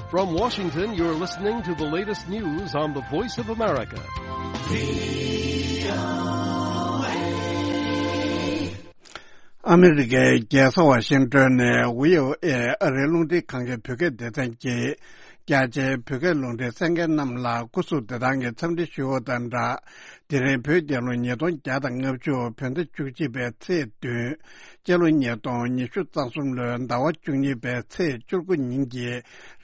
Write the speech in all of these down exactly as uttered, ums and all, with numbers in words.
From Washington, you're listening to the latest news on the Voice of America. ཨ་མི་རི་ཀའི་རྒྱལ་ས་ཝ་ཤིང་ཏོན་ནས་ཝི་ཨོ་ཨེ་ཨ་རིའི་རླུང་འཕྲིན་ཁང་གི་བོད་སྐད་སྡེ་ཚན་གྱིས། རྒྱ་ཆེའི་བོད་སྐད་རླུང་འཕྲིན་གསན་མཁན་རྣམས་ལ་སྐུ་གཟུགས་བདེ་ཐང་གི་འཚམས་འདྲི་ཞུ་བ་དང་སྦྲགས། དེ་རིང་བོད་རྒྱལ་ལོ་ཉིས་སྟོང་བརྒྱ་དང་ལྔ་བཅུ་བོད་ཟླ་བཅུ་གཅིག་པའི་ཚེས་བདུན། སྤྱི་ལོ་ཉིས་སྟོང་ཉི་ཤུ་རྩ་གསུམ་ལོའི་ཟླ་བ་བཅུ་གཉིས་པའི་ཚེས་བཅུ་དགུ་ཉིན་གྱི་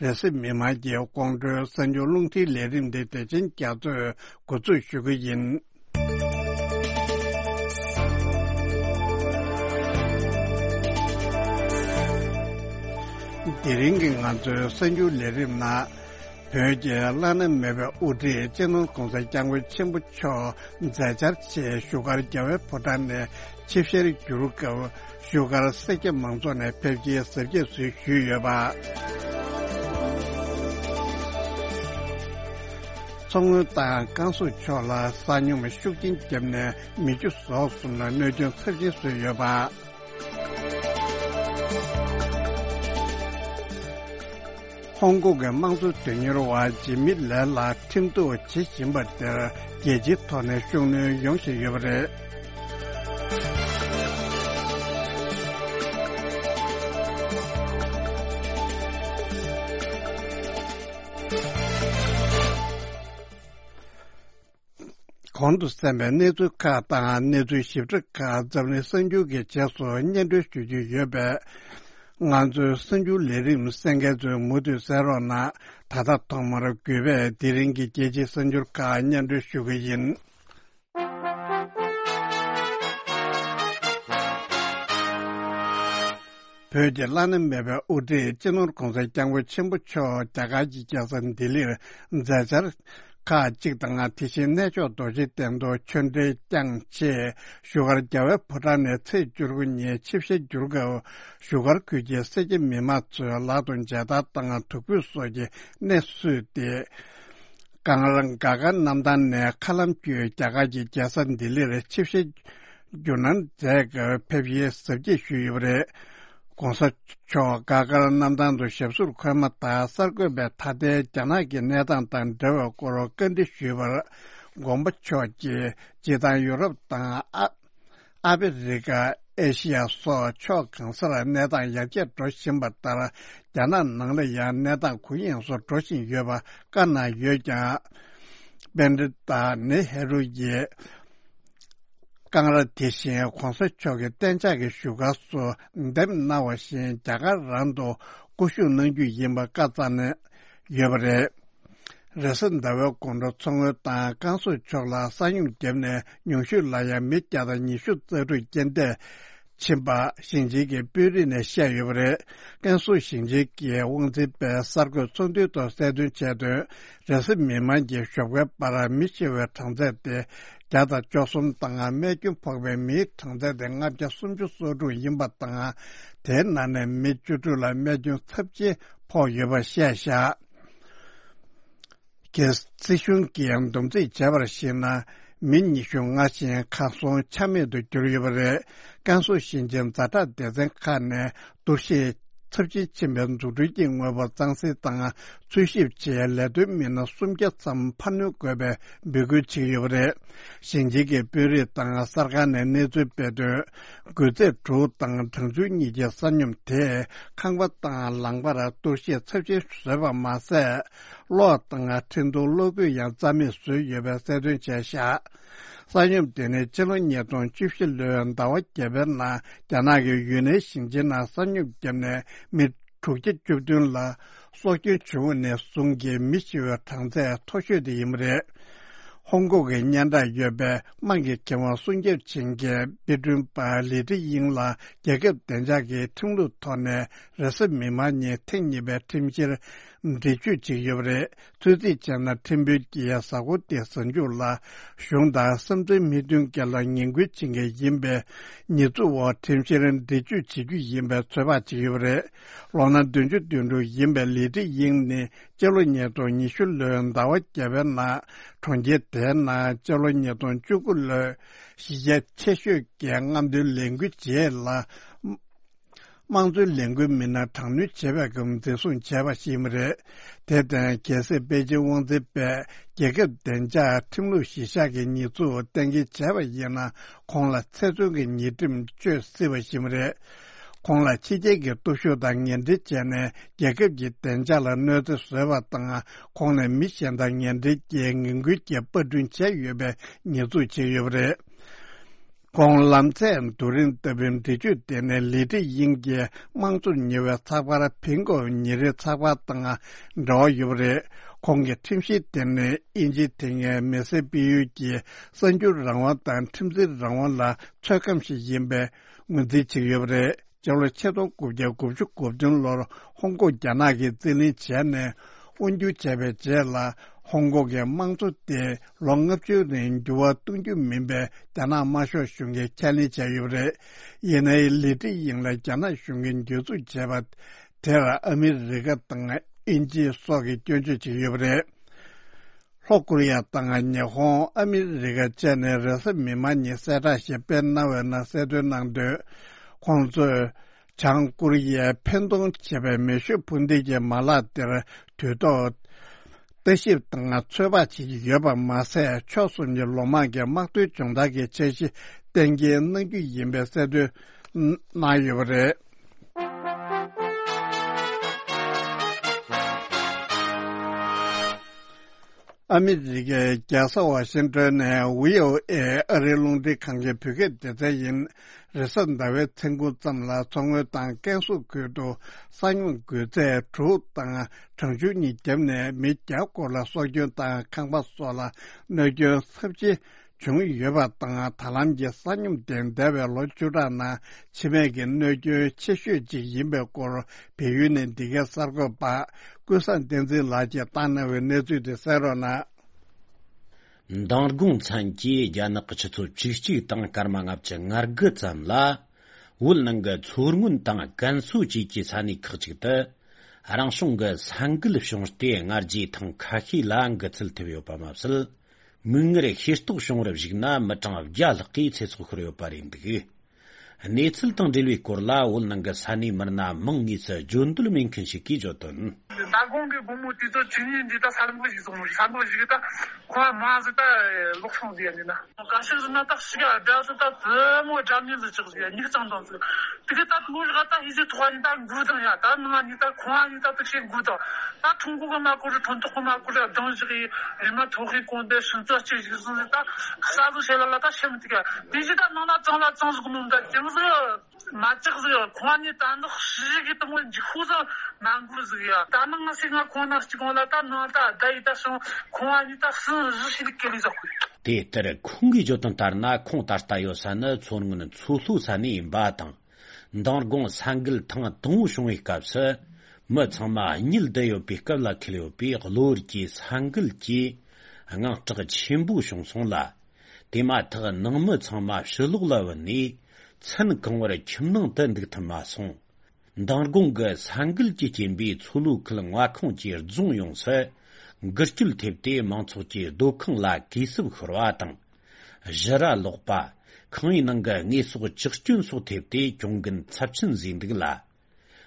རེས་གཟའ་མིག་དམར་གྱི་དགོང་དྲོའི་གསར་འགྱུར་རླུང་འཕྲིན་ལས་རིམ་འདི་དེ་བཞིན་རྒྱ་མཚོས་འགོ་འཛུགས་ཞུ་གི་ཡིན། དེ་རིང་གི་ང་ཚོའི་གསར་འགྱུར་ལས་རིམ་ནང་། བོད་ཀྱི་བླ་ན་མེད་པའི་དབུ་ཁྲིད་སྤྱི་ནོར་༧གོང་ས་༧སྐྱབས་མགོན་ཆེན་པོ་མཆོག་མཛད་འཆར་ཆེད་བཞུགས་སྒར་རྒྱལ་བའི་ཕོ་བྲང་ནས་ཆིབས་ཞལ་བསྒྱུར་སྐབས། བཞུགས་སྒར་སེར་སྐྱ་མང་ཚོགས་ནས་ཕེབས་སྐྱེལ་གཟབ་རྒྱས་སུ་ཞུས་ཡོད་པ། མཚོ་སྔོན་དང་ཀན་སུའུ་ཕྱོགས་ལ་ས་སྨྱུག་ཤུགས་ཆེན་བརྒྱབ་ནས་མི་བཅུ་ཟོག་གསུམ་ལ་གནོད་སྐྱོན་ཚབས་ཆེན་བཟོས་ཡོད་པ། ཧོང་ཀོང་གི་དམངས་གཙོ་དོན་གཉེར་བ་ཇི་མི་ལེ་ལགས་ཁྲིམས་གཏུག་བྱེད་བཞིན་པ་དེར་རྒྱལ་སྤྱིའི་ཐོག་ནས་ཤུགས་སྣོན་ཡོང་བཞིན་ཡོད་པ་རེད། གོང་དུ་གསན་པའི་གནས་ཚུལ་ཁག་དང་གནས་ཚུལ་ཞིབ་ཕྲ་ཁག་འཛམ་གླིང་གསར་འགྱུར་གྱི་རྗེས་སུ་སྙན་སྒྲོན་ཞུ་རྒྱུ་ཡོད་པས། ང་ཚོའི་གསར་འགྱུར་ལས་རིམ་གསན་མཁན་ཚོས་མུ་མཐུད་གསན་རོགས་གནང་། ད་ལྟ་ཐོག་མར་གུས་པས་དེ་རིང་གི་རྒྱལ་སྤྱིའི་གསར་འགྱུར་ཁག་སྙན་སྒྲོན་ཞུ་གི་ཡིན། བོད་ཀྱི་བླ་ན་མེད་པའི་དབུ་ཁྲིད་སྤྱི་ནོར་༧གོང་ས་༧སྐྱབས་མགོན་ཆེན་པོ་མཆོག་རྒྱ་གར་གྱི་རྒྱལ་ས་ལྡི་ལིར་མཛད་འཆར་ཁག་ཅིག་དང་། དེ་བཞིན་གནས་མཆོག་རྡོ་རྗེ་གདན་དུ་ཆོས་འབྲེལ་བསྐྱངས་ཆེད་བཞུགས་སྒར་རྒྱལ་བའི་ཕོ་བྲང་ནས་ཚེས་བཅུ་དགུ་ཉིན་ཆིབས་ཞལ་བསྒྱུར་སྐབས། བཞུགས་སྒར་ཁུལ་གྱི་སེར་སྐྱ་མི་མང་ཚོས་ལག་ཏུ་མཇལ་དར་དང་དུག་སྦྲུལ་སོགས་ཀྱི་གནས་བསུས་ཏེ། ཀང་ར་ག་གར་གནམ་ཐང་ནས་མཁའ་ལམ་བརྒྱུད་རྒྱ་གར་གྱི་རྒྱལ་ས་ལྡི་ལིར་ཆིབས་ཞལ་བསྒྱུར་གནང་མཛད་སྐབས་ཕེབས་སྐྱེལ་གཟབ་རྒྱས་ཞུས་ཡོད་པ་རེད། ༸གོང་ས་མཆོག་ག་གར་གནམ་ཐང་དུ་ཞབས་བསུར་འཁོད་མ་ཐག་གསར་འགོད་པས་ད་ལྟའི་རྒྱ་ནག་གི་གནས་སྟངས་དང་འབྲེལ་བའི་སྐོར་བཀའ་འདྲི་ཞུས་པར། མགོན་པོ་མཆོག་གིས་སྤྱིར་བཏང་ཡུ་རོབ་དང་ཨ། ཨ་ཕི་རི་ཀ། ཨེ་ཤི་ཡ་སོགས་ཕྱོགས་གང་སར་གནས་སྟངས་ཡར་རྒྱས་འགྲོ་བཞིན་པ་ལྟར། རྒྱ་ནག་ནང་ལ་ཡང་གནས་སྟངས་གུ་ཡངས་སུ་འགྲོ་བཞིན་ཡོད་པ་བཀའ་གནང་ཡོད་ཀྱང་། པན་ཌི་ཏ་ནེ་ཧེ་རུ་ཡིས། ཀང་ར་དེ་བཞིན་༸གོང་ས་མཆོག་གི་གཏན་འཇགས་ཀྱི་བཞུགས་སྒར་སུ་འདེམས་གནང་བ་བཞིན་རྒྱ་གར་རང་དུ་སྐུ་བཞུགས་གནང་རྒྱུ་ཡིན་པ་བཀའ་སྩལ་གནང་ཡོད་པ་རེད། རེས་གཟའ་ཟླ་བའི་དགོང་དྲོ་མཚོ་སྔོན་དང་ཀན་སུའུ་ཕྱོགས་ལ་ས་སྨྱུག་བརྒྱབ་ནས་ཉུང་ཤོས་ལ་ཡང་མི་བརྒྱ་དང་ཉི་ཤུ་རྩ་དྲུག་རྐྱེན་འདས་ཕྱིན་པ་ཞིང་ཆེན་གྱི་དཔོན་རིགས་ནས་བཤད་ཡོད་པ་རེད། ཀན་སུའུ་ཞིང་ཆེན་གྱི་དབང་འཛིན་པས་གསར་འགོད་ཚོགས་འདུའི་ཐོག་གསལ་སྟོན་བྱས་དོན། རེས་གཟའ་མིག་དམར་གྱི་ཞོགས་ཀའི་བར་མི་ཤི་བའི་གྲངས་ཚད་དེ་བརྒྱ་དང་བཅུ་གསུམ་དང་རྨས་སྐྱོན་ཕོག་པའི་མིའི་གྲངས་ཚད་དེ་ལྔ་བརྒྱ་སུམ་ཅུ་སོ་དྲུག་ཡིན་པ་དང་། དེའི་ནང་ནས་མི་བཅུ་དྲུག་ལ་རྨས་སྐྱོན་ཚབས་ཆེན་ཕོག་ཡོད་པ་བཤད་བཞག་རྒྱལ་སྲིད་གཞུང་གིས་བསྡོམས་རྩིས་བྱས་པར་གཞིགས་ན། མི་ཉི་ཤུ་ལྔ་ཞིག་གར་སོང་ཆ་མེད་དུ་གྱུར་ཡོད་པ་རེད། ཀན་སུའུ་ཞིང་ཆེན་ཛ་དྲག་སྡེ་ཚན་ཁག་ནས་གཏོར་བཤིག་ཚབས་ཆེན་ཕྱིན་པའི་འཛུགས་སྐྲུན་གྱི་དངོས་པོ་གཙང་སེལ་དང་འཚོལ་ཞིབ་ཆེད་ལས་དོན་མི་སྣ་སུམ་བརྒྱ་ཙམ་འཕར་སྣོན་དགོས་པའི་འབོད་སྐུལ་བྱེད་ཀྱི་ཡོད་པ་རེད། ཞིང་ཆེན་གྱི་དཔོན་རིགས་དང་གསར་ཁང་ནས་གནས་ཚུལ་སྤེལ་དོན། དགུ་ཚེས་དྲུག་དང་གྲངས་ཆུང་གཉིས་ཀྱི་ས་སྙོམས་དེས་ཁང་པ་དང་ལམ་ཁར་གཏོར་བཤིག་ཚབས་ཆེན་བཟོས་པ་མ་ཟད། གློག་དང་འཕྲིན་གཏོང་གློག་སྐུད་ཡང་རྩ་མེད་བཟོས་ཡོད་པའི་གསལ་སྟོན་བྱས་བཞག་ས་སྙོམས་དེ་ནི་སྤྱི་ལོ་ཉིས་སྟོང་བཅུ་བཞི་ལོའི་ཟླ་བ་བརྒྱད་པའི་ནང་རྒྱ་ནག་གི་ཡུན་ནན་ཞིང་ཆེན་ནང་ས་སྙོམས་བརྒྱབ་ནས་མི་དྲུག་བརྒྱ་བཅུ་བདུན་ལ་སྲོག་སྐྱོན་བྱུང་བ་ནས་བཟུང་གི་མི་ཤི་བའི་གྲངས་ཚད་མཐོ་ཤོས་དེ་ཡིན་པ་རེད། ཧོང་ཀོང་གི་སྙན་གྲགས་ཡོད་པའི་དམངས་ཀྱི་ཁེ་དབང་སྲུང་སྐྱོབ་བྱེད་མཁན་དཔེ་སྐྲུན་པ་ལི་ཀྲི་དབྱིང་ལ་རྒྱལ་ཁབ་བདེ་འཇགས་ཀྱི་ཁྲིམས་ལུགས་ཐོག་ནས་རེས་གཟའ་མིག་དམར་ཉིན་ཐེངས་གཉིས་པའི་ཁྲིམས་བཤེར་འདྲི་གཅོད་བྱེད་ཀྱི་ཡོད་པ་རེད། ཚོད་རྩིས་བྱས་ན་ཁྲིམས་དཔོན་གྱིས་གཟའ་འཁོར་འདིའི་གཟའ་མཇུག་ལ་གཞུང་དང་བསམ་ཚུལ་མི་མཐུན་རྐྱེན་ལ་ངན་སྐུལ་བྱེད་མཁན་ཡིན་པའི་ཉེས་འཛུགས་འོག་ཁྲིམས་བཤེར་འདྲི་གཅོད་བྱེད་རྒྱུ་ཡིན་པའི་ཚོད་དཔག་བྱེད་ཀྱི་ཡོད་པ་རེད། ལོ་ན་བདུན་ཅུ་དོན་དྲུག་ཡིན་པའི་ལི་ཀྲི་དབྱིང་ནི་སྤྱི་ལོ་ཉིས་སྟོང་ཉི་ཤུ་ལོའི་ཟླ་བ་བརྒྱད་པའི་ནང་གྲོང་ཁྱེར་དེའི་ནང་སྤྱི་ལོ་ཉིས་སྟོང་བཅུ་དགུ་ལོའི་གཞི་རྒྱ་ཆེ་ཤོས་ཀྱི་རྔམ་སྟོན་ལས་འགུལ་རྗེས་ལ། དམངས་གཙོའི་ལས་འགུལ་མི་སྣ་དྲག་གནོན་བྱས་པའི་སྐབས་འཛིན་བཟུང་བྱས་པ་ཞིག་ཡིན་པ་རེད། དེ་དང་གལ་སྲིད་པེ་ཅིང་དབང་འཛིན་པས་རྒྱལ་ཁབ་བདེ་འཇགས་ཁྲིམས་ལུགས་གཞི་བཞག་གི་ཉེས་འཛུགས་གཏན་འཁེལ་བྱས་པ་ཡིན་ན། ཁོང་ལ་ཚེ་བཙོན་གྱི་ཉེས་ཁྲིམས་གཅོད་སྲིད་པ་ཞིག་ཡིན་པ་རེད། ཁོང་ལ་ཕྱི་རྒྱལ་གྱི་སྟོབས་ཤུགས་དང་ངན་འབྲེལ་བྱས་ནས་རྒྱལ་ཁབ་ཀྱི་བདེ་འཇགས་ལ་གནོད་འཚེ་བཟོས་པ་དང་། ཁོང་ནས་མི་གཞན་དང་ངན་འབྲེལ་གྱིས་ངན་སྐུལ་གྱི་པར་སྐྲུན་བྱས་ཡོད་པའི་ཉེས་འཛུགས་བྱས་ཡོད་པ་རེད། ཁོང་ལམ་ཚད་རྡོ་རིང་ལྟ་བུའི་འདྲི་གཅོད་དེ་ནི་ལི་ཁྲི་དབྱིང་གིས་དམངས་གཙོར་ཉེ་བའི་ཚགས་པར་ཕིན་གོ་ཉིན་རེའི་ཚགས་པར་དང་འབྲེལ་བ་ཡོད་པ་རེད། ཁོང་གི་ཁྲིམས་གཞི་དེ་ནི་དབྱིན་ཇིའི་དེ་སྔའི་མེ་སེ་པི་ཡུལ་གྱི་གསར་འགྱུར་རང་དབང་དང་ཁྲིམས་འཛིན་རང་དབང་ལ་ཚོད་བགམ་ཞིག་ཡིན་པའི་ངོས་འཛིན་བྱེད་ཀྱི་ཡོད་པ་རེད། སྤྱི་ལོ་ཆིག་སྟོང་དགུ་བརྒྱ་དགུ་བཅུ་གོ་བདུན་ལོར་ཧོང་ཀོང་རྒྱ་ནག་གིས་རྩིས་ལེན་བྱས་ནས་དབང་སྒྱུར་བྱས་པའི་རྗེས་ལ། ཧོང་ཀོང་གི་དམངས་གཙོ་དེ་ལོ་ལྔ་བཅུའི་རིང་འགྱུར་བ་གཏོང་རྒྱུ་མིན་པའི་རྒྱ་ནག་དམར་ཤོག་གཞུང་གིས་ཁས་ལེན་བྱས་ཡོད་པ་རེད། ཡིན་ནའི་ལི་ཁྲི་དབྱིང་ལ་རྒྱ་ནག་གཞུང་གིས་འཇུ་བཟུང་བྱས་པ་དེར་ཨ་མི་རི་ཀ་དང་དབྱིན་ཇི་སོགས་ཀྱིས་སྐྱོན་བརྗོད་བྱས་ཡོད་པ་རེད། ལྷོ་ཀོ་རི་ཡ་དང་ཉི་ཧོང་། ཨ་མི་རི་ཀ་བཅས་ནས་རེས་གཟའ་མིག་དམར་ཉིན་གསལ་བསྒྲགས་ཤིག་སྤེལ་གནང་བའི་ནང་གསལ་སྟོན་གནང་དོན། ཁོང་ཚོས་བྱང་ཀོ་རི་ཡས་འཕེན་གཏོང་བྱས་པའི་མེ་ཤུགས་འཕུར་མདེལ་གྱི་མ་ལག་དེར་དུས་ཐོག་ལྟ་ཞིབ་དང་ཚོད་དཔག་བྱེད་ཀྱི་ཡོད་པ་མ་ཟད། ཕྱོགས་གསུམ་གྱི་ལོ་མང་གི་དམག་དོན་སྦྱོང་བརྡར་གྱི་འཆར་གཞི་གཏན་འཁེལ་གནང་རྒྱུ་ཡིན་པའི་གསལ་སྟོན་གནང་ཡོད་པ་རེད། ཨ་མི་རི་ཀའི་རྒྱལ་ས་ཝ་ཤིང་ཏོན་ནས་བྷི་ཨོ་ཨེ་ཨ་རིའི་རླུང་འཕྲིན་ཁང་གི་བོད་སྐད་སྡེ་ཚན་ཡིན། རེས་གཟའ་ཟླ་བའི་མཚན་གུང་ཙམ་ལ་མཚོ་སྔོན་དང་ཀན་སུའུ་ཁུལ་དུ་ས་སྨྱུག་འགོས་ཚད་དྲུག་དང་གྲང་ཆུ་གཉིས་བརྒྱབ་ནས་མི་བརྒྱ་སྐོར་ལ་སྲོག་སྐྱོན་དང་ཁང་པ་སོགས་ལ་གནོད་སྐྱོན་ཚབས་ཆེ་བྱུང་ཡོད་པ་དང་། ད་ལམ་གྱི་ས་སྨྱུག་དེ་འདས་པའི་ལོ་བཅུ་ཕྲག་ནང་འཆི་རྨས་ཀྱི་གནོད་སྐྱོན་ཆེ་ཤོས་ཅིག་ཡིན་པའི་སྐོར། བལ་ཡུལ་ནས་འདི་གའི་གསར་འགོད་པ་ཀུན་བཟང་བསྟན་འཛིན་ལགས་ཀྱིས་བཏང་གནང་བའི་གནས་ཚུལ་དེ་གསན་རོགས་གནང་། མདང་དགོང་མཚན་གྱིས་རྒྱ་ནག་གི་ཆུ་ཚོད་བཅུ་གཅིག་དང་སྐར་མ་ལྔ་བཅུ་ང་དགུ་ཙམ་ལ། བོད་ནང་གི་མཚོ་སྔོན་དང་ཀན་སུའུ་བཅས་ཀྱི་ས་གནས་ཁག་ཅིག་ཏུ། རང་བྱུང་གི་ས་འགུལ་བྱུང་སྟེ། སྔ་རྗེས་ཐེངས་ཁ་ཤས་ལ་འགུལ་ཚུལ་ཐེབས་ཡོད་པ་མ་ཟད། མིག་སྔར་ཤེས་རྟོགས་བྱུང་བར་གཞིགས་ན། མི་གྲངས་བརྒྱ་ལྷག་གིས་ཚེ་སྲོག་ཤོར་ཡོད་པ་རེད་འདུག། གནས་ཚུལ་དང་འབྲེལ་བའི་སྐོར་ལ། བོད་ནང་གི་ས་གནས་མི་སྣ་མང་ངོས་སུ་བརྗོད་འདོད་མེད་མཁན་ཞིག་གིས་བརྗོད་དོན། མདང་དགོང་གི་དགོང་མོ་དུས་ཚོད་བཅུ་གཉིས་འདི་ད་ས་འགུལ་ཞིག་སོང་། ས་འགུལ་ཞིག་ད་ཁོ་མ་ཟིག་ད་ལོག་སོང་ཟིག་ཡ་ནི་ན། ག་ཤེད་ཟིན་ན་ད་ཞིག་ཡ་དགྲ་ཟིག་ད་ཙི་མོ་དགྲ་ཉིན་ཟིག་ཅིག་ཟིག་ཡ་མིག་གཙང་དང་ཟིག་དེ་གི་ད་དུང་ཞིག་ད་ཧི་ཟི་ཐོག་ཡིན་ད་འགུལ་དང་ཡ། ད་ནང་ཡིན་ད་ཁོང་ཡིན་ད་དུ་ཤེས་འགུལ་དང་། ད་ཁྲུང་ཁུ་གི་མ་ཁུ་རི་ཁྲོན་ཐོག་གི་མ་ཁུ་རི་གདང་ཞིག་ཡི་རི་མ་ཐོག་གི་གོང་དེ་སུན་ཙག་ཅིག་ཞིག་ཟིན་ཟིག་ད་ས་ཟིག་ཤེས་ལ་ལ་ད་ཤེས་མི་ཐུབ་ཡ། དེ་ཞིག་ད་ནང་ལ་གཙང་ལ་གཙང་ཟིག་ནོ་ད་ཅང་ཟིག་མ་ཅག་ཟིག་ཁོང་ནི་ད་ནག་ཤི་གི་དང་འཇིགས་ཤོག་ཟིག་མ་འགུལ་ཟིག་ཡ། ད་ནང་ང་སི་ང་ཁོང་ནང་གཅིག་གོང་ལ་ད་ནང་ད་ད་ཡི་ད་སོང་ཁོང་ནི་ད་སུན་རི་ཤི་ལི་ཀེ་ལི་ཟག་གི། དེ་ལྟར་ཁོང་གིས་བརྗོད་དོན་ལྟར་ན། ཁོང་ད་ལྟ་ཡོད་ས་ནི་མཚོ་སྔོན་མཚོ་ལྷོ་ས་གནས་ཡིན་པ་དང་། མདང་དགོང་ས་འགུལ་ཐེངས་དང་པོ་བྱུང་བའི་སྐབས་སུ། མི་ཚང་མ་གཉིད་བསྡད་ཡོད་པའི་སྐབས་ལ་འཁེལ་ཡོད་པས། གློ་བུར་གྱི་ས་འགུལ་གྱིས་དངངས་སྐྲག་ཆེན་པོ་བྱུང་སོང་ལ། དེ་མ་ཐག་ནང་མི་ཚང་མ་ཕྱི་ལོགས་ལ་བུད་ནས། མཚན་གང་བོར་ཁྱིམ་ནང་དུ་འདུག་ཐུབ་མ་སོང་། མདང་དགོང་གི་ས་འགུལ་གྱི་རྐྱེན་པས། མཚོ་ལྷོ་ཁུལ་མངའ་ཁོངས་ཀྱི་རྫོང་ཡོངས་སུ་འགུལ་སྐྱོད་ཐེབས་ཏེ། མང་ཚོགས་ཀྱི་སྡོད་ཁང་ལ་གས་སྲུབས་ཤོར་བ་དང་། བཞུ་ར་ལོག་པ། ཁང་པའི་ནང་གི་དངོས་ཟོག་བཅག་སྐྱོན་སོགས་ཐེབས་ཏེ། གྱོང་གུན་ཚབས་ཆེན་བཟོས་འདུག་ལ།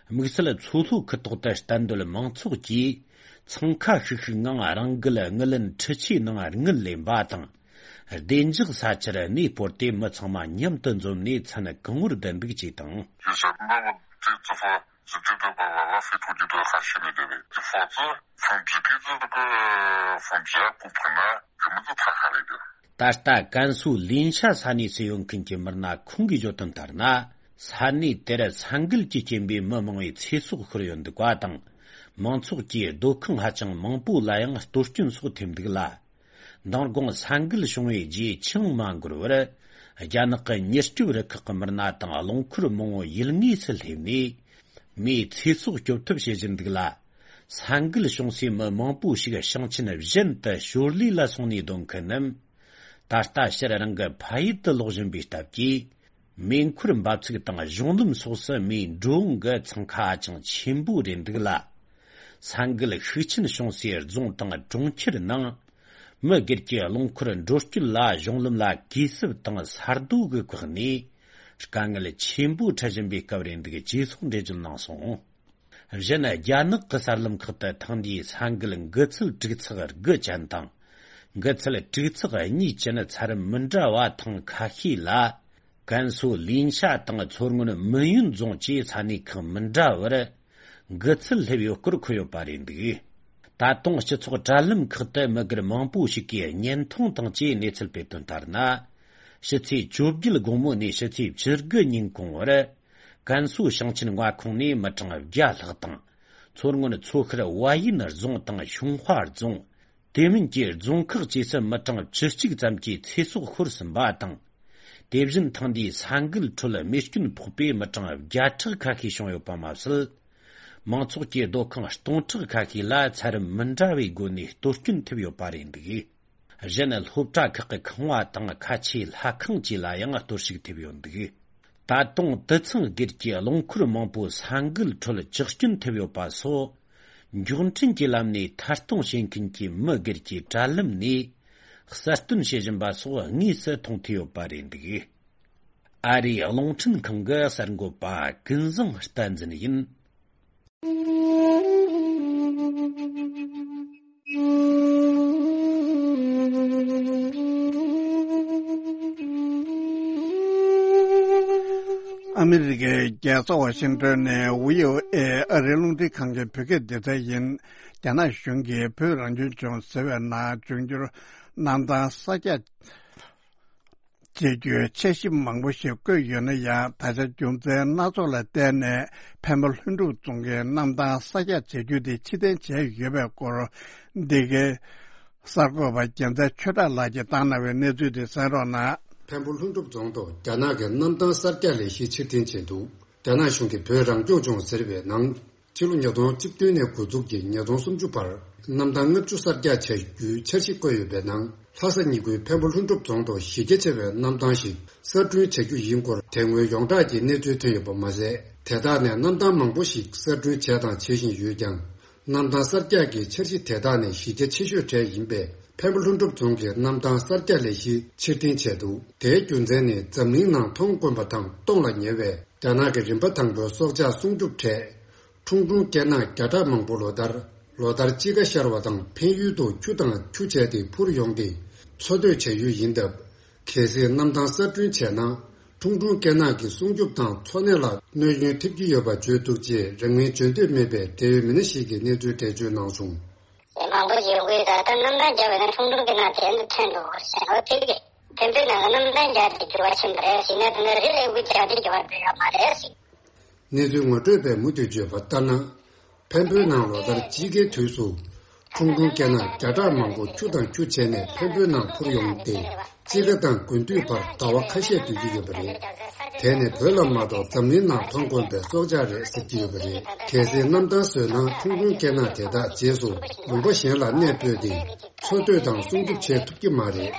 དམིགས་བསལ་མཚོ་ལྷོ་ཁུལ་ཐོག་ཏུ་གཏན་སྡོད་མང་ཚོགས་ཀྱིས་འཚང་ཁ་ཤིག་ཤིག་ངང་རང་འགུལ་དངུལ་ལེན་འཕྲུལ་ཆས་ནང་དངུལ་ལེན་པ་དང་། བདེ་འཇགས་ས་ཆར་གནས་སྤོར་ཏེ། མི་ཚང་མ་མཉམ་དུ་འཛོམས་ནས་མཚན་གང་བོར་བསྡད་འདུག་ཅེས་དང་། ད་ལྟ་ཀན་སུའུ་ལིན་ཤ་ས་གནས་སུ་ཡོད་མཁན་གྱི་མི་སྣ་ཁོང་གིས་བརྗོད་དོན་ལྟར་ན། ས་གནས་དེར་ས་འགུལ་གྱི་རྐྱེན་པས་མི་མང་བོའི་ཚེ་སྲོག་ཤོར་ཡོད་འདུག་པ་དང་། མང་ཚོགས་ཀྱི་སྡོད་ཁང་ཧ་ཅང་མང་པོ་ལ་ཡང་གཏོར་སྐྱོན་སོགས་ཐེབས་འདུག་ལ། མདང་དགོང་ས་འགུལ་བྱུང་བའི་རྗེས་ཆུང་མ་འགོར་བར། རྒྱ་ནག་གི་མྱུར་སྐྱོབ་རུ་ཁག་གི་མི་སྣ་དང་རླངས་འཁོར་མང་བོ་ཡུལ་དངོས་སུ་སླེབས་ནས། མིའི་ཚེ་སྲོག་སྐྱོབ་ཐབས་བྱེད་བཞིན་འདུག་ལ། ས་འགུལ་བྱུང་སའི་མི་མང་པོ་ཞིག་ཞིང་ཆེན་གཞན་དུ་ཞོར་ལས་ལ་སོང་ནས་སྡོད་མཁན་རྣམས། ད་ལྟ་ཕྱིར་རང་གི་ཕ་ཡུལ་དུ་ལོག་བཞིན་པའི་སྟབས་ཀྱིས། མེ་འཁོར་འབབ་ཚུགས་དང་གཞུང་ལམ་སོགས་སུ་མིའི་འགྲོ་འོང་གི་འཚང་ཁ་ཧ་ཅང་ཆེན་པོ་རེད་འདུག་ལ། ས་འགུལ་ཤུགས་ཆེན་བྱུང་སའི་རྫོང་དང་གྲོང་ཁྱེར་ནང་། མི་སྒེར་གྱི་རླངས་འཁོར་འགྲོ་སྐྱོད་ལ་གཞུང་ལམ་ལ་གས་སྲུབས་དང་ས་རྡོ་གིས་བཀག་ནས། དཀའ་ངལ་ཆེན་པོ་འཕྲད་བཞིན་པའི་སྐབས་རེད་འདུག་ཅེས་སོགས་འགྲེལ་བརྗོད་གནང་སོང་། གཞན་རྒྱ་ནག་གི་གསར་ལམ་ཁག་ཏུ་ཐེངས་འདིའི་ས་འགུལ་འགུལ་ཚད་དྲུག་ཚེག་དགུ་ཅན་དང་། འགུལ་ཚད་དྲུག་ཚེག་གཉིས་ཅན་ཚད་རིམ་མི་འདྲ་བ་ཐེངས་ཁ་ཤས་ལ། ཀན་སུའུ་ལིན་ཤ་དང་མཚོ་སྔོན་མིན་ཡོན་རྫོང་བཅས་ས་གནས་ཁག་མི་འདྲ་བར་འགུལ་ཚད་སླེབས་ཡོད་སྐོར་འཁོད་ཡོད་པ་རེད་འདུག་ད་དུང་སྤྱི་ཚོགས་དྲ་ལམ་ཁག་ཏུ་མི་སྒེར་མང་པོ་ཞིག་གིས་བརྙན་ཐུང་དང་བཅས་གནས་ཚུལ་སྤེལ་དོན་ལྟར་ན། ཕྱི་ཚེས་བཅོ་བརྒྱད་དགོང་མོ་ནས་ཕྱི་ཚེས་བཅུ་དགུ་ཉིན་གོང་བར། ཀན་སུའུ་ཞིང་ཆེན་མངའ་ཁོངས་ནས་མི་གྲངས་བརྒྱ་ལྷག་དང་། མཚོ་སྔོན་མཚོ་ཤར་ཝ་ཡིན་རྫོང་དང་ཤུང་ཧྭ་རྫོང་། དེ་མིན་གྱི་རྫོང་ཁག་བཅས་སུ་མི་གྲངས་བཅུ་གཅིག་ཙམ་གྱི་ཚེ་སྲོག་ཤོར་ཟིན་པ་དང་། དེ་བཞིན་ཐེངས་འདིའི་ས་འགུལ་ཁྲོད་རྨས་སྐྱོན་ཕོག་པའི་མི་གྲངས་བརྒྱ་ཕྲག་ཁ་ཤས་བྱུང་ཡོད་པ་མ་ཟད། མང་ཚོགས་ཀྱི་སྡོད་ཁང་སྟོང་ཕྲག་ཁ་ཤས་ལ་ཚད་རིམ་མི་འདྲ་བའི་སྒོ་ནས་གཏོར་སྐྱོན་ཐེབས་ཡོད་པ་རེད་འདུག་གཞན་སློབ་གྲྭ་ཁག་གི་ཁང་བ་དང་ཁ་ཆེའི་ལྷ་ཁང་བཅས་ལ་ཡང་གཏོར་བཤིག་ཐེབས་ཡོད་འདུག་ད་དུང་དུད་ཚང་སྒེར་གྱི་རླངས་འཁོར་མང་པོ་ས་འགུལ་ཁྲོད་བཅག་སྐྱོན་ཐེབས་ཡོད་པ་སོགས། མགྱོགས་འཕྲིན་གྱི་ལམ་ནས་ཐད་གཏོང་བྱེད་མཁན་གྱི་མི་སྒེར་གྱི་དྲ་ལམ་ནས་གསལ་སྟོན་བྱེད་བཞིན་པ་སོགས་དངོས་སུ་མཐོང་ཐུབ་ཡོད་པ་རེད་འདུག་ཨ་རིའི་རླུང་འཕྲིན་ཁང་གི་གསར་འགོད་པ་ཀུན་བཟང་བསྟན་འཛིན་ཡིན། ཨ་མི་རི་ཀའི་རྒྱལ་ས་ཝ་ཤིང་ཏོན་ནས་བྷི་ཨོ་ཨེ་ཨ་རིའི་རླུང་འཕྲིན་ཁང་གི་བོད་སྐད་སྡེ་ཚན་ཡིན། རྒྱ་ནག་གཞུང་གིས་བོད་རང་སྐྱོང་ལྗོངས་ཟེར་བའི་ནང་འབྱུང་འགྱུར་གནམ་ཐང་གསར་རྒྱག་བྱེད་རྒྱུའི་འཆར་གཞི་མང་པོ་ཞིག་བཀོད་ཡོད་ན་ཡང་། ད་ཆ་རྒྱུ་མཚན་སྣ་ཚོགས་ལ་བརྟེན་ནས་འཕན་པོ་ལྷུན་གྲུབ་རྫོང་གི་གནམ་ཐང་གསར་རྒྱག་བྱ་རྒྱུ་དེ་ཕྱིར་འཐེན་བྱས་ཡོད་པའི་སྐོར། འདི་གའི་གསར་འགོད་པ་རྒྱལ་མཚན་ཆོས་གྲགས་ལགས་ཀྱིས་བཏང་གནང་བའི་གནས་ཚུལ་དེ་གསན་རོགས་གནང་། འཕན་པོ་ལྷུན་གྲུབ་རྫོང་དུ་རྒྱ་ནག་གི་གནམ་ཐང་གསར་རྒྱག་ལས་གཞི་ཕྱིར་འཐེན་བྱས་འདུག་རྒྱ་ནག་གཞུང་གིས་བོད་རང་སྐྱོང་ལྗོངས་ཟེར་བའི་ནང་། ཕྱི་ལོ་ཉིས་སྟོང་བཅུ་བདུན་ནས་འགོ་འཛུགས་ཀྱིས་ཉིས་སྟོང་སུམ་ཅུ་བར་གནམ་ཐང་ལྔ་བཅུ་གསར་རྒྱག་བྱ་རྒྱུའི་འཆར་གཞི་བཀོད་ཡོད་པའི་ནང་། ལྷ་ས་ཉིན་དགུའི་འཕན་པོ་ལྷུན་གྲུབ་རྫོང་དུ་གཞི་རྒྱ་ཆེ་བའི་གནམ་ཐང་ཞིག་གསར་སྐྲུན་བྱ་རྒྱུ་ཡིན་སྐོར་དེ་སྔོན་ཡོངས་གྲགས་ཀྱི་གནས་ཚུལ་ཐོན་ཡོད་པ་མ་ཟད། དེ་དག་ནས་གནམ་ཐང་མང་པོ་ཞིག་གསར་སྐྲུན་བྱས་དང་བྱེད་བཞིན་ཡོད་ཀྱང་། གནམ་ཐང་གསར་རྒྱག་གི་འཆར་གཞི་དེ་དག་ནས་གཞི་རྒྱ་ཆེ་ཤོས་གྲས་ཡིན་པས། འཕན་པོ་ལྷུན་གྲུབ་རྫོང་གི་གནམ་ཐང་གསར་རྒྱག་ལས་གཞི་ཕྱིར་འཐེན་བྱས་འདུག་དེའི་རྒྱུ་མཚན་ནི། འཛམ་གླིང་ནང་མཐོང་དཀོན་པ་དང་སྟོངས་ལ་ཉེ་བའི་རྒྱ་ནག་གི་རིམ་པ་དང་པོའི་སྲོག་ཆགས་སྲུང་སྐྱོབ་གྲས། ཁྲུང་ཁྲུང་སྐེ་ནག་བརྒྱ་ཕྲག་མང་པོ་ལོ་ལྟར་ལོ་ལྟར་དཔྱིད་ཀ་ཤར་བ་དང་འཕན་ཡུལ་དུ་ཁྱུ་དང་ཁྱུ་བྱས་ཏེ་འཕུར་ཡོང་སྟེ་འཚོ་སྡོད་བྱ་ཡུལ་ཡིན་སྟབས། གལ་སྲིད་གནམ་ཐང་གསར་སྐྲུན་བྱས་ན། ཁྲུང་ཁྲུང་སྐེ་ནག་གི་སྲུང་སྐྱོབ་དང་འཚོ་གནས་ལ་གནོད་སྐྱོན་ཐེབས་ཀྱི་ཡོད་པ་བརྗོད་འདུག་ཅེས་རང་མིང་བརྗོད་འདོད་མེད་པའི་འབྲེལ་ཡོད་མི་སྣ་ཞིག་གིས་གནས་ཚུལ་འགྲེལ་བརྗོད་གནང་བྱུང་། མང་པོ་ཞིག་ཡོང་གི་ཡོད། ད་ལྟ་གནམ་ཐང་རྒྱག་པའི་ནང་ཁྲུང་ཁྲུང་སྐེ་ནག་དེ་ཚོ་ཐོན་འདུག་ཟེར་བ་དེ་གི་ཐོན་པའི་ནང་གནམ་ཐང་རྒྱག་དེ་འགྱུར་བ་ཕྱིན་པ་རེད་ཟེར་ན། དེ་ནས་རི་ལ་ཡོང་གི་རྒྱག་དེ་འགྱུར་བ་འགྲོ་ཡ་མ་རེད་ཟེར། གནས་ཚུལ་ངོ་སྤྲོད་པས་མུ་མཐུད་བརྗོད་པ་ལྟར་ན། འཕན་པོའི་ནང་ལོ་ལྟར་དཔྱིད་ཀའི་དུས་སུ། ཁྲུང་ཁྲུང་སྐེ་ནག་བརྒྱ་ཕྲག་མང་པོ་ཁྱུ་དང་ཁྱུ་བྱས་ནས་འཕན་པོའི་ནང་འཕུར་ཡོང་སྟེ། དཔྱིད་ཀ་དང་དགུན་དུས་བར་ཟླ་བ་ཁ་ཤས་སྡོད་ཀྱི་ཡོད་པ་རེད། དེ་ནི་བོད་ལ་མ་གཏོགས་འཛམ་གླིང་ནང་མཐོང་དཀོན་པའི་སྲོག་ཆགས་རེད་ཟེར་གྱི་ཡོད་པ་རེད། གལ་སྲིད་གནམ་ཐང་བཟོས་ན། ཁྲུང་ཁྲུང་སྐེ་ནག་དེ་དག་རྗེས་སུ་ལུང་པ་གཞན་ལ་གནས་སྤོས་ཏེ། འཚོ་སྡོད་དང་སྲུང་སྐྱོབ་བྱེད་ཐུབ་ཀྱི་མ་རེད།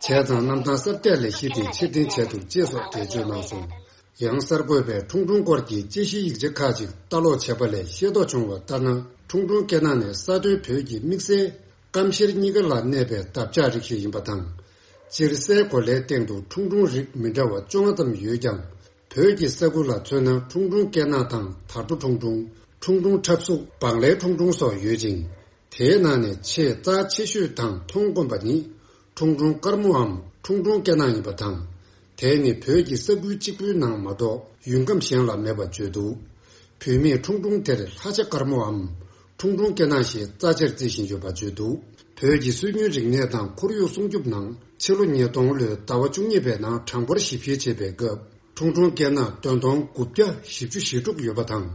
བྱས་ཙང་གནམ་ཐང་གསར་རྒྱག་ལས་གཞི་དེ་ཕྱིར་འཐེན་བྱས་འདུག་ཅེས་སོགས་འགྲེལ་བརྗོད་གནང་སོང་། ཡང་གསར་འགོད་པས་ཁྲུང་ཁྲུང་སྐོར་གྱི་དཔྱད་གཞིའི་ཡིག་ཆ་ཁག་ཅིག་ལྟ་ཀློག་བྱས་པ་ལས་ཤེས་རྟོགས་བྱུང་བ་ལྟར་ན། ཁྲུང་ཁྲུང་སྐེ་ནག་ནི་ས་མཐོའི་བོད་ཀྱི་དམིགས་བསལ་སྐམ་ཤེལ་གཉིས་ཀ་ལ་གནས་པའི་འདབ་ཆགས་རིགས་ཤིག་ཡིན་པ་དང་། སྤྱིར་སའི་གོ་ལའི་སྟེང་དུ་ཁྲུང་ཁྲུང་རིགས་མི་འདྲ་བ་བཅོ་ལྔ་ཙམ་ཡོད་ཀྱང་། བོད་ཀྱི་ས་ཁུལ་ལ་མཚོན་ན། ཁྲུང་ཁྲུང་སྐེ་ནག་དང་དར་རྡོ་ཁྲུང་ཁྲུང་། ཁྲུང་ཁྲུང་ཁྲབ་གཟུགས། བང་ལའི་ཁྲུང་ཁྲུང་སོགས་ཡོད་ཅིང་། དེའི་ནང་ནས་ཆེས་རྩ་ཆེ་ཤོས་དང་མཐོང་དཀོན་པ་ནི། ཁྲུང་ཁྲུང་དཀར་མོའམ་ཁྲུང་ཁྲུང་སྐེ་ནག་ཡིན་པ་དང་། དེ་ནི་བོད་ཀྱི་ས་ཁུལ་གཅིག་པུའི་ནང་མ་གཏོགས་ཡུལ་ཁམས་གཞན་ལ་མེད་པ་བརྗོད་འདུག་བོད་མིས་ཁྲུང་ཁྲུང་དེར་ལྷ་བྱ་དཀར་མོའམ་ཁྲུང་ཁྲུང་སྐེ་ནག་ཞེས་རྩ་ཆེར་བརྩི་བཞིན་ཡོད་པ་བརྗོད་འདུག་བོད་ཀྱི་སྲོལ་རྒྱུན་རིག་གནས་དང་ཁོར་ཡུག་སྲུང་སྐྱོབ་ནང་ཕྱི་ལོ་ཉིས་སྟོང་ལོའི་ཟླ་བ་བཅུ་གཉིས་པའི་ནང་གྲངས་འབོར་ཞིབ་བཤེར་བྱས་པའི་སྐབས། ཁྲུང་ཁྲུང་སྐེ་ནག་ཏོན་སྟོང་དགུ་བརྒྱ་བཞི་བཅུ་ཞེ་དྲུག་ཡོད་པ་དང་།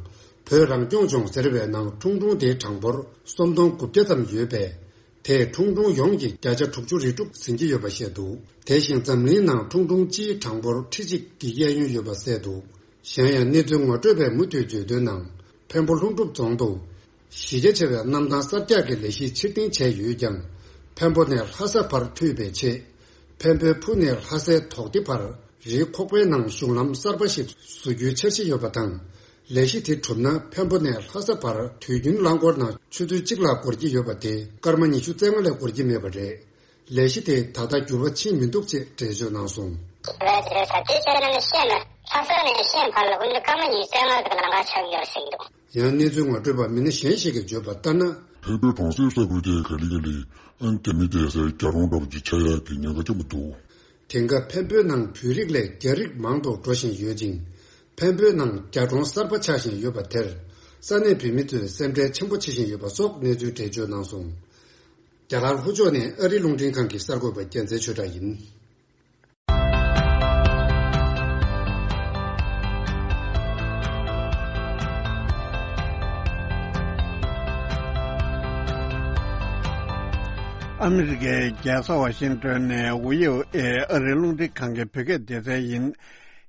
བོད་རང་སྐྱོང་ལྗོངས་ཟེར་བའི་ནང་ཁྲུང་ཁྲུང་དེའི་གྲངས་འབོར་སུམ་སྟོང་དགུ་བརྒྱ་ཙམ་ཡོད་པས། དེས་ཁྲུང་ཁྲུང་ཡོངས་ཀྱི་བརྒྱ་ཆ་དྲུག་ཅུ་རེ་དྲུག་ཟིན་གྱི་ཡོད་པ་བཤད་འདུག་དེ་བཞིན་འཛམ་གླིང་ནང་ཁྲུང་ཁྲུང་སྤྱིའི་གྲངས་འབོར་ཁྲི་གཅིག་གི་གཡས་གཡོན་ཡོད་པ་གསལ་འདུག་གཞན་ཡང་གནས་ཚུལ་ངོ་སྤྲོད་པས་མུ་མཐུད་བརྗོད་དོན་ནང་། འཕན་པོ་ལྷུན་གྲུབ་རྫོང་དུ་གཞི་རྒྱ་ཆེ་བའི་གནམ་ཐང་གསར་རྒྱག་གི་ལས་གཞི་ཕྱིར་འཐེན་བྱས་ཡོད་ཀྱང་། འཕན་པོ་ནས་ལྷ་ས་བར་མཐུད་པའི་ཆེད། འཕན་པོའི་ཕུ་ནས་ལྷ་སའི་དོག་སྡེ་བར་རིའི་ཁོག་པའི་ནང་གཞུང་ལམ་གསར་པ་ཞིག་བཟོ་རྒྱུའི་འཆར་གཞི་ཡོད་པ་དང་། ལས་གཞི་དེ་གྲུབ་ན་འཕན་པོ་ནས་ལྷ་ས་བར་དུས་རྒྱུན་རླངས་འཁོར་ནང་ཆུ་ཚོད་གཅིག་ལ་འགོར་གྱི་ཡོད་པ་དེ་སྐར་མ་ཉི་ཤུ་རྩ་ལྔ་ལས་འགོར་གྱི་མེད་པ་རེད། ལས་གཞི་དེ་ད་ལྟ་འགྱུར་བ་ཕྱིན་མི་འདུག་ཅེས་འགྲེལ་བརྗོད་གནང་སོང་། རེད་རེད། ད་དེ་བྱས་ན་ནི་ཤེས་ན་ལྷ་ས་ནས་ཤེས་ཕར་ལ་ཀུན་ཏུ་སྐར་མ་ཉི་ཤུ་རྩ་ལྔ་གི་ལམ་ཁ་ཆགས་ཡོད་ཟེར་གྱི་འདུག། ཡང་གནས་ཚུལ་ངོ་སྤྲོད་པ་མི་སྣ་གཞན་ཞིག་གིས་བརྗོད་པ་ལྟར་ན། འཕན་པོའི་གྲོང་གསེབ་ས་ཁུལ་དེ་ག་ལེ་ག་ལེ་ཨང་རྒྱ་མི་བསྡད་སའི་རྒྱ་གྲོང་འདྲ་པོ་ཅིག་ཆགས་ཡག་གི་ཉེན་ཁ་ཆེན་པོ་འདུག། དེང་སྐབས་འཕན་པོའི་ནང་བོད་རིགས་ལས་རྒྱ་རིགས་མང་དུ་འགྲོ་བཞིན་ཡོད་ཅིང་། འཕན་པོའི་ནང་རྒྱ་གྲོང་གསར་པ་ཆགས་བཞིན་ཡོད་པ་དེར། ས་གནས་བོད་མི་ཚོས་སེམས་ཁྲལ་ཆེན་པོ་བྱེད་བཞིན་ཡོད་པ་སོགས་གནས་ཚུལ་འགྲེལ་བརྗོད་གནང་སོང་། རྒྱ་གར་ལྷོ་ཕྱོགས་ནས་ཨ་རིའི་རླུང་འཕྲིན་ཁང་གི་གསར་འགོད་པ་རྒྱལ་མཚན་ཆོས་གྲགས་ཡིན། ཨ་མི་རི་ཀའི་རྒྱལ་ས་ཝ་ཤིང་ཏོན་ནས་ཝི་ཨོ་ཨེ་ཨ་རིའི་རླུང་འཕྲིན་ཁང་གི་བོད་སྐད་སྡེ་ཚན་ཡིན།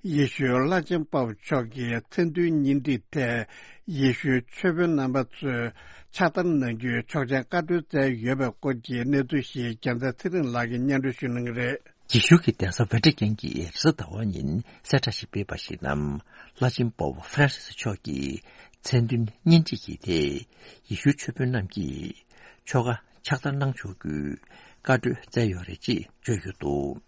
ཡེ་ཤུའི་བླ་ཆེན་པོབ་མཆོག་གིས་མཚན་མཐུན་གཉེན་སྒྲིག་ཐད་ཡེ་ཤུའི་ཆོས་དཔོན་རྣམ་པ་ཚོས་ཕྱག་བསྟར་གནང་རྒྱུའི་ཆོག་མཆན་བཀའ་འཁྲོལ་བསྩལ་ཡོད་པའི་སྐོར་གྱི་གནས་ཚུལ་ཞིག་རྒྱལ་མཚན་ཚེ་རིང་ལགས་ཀྱིས་སྙན་སྒྲོན་ཞུ་གནང་གི་རེད། ཡེ་ཤུ་གི་གདན་ས་ཝེ་ཏི་ཀན་གྱིས་རེས་གཟའ་ཟླ་བ་ཉིན་གསལ་བསྒྲགས་ཤིག་སྤེལ་བ་ཞིག་ནང་། བླ་ཆེན་པོབ་ཧྥ་རན་སིས་མཆོག་གིས་མཚན་མཐུན་གཉེན་སྒྲིག་གི་ཐད་ཡེ་ཤུའི་ཆོས་དཔོན་རྣམས་ཀྱིས་ཆོ་ག་ཕྱག་བསྟར་གནང་ཆོག་རྒྱུའི་བཀའ་འཁྲོལ་བསྩལ་ཡོད་རེད་ཅེས་བརྗོད་ཡོད་འདུག།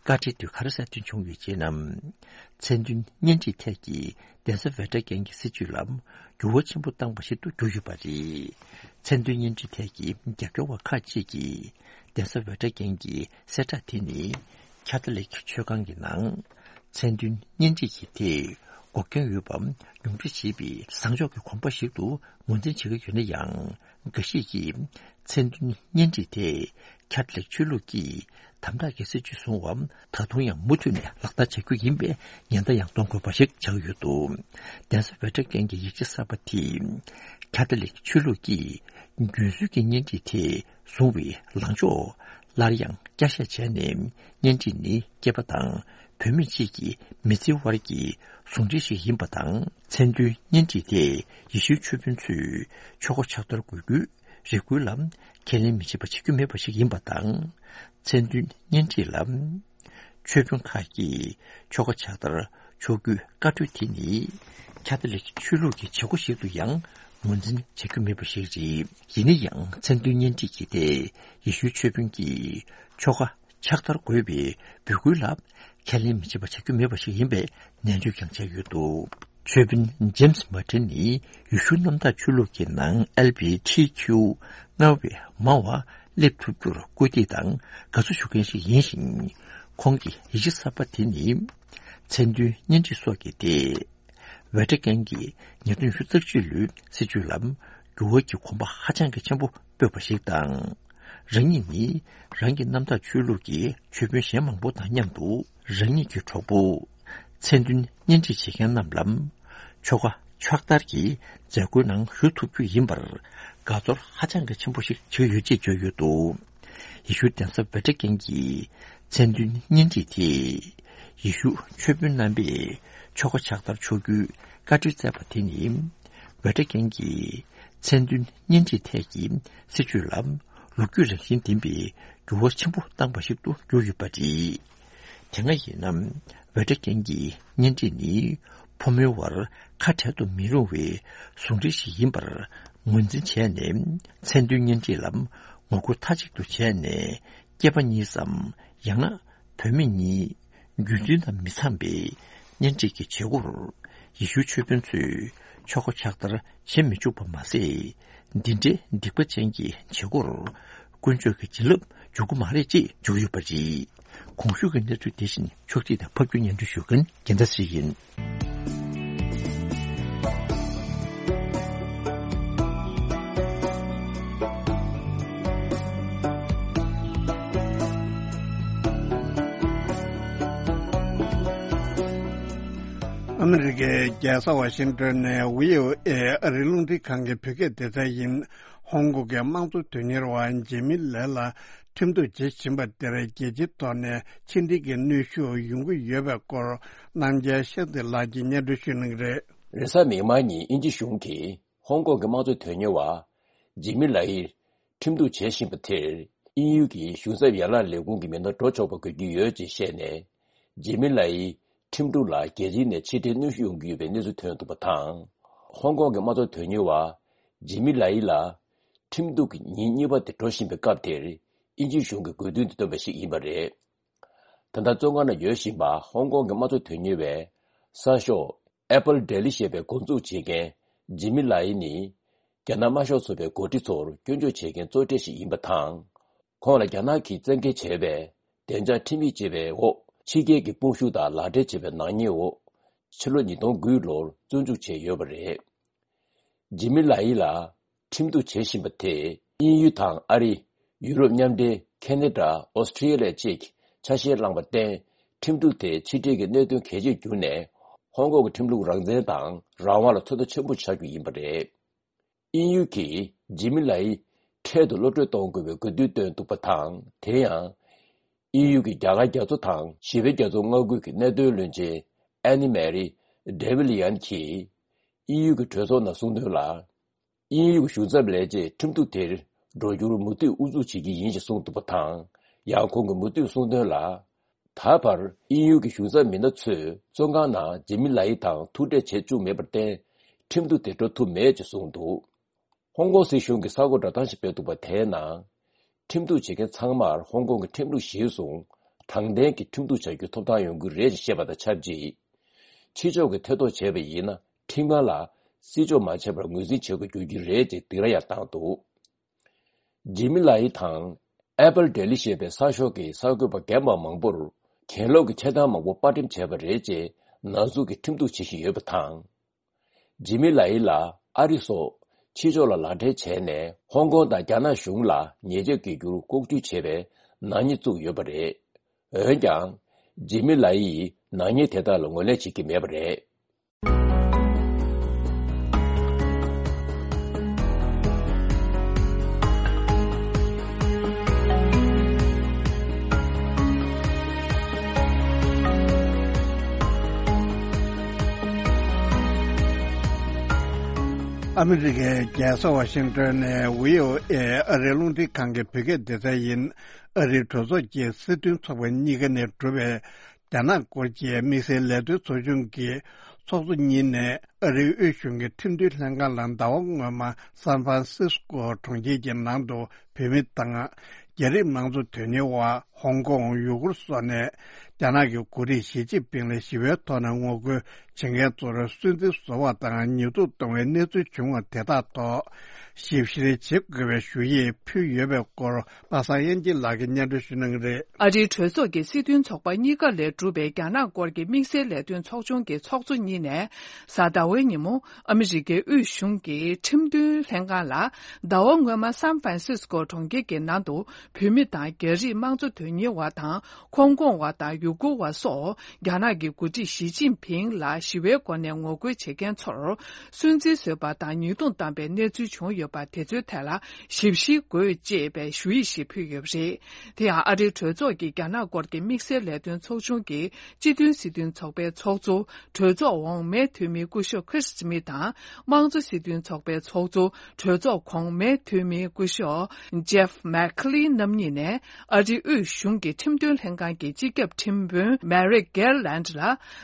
བཀའ་ཁྲིའི་དུས་ག་རེ་གསལ་སྟོན་བྱུང་ཡོད་ཅེ་ན། མཚན་མཐུན་གཉེན་སྒྲིག་ཐད་ཀྱི་གདན་ས་ཝེ་ཏི་ཀན་གྱི་སྲིད་བྱུས་ལ་འགྱུར་བ་ཆེན་པོ་བཏང་བ་ཞིག་ཏུ་གྱུར་ཡོད་པ་རེད། མཚན་མཐུན་གཉེན་སྒྲིག་ཐད་ཀྱི་རྒྱབ་སྐྱོར་བ་ཁག་ཅིག་གིས་གདན་ས་ཝེ་ཏི་ཀན་གྱི་གསལ་བསྒྲགས་དེ་ནི་ཁ་ཐོ་ལིག་ཆོས་ཁང་གི་ནང་མཚན་མཐུན་གཉེན་སྒྲིག་གི་ཐད་འགོག་རྐྱེན་ཡོད་པ་ཉུང་འཕྲི་བྱེད་པའི་བཟང་ཕྱོགས་ཀྱི་གོམ་པ་ཞིག་ཏུ་ངོས་འཛིན་བྱེད་ཀྱི་ཡོད་ན་ཡང་། འགའ་ཞིག་གིས་མཚན་མཐུན་གཉེན་སྒྲིག་དེ་ཁ་ཐོ་ལིག་ཆོས་ལུགས་ཀྱིས་དམ་དྲག་གི་སྲིད་བྱུས་བཟུང་བ་ད་དུང་ཡང་མུ་མཐུད་ནས་ལག་བསྟར་བྱ་རྒྱུ་ཡིན་པའི་ཉེན་བརྡ་ཡང་གཏོང་དགོས་པ་ཞིག་ཆགས་ཡོད་འདུག། གདན་ས་ཝེ་ཏི་ཀན་གྱི་ཡིག་ཆ་གསར་པ་དེས་ཁ་ཐོ་ལིག་ཆོས་ལུགས་ཀྱིས་རྒྱུན་སྲོལ་གྱི་གཉེན་སྒྲིག་དེ་བཟུང་བའི་ལངས་ཕྱོགས་སླར་ཡང་བསྐྱར་བཤད་བྱས་ནས། གཉེན་སྒྲིག་ནི་སྐྱེས་པ་དང་བུད་མེད་ཅིག་གི་མི་ཚེའི་བར་གྱི་ཟུང་འབྲེལ་ཞིག་ཡིན་པ་དང་། མཚན་མཐུན་གཉེན་སྒྲིག་དེ་ཡེ་ཤུའི་ཆོས་དཔོན་ཚོས་ཆོ་ག་ཕྱག་བསྟར་དགོས་རྒྱུའི་རེ་སྐུལ་ལ་ཁས་ལེན་མི་བྱེད་པ་བྱེད་རྒྱུ་མེད་པ་ཞིག་ཡིན་པ་དང་། མཚན་མཐུན་གཉེན་སྒྲིག་ལ་ཆོས་དཔོན་ཁག་གིས་ཆོ་ག་ཕྱག་བསྟར་ཆོག་རྒྱུའི་བཀའ་འཁྲོལ་དེ་ནི་ཁ་ཐོ་ལིག་ཆོས་ལུགས་ཀྱི་བྱེད་སྒོ་ཞིག་ཏུ་ཡང་ངོས་འཛིན་བྱ་རྒྱུ་མེད་པ་ཞིག་རེད། ཡིན་ན་ཡང་མཚན་མཐུན་གཉེན་སྒྲིག་གི་ཐད་ཡེ་ཤུའི་ཆོས་དཔོན་གྱིས་ཆོ་ག་ཕྱག་བསྟར་དགོས་པའི་འབོད་སྐུལ་ལ་ཁས་ལེན་མི་བྱེད་པ་བྱ་རྒྱུ་མེད་པ་ཞིག་ཡིན་པའི་ནན་བརྗོད་ཀྱང་བྱས་ཡོད་འདུག། ཆོས་དཔོན་ཇེམ་སི་མར་ཏིན་ནི་ཡེ་ཤུ་གནམ་བདག་ཆོས་ལུགས་ཀྱི་ནང་ཨེལ་བྷི་ཊི་ཁྱུ་སྔར་བས་མང་བ་སླེབས་ཐུབ་རྒྱུར་སྐུལ་འདེད་དང་དགའ་བསུ་ཞུ་མཁན་ཞིག་ཡིན་ཞིང་། ཁོང་གི་ཡིག་ཆ་གསར་པ་དེ་ནི་མཚན་མཐུན་གཉེན་སྒྲིག་སོགས་ཀྱི་ཐད། ཝེ་ཏི་ཀན་གྱི་ཉེས་དོན་ཉི་ཤུ་རྩ་གཅིག་ལོའི་སྲིད་བྱུས་ལ་འགྱུར་བ་གྱི་གོམ་པ་ཧ་ཅང་གི་ཆེན་པོ་སྤོས་པ་ཞིག་དང་། རང་ཉིད་ནི་རང་གི་རྣམ་དག་ཆོས་ལུགས་ཀྱི་ཆོས་དཔོན་གཞན་མང་པོ་དང་མཉམ་དུ་རང་ཉིད་ཀྱི་གྲོགས་པོ་མཚན་མཐུན་གཉེན་སྒྲིག་བྱེད་མཁན་རྣམས་ལ་ཆོ་ག་ཕྱག་བསྟར་གྱི་མཛད་སྒོའི་ནང་ཞུགས་ཐུབ་རྒྱུ་ཡིན་པར་དགའ་ཚོར་ཧ་ཅང་གི་ཆེན་པོ་ཞིག་བྱུང་ཡོད་ཅེས་བརྗོད་ཡོད་འདུག། ཡེ་ཤུ་གདན་ས་ཝེ་ཏི་ཀན་གྱི་མཚན་མཐུན་གཉེན་སྒྲིག་དེས་ཡེ་ཤུ་ཆོས་དཔོན་རྣམ་པས་ཆོ་ག་ཕྱག་བསྟར་ཆོག་རྒྱུའི་བཀའ་འཁྲོལ་བསྩལ་བ་དེ་ནི་ཝེ་ཏི་ཀན་གྱི་མཚན་མཐུན་གཉེན་སྒྲིག་ཐད་ཀྱི་སྲིད་བྱུས་ལ་ལོ་རྒྱུས་རང་བཞིན་ལྡན་པའི་འགྱུར་བ་ཆེན་པོ་བཏང་བ་ཞིག་ཏུ་གྱུར་ཡོད་པ་རེད། དེ་སྔ་ཡིན་ན་ཝེ་ཏི་ཀན་གྱི་གཉེན་སྒྲིག་ནི་ཕོ་མོའི་བར་ཁ་བྲལ་དུ་མི་རུང་བའི་ཟུང་འབྲེལ་ཞིག་ཡིན་པར་ངོས་འཛིན་བྱས་ནས། མཚན་མཐུན་གཉེན་སྒྲིག་ལ་ངོ་རྒོལ་མཐའ་གཅིག་ཏུ་བྱས་ནས། སྐྱེས་པ་གཉིས་སམ་ཡང་ན་བུད་མེད་གཉིས་རྒྱུ་མཚན་དང་མི་འཚམ་པའི་གཉེན་སྒྲིག་གི་བྱེད་སྒོར་ཡེ་ཤུའི་ཆོས་དཔོན་ཚོས་ཆོ་ག་ཕྱག་བསྟར་བྱེད་མི་བཅུག་པ་མ་ཟད། འདི་འདྲའི་སྡིག་པ་ཅན་གྱི་བྱེད་སྒོར་དཀོན་མཆོག་གི་བྱིན་རླབས་འཇུག་གི་མ་རེད་ཅེས་བརྗོད་ཀྱི་ཡོད་པ་རེད། གོང་ཞུས་ཀྱི་གནས་ཚུལ་དེ་བཞིན་ཕྱོགས་སྒྲིག་དང་ཕབ་སྒྱུར་སྙན་སྒྲོན་ཞུ་མཁན་རྒྱལ་མཚན་ཚེ་རིང་ཡིན། ཨ་མི་རི་ཀའི་རྒྱལ་ས་ཝ་ཤིང་ཏོན་ནས་ཝི་ཨོ་ཨེ་ཨ་རིའི་རླུང་འཕྲིན་ཁང་གི་བོད་སྐད་སྡེ་ཚན་ཡིན། ཧོང་ཀོང་གི་དམངས་གཙོ་དོན་གཉེར་བ་ཇེ་མི་ལའི་ལ་ཁྲིམས་གཏུག་བྱེད་བཞིན་པ་དེར་རྒྱལ་སྤྱིའི་ཐོག་ནས་ཕྱི་འབྲེལ་གྱི་གནོན་ཤུགས་ཡོང་གི་ཡོད་པའི་སྐོར། རྣམ་རྒྱལ་ཤེས་ཚེ་ལགས་ཀྱིས་སྙན་སྒྲོན་ཞུ་གནང་གི་རེད། རེས་གཟའ་མིག་དམར་ཉིན་དབྱིན་ཇི་གཞུང་གིས་ཧོང་ཀོང་གི་དམངས་གཙོ་དོན་གཉེར་བ་ཇེ་མི་ལའི་ཁྲིམས་གཏུག་བྱེད་བཞིན་པ་དེར་དབྱིན་ཡུལ་གྱི་གཞུང་ཚབ་ཡན་ལག་ལས་ཁུངས་ཀྱི་མི་སྣ་འགྲོ་ཆོག་པ་དགོས་ཀྱི་ཡོད་ཅེས་བཤད་ནས། ཇེ་མི་ལའི་ཁྲིམས་གཏུག་ལ་རྒྱལ་སྤྱིའི་ནས་ཕྱི་འབྲེལ་གནོན་ཤུགས་ཡོང་གི་ཡོད་པའི་གནས་ཚུལ་ཐོན་འདུག་པ་དང་། ཧོང་ཀོང་གི་དམངས་གཙོ་དོན་གཉེར་བ་ཇེ་མི་ལའི་ལ་ཁྲིམས་གཏུག་གི་ཉིན་གཉིས་པ་དེ་འགྲོ་བཞིན་པའི་སྐབས་དེར་དབྱིན་ཇིའི་གཞུང་གིས་དགོས་འདུན་དེ་བཏོན་པ་ཞིག་ཡིན་པ་རེད། ད་ལྟ་བཙོན་ཁང་ནང་ཡོད་བཞིན་པ་ཧོང་ཀོང་གི་དམངས་གཙོ་དོན་གཉེར་བའི་གསར་ཤོག་Apple Daily ཞེས་པའི་འགོ་འཛུགས་བྱེད་མཁན་ཇི་མི་ལའི་ནི། རྒྱ་ནག་དམར་ཤོག་ཚོགས་པའི་འགོ་ཁྲིད་ཚོར་སྐྱོན་བརྗོད་བྱེད་མཁན་གཙོ་གྲས་ཤིག་ཡིན་པ་དང་། ཁོང་ལ་རྒྱ་ནག་གིས་བཙན་འགེལ་བྱས་པའི་བདེ་འཇགས་ཁྲིམས་ཡིག་ཅེས་པའི་འོག་ཕྱི་རྒྱལ་གྱི་དཔུང་ཤུགས་དང་ལག་འབྲེལ་བྱས་པའི་ནག་ཉེས་འོག་ཕྱི་ལོ་ཉིས་སྟོང་དགུ་ལོར་བཙོན་འཇུག་བྱས་ཡོད་པ་རེད། ཇི་མི་ལའི་ལ་ཁྲིམས་གཏུག་བྱེད་བཞིན་པ་དེས་དབྱིན་ཡུལ་དང་ཨ་རི། ཡུ་རོབ་མཉམ་འབྲེལ། ཁེ་ན་ཌ། ཨོ་སི་ཀྲི་ཡ་ལ་བཅས་ཀྱི་ཆ་ཤས་བླངས་པར་བརྟེན། ཁྲིམས་གཏུག་དེ་ཕྱི་འབྲེལ་གྱི་གནད་དོན་གལ་ཆེར་གྱུར་ནས། ཧོང་ཀོང་གི་ཁྲིམས་ལུགས་རང་བཙན་དང་རང་དབང་ལ་ཚོད་ལྟ་ཆེན་པོ་ཆགས་རྒྱུ་ཡིན་པ་རེད། དབྱིན་ཡུལ་གྱིས་ཇི་མི་ལའི་འཕྲལ་དུ་གློད་བཀྲོལ་གཏོང་དགོས་པའི་དགོས་འདུན་བཏོན་འདུག་པ་དང་། དེ་ཡང་། དབྱིན་ཡུལ་གྱི་རྒྱ་གར་རྒྱ་མཚོ་དང་ཞི་བའི་རྒྱ་མཚོ་མངའ་ཁུལ་གྱི་གནད་དོན་བློན་ཆེན་ཨན་ནི་མེ་རི་ཌེ་བི་ལི་ཡན་གྱིས། དབྱིན་ཡུལ་གྱི་གྲོས་ཚོགས་ནང་གསུངས་དོན་ལ། དབྱིན་ཡུལ་གྱི་གཞུང་ཚབ་ལས་བྱེད་ཁྲིམས་གཏུག་དེར་འགྲོ་རྒྱུར་མུ་མཐུད་ཨུ་ཚུགས་བྱེད་ཀྱི་ཡིན་ཞེས་གསུངས་འདུག་པ་དང་། ཡང་ཁོང་གིས་མུ་མཐུད་གསུངས་དོན་ལ། ད་བར་དབྱིན་ཡུལ་གྱི་གཞུང་ཚབ་མི་སྣ་ཚོས་བཙོན་ཁང་ནང་ཇི་མི་ལའི་དང་ཐུག་འཕྲད་བྱེད་བཅུག་མེད་པར་བརྟེན། ཁྲིམས་གཏུག་དེ་འགྲོ་ཐུབ་མེད་ཅེས་གསུངས་འདུག་ཧོང་ཀོང་སྲིད་གཞུང་གིས་གསར་འགོད་བསྒྲགས་གཏམ་ཞིག་སྤེལ་འདུག་པ་དེའི་ནང་། ཁྲིམས་གཏུག་བྱེད་མཁན་ཚང་མར་ཧོང་ཀོང་གི་ཁྲིམས་ལུགས་གཞིར་བཟུང་དྲང་བདེན་གྱི་ཁྲིམས་གཏུག་བྱ་རྒྱུའི་ཐོབ་ཐང་ཡོང་གི་རེད་ཅེས་བཤད་པ་དང་ཆབས་ཅིག་ཕྱི་ཕྱོགས་ཀྱིས་ཐེ་གཏོགས་བྱས་པ་ཡིན་ན། ཁྲིམས་ཁང་ལ་བརྩི་འཇོག་མ་བྱས་པར་ངོས་འཛིན་བྱེད་དགོས་འགྱུར་གྱི་རེད་ཅེས་སྡིགས་ར་ཡང་བཏང་འདུག་ཇི་མི་ལའི་དང་། Apple Daily ཞེས་པའི་གསར་ཤོག་གི་གསར་འགོད་པ་རྒན་པ་མང་པོར་གྱེན་ལོག་གི་ཆེ་མཐོང་མང་པོ་དཔར་འགྲེམས་བྱས་པ་རེད་ཅེས་ནག་འཛུགས་ཀྱིས་ཁྲིམས་གཏུག་བྱེད་བཞིན་ཡོད་པ་དང་། ཇི་མི་ལའི་ལ་ཨ་རི་སོགས་ཕྱི་ཕྱོགས་ལ་ལག་འབྲེལ་བྱས་ནས། ཧོང་ཀོང་དང་རྒྱ་ནག་གཞུང་ལ་ཉེས་ཆད་འགེལ་རྒྱུར་ལྐོག་ཇུས་བྱས་པའི་ནག་ཉེས་བཙུགས་ཡོད་པ་རེད། འོན་ཀྱང་། ཇི་མི་ལའི་ཡིས་ནག་ཉེས་དེ་དག་ལ་ངོས་ལེན་བྱེད་ཀྱི་མེད་པ་རེད། ཨ་མི་རི་ཀའི་རྒྱལ་ས་ཝ་ཤིང་ཏོན་ནས་བྷི་ཨོ་ཨེ་ཨ་རིའི་རླུང་འཕྲིན་ཁང་གི་བོད་སྐད་སྡེ་ཚན་ཡིན། ཨ་རིའི་གྲོས་ཚོགས་ཀྱི་སྲིད་དོན་ཚོགས་པ་གཉིས་ཀ་ནས་གྲུབ་པའི་རྒྱ་ནག་སྐོར་གྱི་དམིགས་བསལ་ལས་དོན་ཚོགས་ཆུང་གི་ཚོགས་གཙོ་གཉིས་ནས་ཨ་རིའི་དབུས་གཞུང་གི་ཁྲིམས་མཐུན་ལྷན་ཁང་ལ་ཟླ་བ་སྔོན་མ་སན་ཧྥ་རན་སིས་ཀོ་གྲོང་ཁྱེར་གྱི་ནང་དུ་བོད་མི་དང་། རྒྱ་རིགས་དམངས་གཙོ་དོན་གཉེར་བ། ཧོང་ཀོང་། ཡུ་གུར་སོགས་ནས་རྒྱ་ནག་གི་འགོ་ཁྲིད་ཞི་ཅིན་ཕིང་ལ་ཞི་བའི་ཐོག་ནས་ངོ་རྒོལ་བྱེད་མཁན་ཚོར་སུན་གཙེར་བཟོ་བ་དང་ཉེས་རྡུང་གཏོང་བའི་གནས་ཚུལ་བྱུང་བ་དེ་དག་ཐོག་ཞིབ་བཤེར་བྱེད་དགོས་པའི་ཞུ་ཡིག་ཕུལ་ཡོད་པའི་སྐོར་པ་སངས་དབྱངས་སྐྱིད་ལགས་ཀྱིས་སྙན་སྒྲོན་ཞུ་གནང་གི་རེད། ཨ་རིའི་གྲོས་ཚོགས་ཀྱི་སྲིད་དོན་ཚོགས་པ་གཉིས་ཀ་ལས་གྲུབ་པའི་རྒྱ་ནག་སྐོར་གྱི་དམིགས་བསལ་ལས་དོན་ཚོགས་ཆུང་གི་ཚོགས་གཙོ་གཉིས་ནས་གཟའ་ཟླ་བའི་ཉིན་མོ། ཨ་མི་རི་ཀའི་དབུས་གཞུང་གི་ཁྲིམས་མཐུན་ལྷན་ཁང་ལ། ཟླ་བ་སྔོན་མ་སན་ཧྥ་རན་སིས་ཀོ་གྲོང་ཁྱེར་གྱི་ནང་དུ། བོད་མི་དང་རྒྱ་རིགས་དམངས་གཙོ་དོན་གཉེར་བ་དང་། ཧོང་ཀོང་བ་དང་ཡུ་གུར་བ་སོགས། རྒྱ་ནག་གི་འགོ་ཁྲིད་ཞི་ཅིན་ཕིང་ལ་ཞི་བའི་སྒོ་ནས་ངོ་རྒོལ་བྱེད་མཁན་ཚོར། སུན་གཙེར་བཟོས་པ་དང་ཉེས་རྡུང་བཏང་པའི་གནས་ཚུལ་བྱུང་ཡོད་པ། དེ་ཚོའི་ཐད་ལ་ཞིབ་བཤེར་དགོས། ཅེས་པའི་ཞུ་ཡིག་ཞིག་ཕུལ་ཡོད་པ་རེད། དེ་ཡང་ཨ་རིའི་གྲོས་ཚོགས་ཀྱི་རྒྱ་ནག་སྐོར་གྱི་དམིགས་བསལ་ལས་དོན་ཚོགས་ཆུང་གི་སྤྱི་མཐུན་སྲིད་དོན་ཚོགས་པའི་ཚོགས་གཙོ། གྲོས་ཚོགས་འོག་མའི་འཐུས་མི་སྐུ་ཞབས་ཁྲིས་སི་མི་དང་། དམངས་གཙོ་སྲིད་དོན་ཚོགས་པའི་ཚོགས་གཙོ། གྲོས་ཚོགས་གོང་མའི་འཐུས་མི་སྐུ་ཞབས་ཇེབ་མེག་ཁི་ལིན་རྣམ་གཉིས་ནས། ཨ་རིའི་དབུས་གཞུང་གི་ཁྲིམས་དོན་ལྷན་ཁང་གི་སྤྱི་ཁྱབ་ཁྲིམས་དཔོན་མེ་རིག་གེར་ལན་ལ། ཟླ་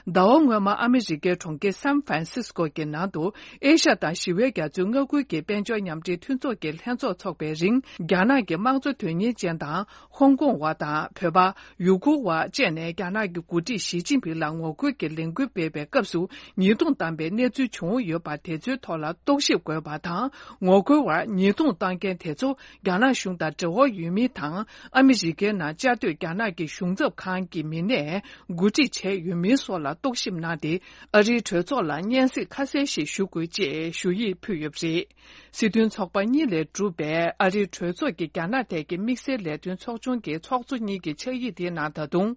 བ་སྔོན་མ་ཨ་མི་རི་ཀའི་གྲོང་ཁྱེར་སན་ཧྥ་རན་སིས་ཀོ་གི་ནང་དུ། ཨེ་ཤ་དང་ཞི་བའི་རྒྱ་མཚོའི་མངའ་ཁུལ་གྱི་དཔལ་འབྱོར་མཉམ་འབྲེལ་མཐུན་ཚོགས་ཀྱི་ལྷན་ཚོགས་འཚོགས་པའི་རིང་། རྒྱ་ནག་གི་དམངས་གཙོ་དོན་གཉེར་ཅན་དང་། ཧོང་ཀོང་བ་དང་བོད་པ། ཡུ་གུར་བ་བཅས་ནས་རྒྱ་ནག་གི་འགོ་ཁྲིད་ཞི་ཅིན་ཕིང་ལ་ངོ་རྒོལ་གྱི་ལས་འགུལ་སྤེལ་བའི་སྐབས་སུ་ཉེས་རྡུང་བཏང་པའི་གནས་ཚུལ་བྱུང་ཡོད་པ། དེ་ཚོའི་ཐོག་ལ་རྟོག་ཞིབ་དགོས་པ་དང་། ངོ་རྒོལ་བར་ཉེས་རྡུང་བཏང་མཁན་དེ་ཚོ་རྒྱ་ནག་གཞུང་དང་འབྲེལ་བ་ཡོད་མིན་དང་། ཨ་མི་རི་ཀའི་ནང་བཅའ་སྡོད་རྒྱ་ནག་གི་གཞུང་ཚབ་ཁང་གི་མི་སྣས་འགོ་ཁྲིད་བྱས་ཡོད་མིན་སོགས་ལ་རྟོག་ཞིབ་གནང་སྟེ། ཨ་རིའི་གྲོས་ཚོགས་ལ་སྙན་སེང་ཁ་གསལ་ཞིག་ཞུ་དགོས། ཅེས་ཞུ་ཡིག་ཕུལ་ཡོད་པ་རེད། སྲིད་དོན་ཚོགས་པ་གཉིས་ལས་གྲུབ་པའི་ཨ་རིའི་གྲོས་ཚོགས་ཀྱི་རྒྱ་ནག་ཐད་ཀྱི་དམིགས་བསལ་ལས་དོན་ཚོགས་ཆུང་གི་ཚོགས་གཙོ་གཉིས་ཀྱི་ཕྱག་ཡིག་དེའི་ནང་། ད་དུང་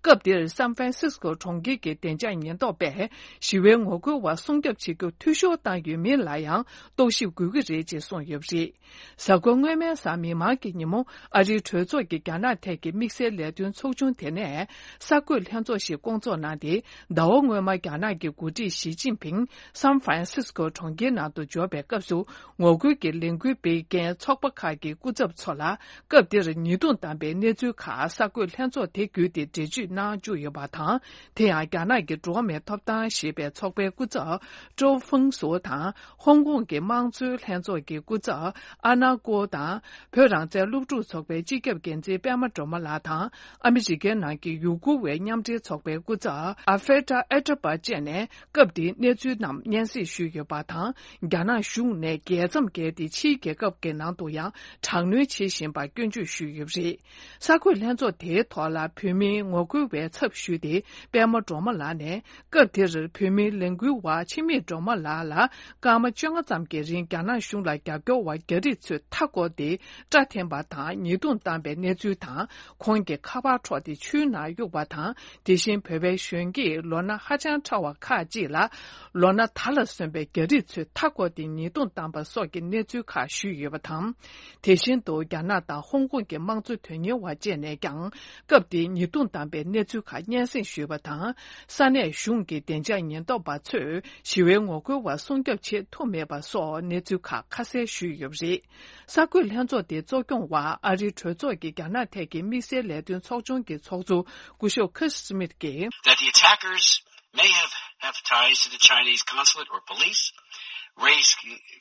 སྐབས་དེར་སན་ཧྥ་རན་སིས་ཀོ་གྲོང་ཁྱེར་གྱི་བདེ་འཇགས་ཉེན་རྟོག་པས་ཞི་བའི་ངོ་རྒོལ་བ་སྲུང་སྐྱོབ་བྱེད་རྒྱུར་འཐུས་ཤོར་བཏང་ཡོད་མིན་ལ་ཡང་རྟོག་ཞིབ་དགོས་ཀྱི་རེད་ཅེས་གསུངས་ཡོད་པ་རེད། གཟའ་འཁོར་སྔོན་མའི་གཟའ་མིག་དམར་གྱི་ཉིན་མོ། ཨ་རིའི་གྲོས་ཚོགས་ཀྱི་རྒྱ་ནག་ཐད་ཀྱི་དམིགས་བསལ་ལས་དོན་ཚོགས་ཆུང་དེ་ནས་གསར་འགོད་ལྷན་ཚོགས་ཤིག་བསྐོང་ཚོགས་གནང་སྟེ། ཟླ་བ་སྔོན་མ་རྒྱ་ནག་གི་འགོ་ཁྲིད་ཞི་ཅིན་ཕིང་སན་ཧྥ་རན་སིས་ཀོ་གྲོང་ཁྱེར་ནང་དུ་འབྱོར་བའི་སྐབས་སུ། ངོ་རྒོལ་གྱི་ལས་འགུལ་སྤེལ་མཁན་ཚོགས་པ་ཁག་གི་སྐུ་ཚབ་ཚོ་ལ། སྐབས་དེར་ཉེས་རྡུང་བཏང་པའི་གནས་ཚུལ་ཁག་གསར་འགོད་ལྷན་ཚོགས་དེ་བརྒྱུད་དེ་འགྲེལ་བརྗོད་གནང་བཅུག་ཡོད་པ་དང་། དེ་ཡང་རྒྱ་ནག་གི་འགྲོ་བ་མིའི་ཐོབ་ཐང་ཞེས་པའི་ཚོགས་པའི་སྐུ་ཚབ་ཀྲོའུ་ཧྥུང་སུའུ་དང་། ཧོང་ཀོང་གི་དམངས་གཙོའི་ལྷན་ཚོགས་ཀྱི་སྐུ་ཚབ་ཨ་ན་ཀོ་དང་། བོད་རང་བཙན་སློབ་ཕྲུག་ཚོགས་པའི་སྤྱི་ཁྱབ་འགན་འཛིན་པད་མ་སྒྲོལ་མ། ལགས་དང་། ཨ་མི་རི་ཀའི་ནང་གི་ཡུ་གུར་བའི་མཉམ་འབྲེལ་ཚོགས་པའི་སྐུ་ཚབ་ཨ་ཧྥེ་ཏྲ་ཨེ་ཏྲ་པ་བཅས་ནས་སྐབས་དེའི་གནས་ཚུལ་རྣམས་སྙན་སེང་ཞུས་ཡོད་པ་དང་། རྒྱ་ནག་གཞུང་ནས་རྒྱལ་མཚམས་བརྒལ་ཏེ་ཕྱིའི་རྒྱལ་ཁབ་ཀྱི་ནང་དུ་ཡང་དྲག་གནོན་བྱེད་བཞིན་པར་སྐྱོན་བརྗོད་ཞུས་ཡོད་པ་རེད། གསར་འགོད་ལྷན་ཚོགས་དེའི་ཐོག་ལ་བོད་མིའི་ངོ་རྒོལ་བའི་ཚབ་ཞུས་ཏེ་པད་མ་སྒྲོལ་མ་ལགས་ནས། སྐབས་དེར་བོད་མིའི་ལས་འགུལ་བ་འཆི་མེད་སྒྲོལ་མ་ལགས་ལ་སྐར་མ་བཅོ་ལྔ་ཙམ་གྱི་རིང་རྒྱ་ནག་གཞུང་ལ་རྒྱབ་སྐྱོར་བ་རྒྱ་རིགས་ཚོས་མཐའ་བསྐོར་ཏེ་སྐྲ་འཐེན་པ་དང་ཉེས་རྡུང་བཏང་པའི་གནས་ཚུལ་དང་། ཁོང་གི་ཁ་པར་འཕྲོག་སྟེ་ཆུའི་ནང་གཡུགས་པ་དང་། དེ་བཞིན་བོད་པའི་གཞོན་སྐྱེས་ལོ་ན་ཧ་ཅང་ཕྲ་བ་ཁག་ཅིག་ལ་ལོ་ན་དར་ལ་སོན་པའི་རྒྱ་རིགས་ཚོས་མཐའ་བསྐོར་ཏེ་ཉེས་རྡུང་བཏང་པ་སོགས་ཀྱི་གནས་ཚུལ་ཁག་ཞུས་ཡོད་པ་དང་། དེ་བཞིན་དུ་རྒྱ་ནག་དང་ཧོང་ཀོང་གི་དམངས་གཙོ་དོན་གཉེར་བ་བཅས་ནས་ཀྱང་སྐབས་དེའི་ཉེས་རྡུང་བཏང་པའི་གནས་ཚུལ་ཁག་སྙན་སེང་ཞུས་པ་དང་། ས་གནས་གཞུང་གི་བདེ་འཇགས་ཉེན་རྟོག་པ་ཚོས་ཞི་བའི་ངོ་རྒོལ་བ་སྲུང་སྐྱོབ་བྱེད་ཐུབ་མེད་པ་སོགས་གནས་ཚུལ་ཁག་ཁ་གསལ་ཞུས་ཡོད་པ་རེད། གསར་འགོད་ལྷན་ཚོགས་དེ་གཙོ་སྐྱོང་བར་ཨ་རིའི་གྲོས་ཚོགས་ཀྱི་རྒྱ་ནག་ཐད་ཀྱི་དམིགས་བསལ་ལས་དོན་ཚོགས་ཆུང་གི་ཚོགས་གཙོ་སྐུ་ཞབས་ཁི་སི་མིད་ཀྱིས། That the attackers may have, have ties to the Chinese consulate or police, raise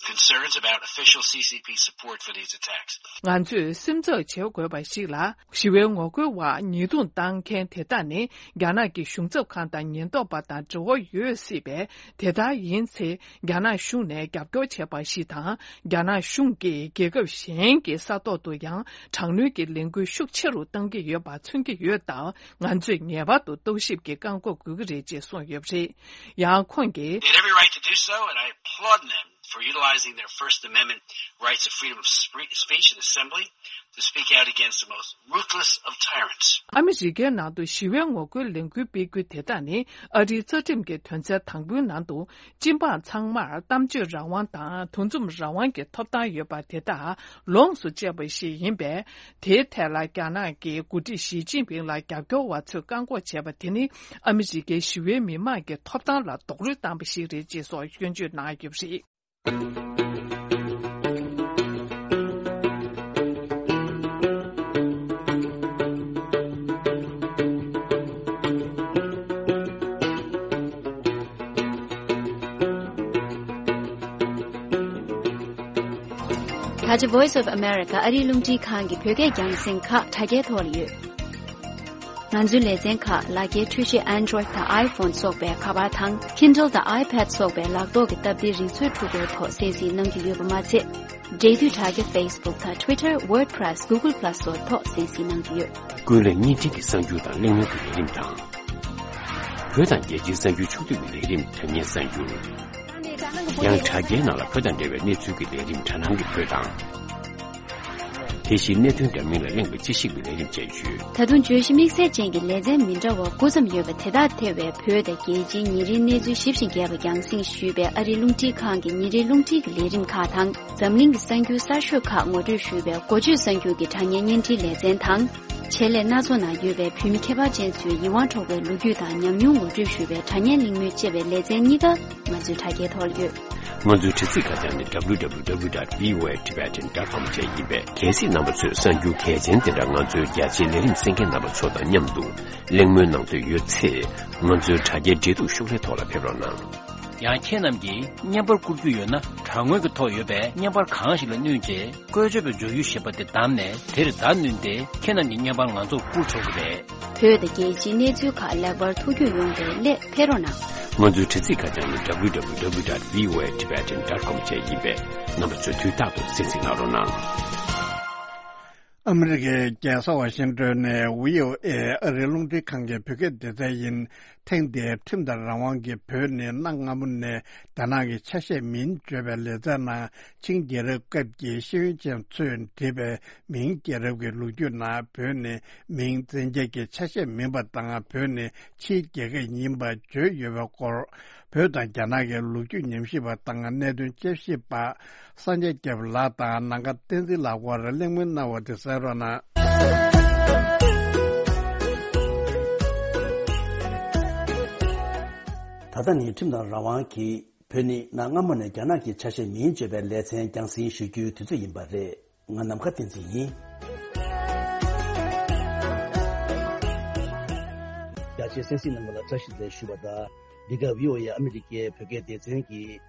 concerns about official C C P support for these attacks. ང་ཚོས་སེམས་འཚབ་བྱེད་དགོས་པ་ཞིག་ལ། ཞི་བའི་ངོ་རྒོལ་བར་ཉེས་རྡུང་བཏང་མཁན་དེ་དག་ནི་རྒྱ་ནག་གི་གཞུང་ཚབ་ཁང་དང་ཉེན་རྟོག་པ་དང་འབྲེལ་བ་ཡོད་སྲིད་པས། དེ་ལྟར་ཡིན་ཚེ་རྒྱ་ནག་གཞུང་ནས་རྒྱབ་སྐྱོར་བྱས་པ་ཞིག་དང་། རྒྱ་ནག་གཞུང་གིས་རྒྱལ་ཁབ་གཞན་གྱི་ས་ཐོག་ཏུ་ཡང་དྲག་གནོན་གྱི་ལས་འགུལ་ཤུགས་ཆེ་རུ་གཏང་གི་ཡོད་པ་མཚོན་གྱི་ཡོད་སྟབས། ང་ཚོས་ངེས་པར་དུ་རྟོག་ཞིབ་ཀྱི་བཀག་འགོག་དགོས་ཀྱི་རེད་ཅེས་གསུངས་ཡོད་པ་རེད། ཡང་ཁོང་གིས། They had every right to do so, and I applaud them for utilizing their First Amendment rights of freedom of spre- speech and assembly to speak out against the most ruthless of tyrants. ཨ་མི་རི་ཀའི་ནང་དུ་ཞི་བའི་ངོ་རྒོལ་ལས་འགུལ་སྤེལ་རྒྱུ་དེ་དག་ནི་ཨ་རིའི་རྩ་ཁྲིམས་ཀྱི་དོན་ཚན་དང་པོའི་ནང་དུ། སྤྱི་འབངས་ཚང་མར་གཏམ་བརྗོད་རང་དབང་དང་དུས་འཛོམས་རང་དབང་གི་ཐོབ་ཐང་ཡོད་པ་དེ་དག་ལོངས་སུ་སྤྱད་པ་ཞིག་ཡིན་པས། དེའི་ཐད་ལ་རྒྱ་ནག་གི་འགོ་ཁྲིད་ཞི་ཅིན་ཕིང་ལ་རྒྱབ་སྐྱོར་བ་ཚོས་བཀག་འགོག་བྱས་པ་དེ་ནི་ཨ་མི་རི་ཀའི་ཞི་བའི་མི་མང་གི་ཐོབ་ཐང་ལ་རྡོག་རོལ་བཏང་པ་ཞིག་རེད་ཅེས་སོགས་སྐྱོན་བརྗོད་གནང་ཡོད་པ་རེད། ད་ཆ་Voice of America ཨ་རིའི་རླུང་འཕྲིན་ཁང་གི་བོད་སྐད་རྒྱང་སྲིང་ཁག་དྲ་རྒྱའི་ཐོག་ལ་ཡོད། ང་ཚོའི་ལེ་ཚན་ཁག་ལག་འཁྱེར་འཕྲུལ་ཆས་Android དང་iPhone སོགས་པའི་ཁ་པར་དང་Kindle དང་iPad སོགས་པའི་ལག་ཐོག་གི་སྟབས་བདེའི་རིག་མཛོད་འཕྲུལ་འཁོར་ཐོག་གསན་གཟིགས་གནང་རྒྱུ་ཡོད་པ་མ་ཚད། འབྲེལ་མཐུད་དྲ་རྒྱ་Facebook དང་Twitter, WordPress, Google Plus སོགས་ཐོག་གསན་གཟིགས་གནང་རྒྱུ་ཡོད། ཀུན་གླེང་བརྙན་འཕྲིན་གྱི་གསར་འགྱུར་དང་གླེང་མོལ་གྱི་ལས་རིམ་དང་། བོད་དང་རྒྱལ་སྤྱིའི་གསར་འགྱུར་ཕྱོགས་བསྡུས་ཀྱི་ལས་རིམ་དྲ་བརྙན་གསར་འགྱུར། ཡང་དྲ་རྒྱའི་ནང་ལ་བོད་དང་འབྲེལ་བའི་གནས་ཚུལ་གྱི་ལས་རིམ་དྲ་སྣང་གི་བོད་དང་། དེ་བཞིན་གནད་དོན་འདྲ་མིན་ལ་གླེང་བའི་དཔྱད་ཞིབ་ཀྱི་ལས་རིམ་བཅས་ཡོད། ད་དུང་བརྗོད་གཞི་དམིགས་བསལ་ཅན་གྱི་ལེ་ཚན་མི་འདྲ་བ་དགུ་ཙམ་ཡོད་པ་དེ་དག་ཐེ་བའི་བོད་དང་རྒྱལ་སྤྱིའི་ཉིན་རེའི་གནས་ཚུལ་ཞིབ་ཅིང་རྒྱས་པ་རྒྱང་སྲིང་ཞུས་པའི་ཨ་རིའི་རླུང་འཕྲིན་ཁང་གི་ཉིན་རེའི་རླུང་འཕྲིན་གྱི་ལས་རིམ་ཁག་དང་། འཛམ་གླིང་གི་གསར་འགྱུར་གསར་ཤོས་ཁག་ངོ་སྤྲོད་ཞུས་པའི་འགོ་བརྗོད་གསར་འགྱུར་གྱི་དྲ་བརྙན་བརྙན་འཕྲིན་ལེ་ཚན་དང་། ཆེད་ལས་སྣ་ཚོགས་ནང་ཡོད་པའི་བོད་མི་ཁྱད་པར་ཅན་ཚོའི་ཡིད་དབང་འཕྲོག་པའི་ལོ་རྒྱུས་དང་ཉམས་མྱོང་ངོ་སྤྲོད་ཞུས་པའི་དྲ་བརྙན་གླེང་མོལ་བཅས་པའི་ལེ་ཚན་གཉིས་ཀ་ང་ཚོའི་དྲ་རྒྱའི་ཐོག་ལ་ཡོད། ང་ཚོའི་དྲ་ཚིགས་ཁ་བྱང་ནི་W W W dot V O A Tibetan dot com བཅས་ཡིན་པས། གལ་སྲིད་རྣམ་པ་ཚོས་གསར་འགྱུར་གལ་ཆེན་དེ་འདྲ་ང་ཚོའི་རྒྱ་ཆེའི་ལས་རིམ་གསན་མཁན་རྣམ་པ་ཚོ་དང་མཉམ་དུ་གླེང་མོལ་གནང་འདོད་ཡོད་ཚེ། ང་ཚོའི་དྲ་རྒྱའི་འབྲེལ་གཏུག་ཤོག་ལྷེ་ཐོག་ལ་ཕེབས་རོགས་གནང་། ཡང་ཁྱེད་རྣམས་ཀྱིས་བརྙན་པར་བསྐུར་རྒྱུ་ཡོད་ན། དྲ་ངོས་ཀྱི་ཐོག་ཡོད་པའི་བརྙན་པར་གང་ཞིག་ལ་བསྣུན་རྗེས། བཀོལ་སྤྱོད་པའི་མཇུག་ཡུལ་ཞེས་པ་དེ་བདམས་ནས། དེར་བརྡ་བསྣུན་ཏེ། ཁྱེད་རྣམས་ཀྱི་བརྙན་པར་ང་ཚོར་བསྐུར་ཆོག་གི་རེད། བོད་དང་རྒྱལ་སྤྱིའི་གནས་ཚུལ་ཁག་ལེགས་པར་ཐུགས་རྒྱུས་ཡོང་བའི་སླད་ཕེབས་རོགས་གནང་། ང་ཚོའི་དྲ་ཚིགས་ཁ་བྱང་ནི་W W W dot V O A Tibetan dot com བཅས་ཡིན་པས། རྣམ་པ་ཚོས་དུས་རྟག་ཏུ་གསན་གཟིགས་གནང་རོགས་གནང་། ཨ་མི་རི་ཀའི་རྒྱལ་ས་ཝ་ཤིང་ཏོན་ནས་V O A ཨ་རིའི་རླུང་འཕྲིན་ཁང་གི་བོད་སྐད་སྡེ་ཚན་ཡིན། ཐེངས་འདིའི་ཁྲིམས་དང་རང་དབང་གིས་བོད་ནི་གནའ་སྔ་མོ་ནས་རྒྱ་ནག་གི་ཆ་ཤས་མིན་བརྗོད་པའི་ལེ་ཚན་ནང་ཆིང་རྒྱལ་རབས་སྐབས་ཀྱི་ཤེས་ཡོན་ཅན་ཚོས་བྲིས་པའི་མིང་རྒྱལ་རབས་ཀྱི་ལོ་རྒྱུས་ནང་བོད་ནི་མིང་བཙན་རྒྱལ་གྱི་ཆ་ཤས་མིན་པ་དང་། བོད་ནི་ཕྱིའི་རྒྱལ་ཁབ་ཡིན་པ་བརྗོད་ཡོད་པའི་སྐོར། བོད་དང་རྒྱ་ནག་གི་ལོ་རྒྱུས་ཉམས་ཞིབ་པ་དང་གནད་དོན་དཔྱད་ཞིབ་པ་སངས་རྒྱས་སྐྱབས་ལགས་དང་ནམ་མཁའ་བསྟན་འཛིན་ལགས་དབར་གླེང་མོལ་གནང་བ་དེ་གསན་རོགས་གནང་། ད་ལྟ་ནི་ཁྲིམས་དང་རང་དབང་གིས་བོད་ནི་གནའ་སྔ་མོ་ནས་རྒྱ་ནག་གི་ཆ་ཤས་མིན་བརྗོད་པའི་ལེ་ཚན་རྒྱང་སྲིང་ཞུ་རྒྱུའི་དུས་ཚོད་ཡིན་པ་རེད། ང་ནམ་མཁའ་བསྟན་འཛིན་ཡིན། རྒྱ་ཆེའི་གསན་གཟིགས་རྣམ་པ་ལ་བཀྲ་ཤིས་བདེ་ལེགས་ཞུ་བ་དང་། འདི་ག་བྷི་ཨོ་ཨེ་ཨ་མི་རི་ཀའི་བོད་སྐད་སྡེ་ཚན་གྱི་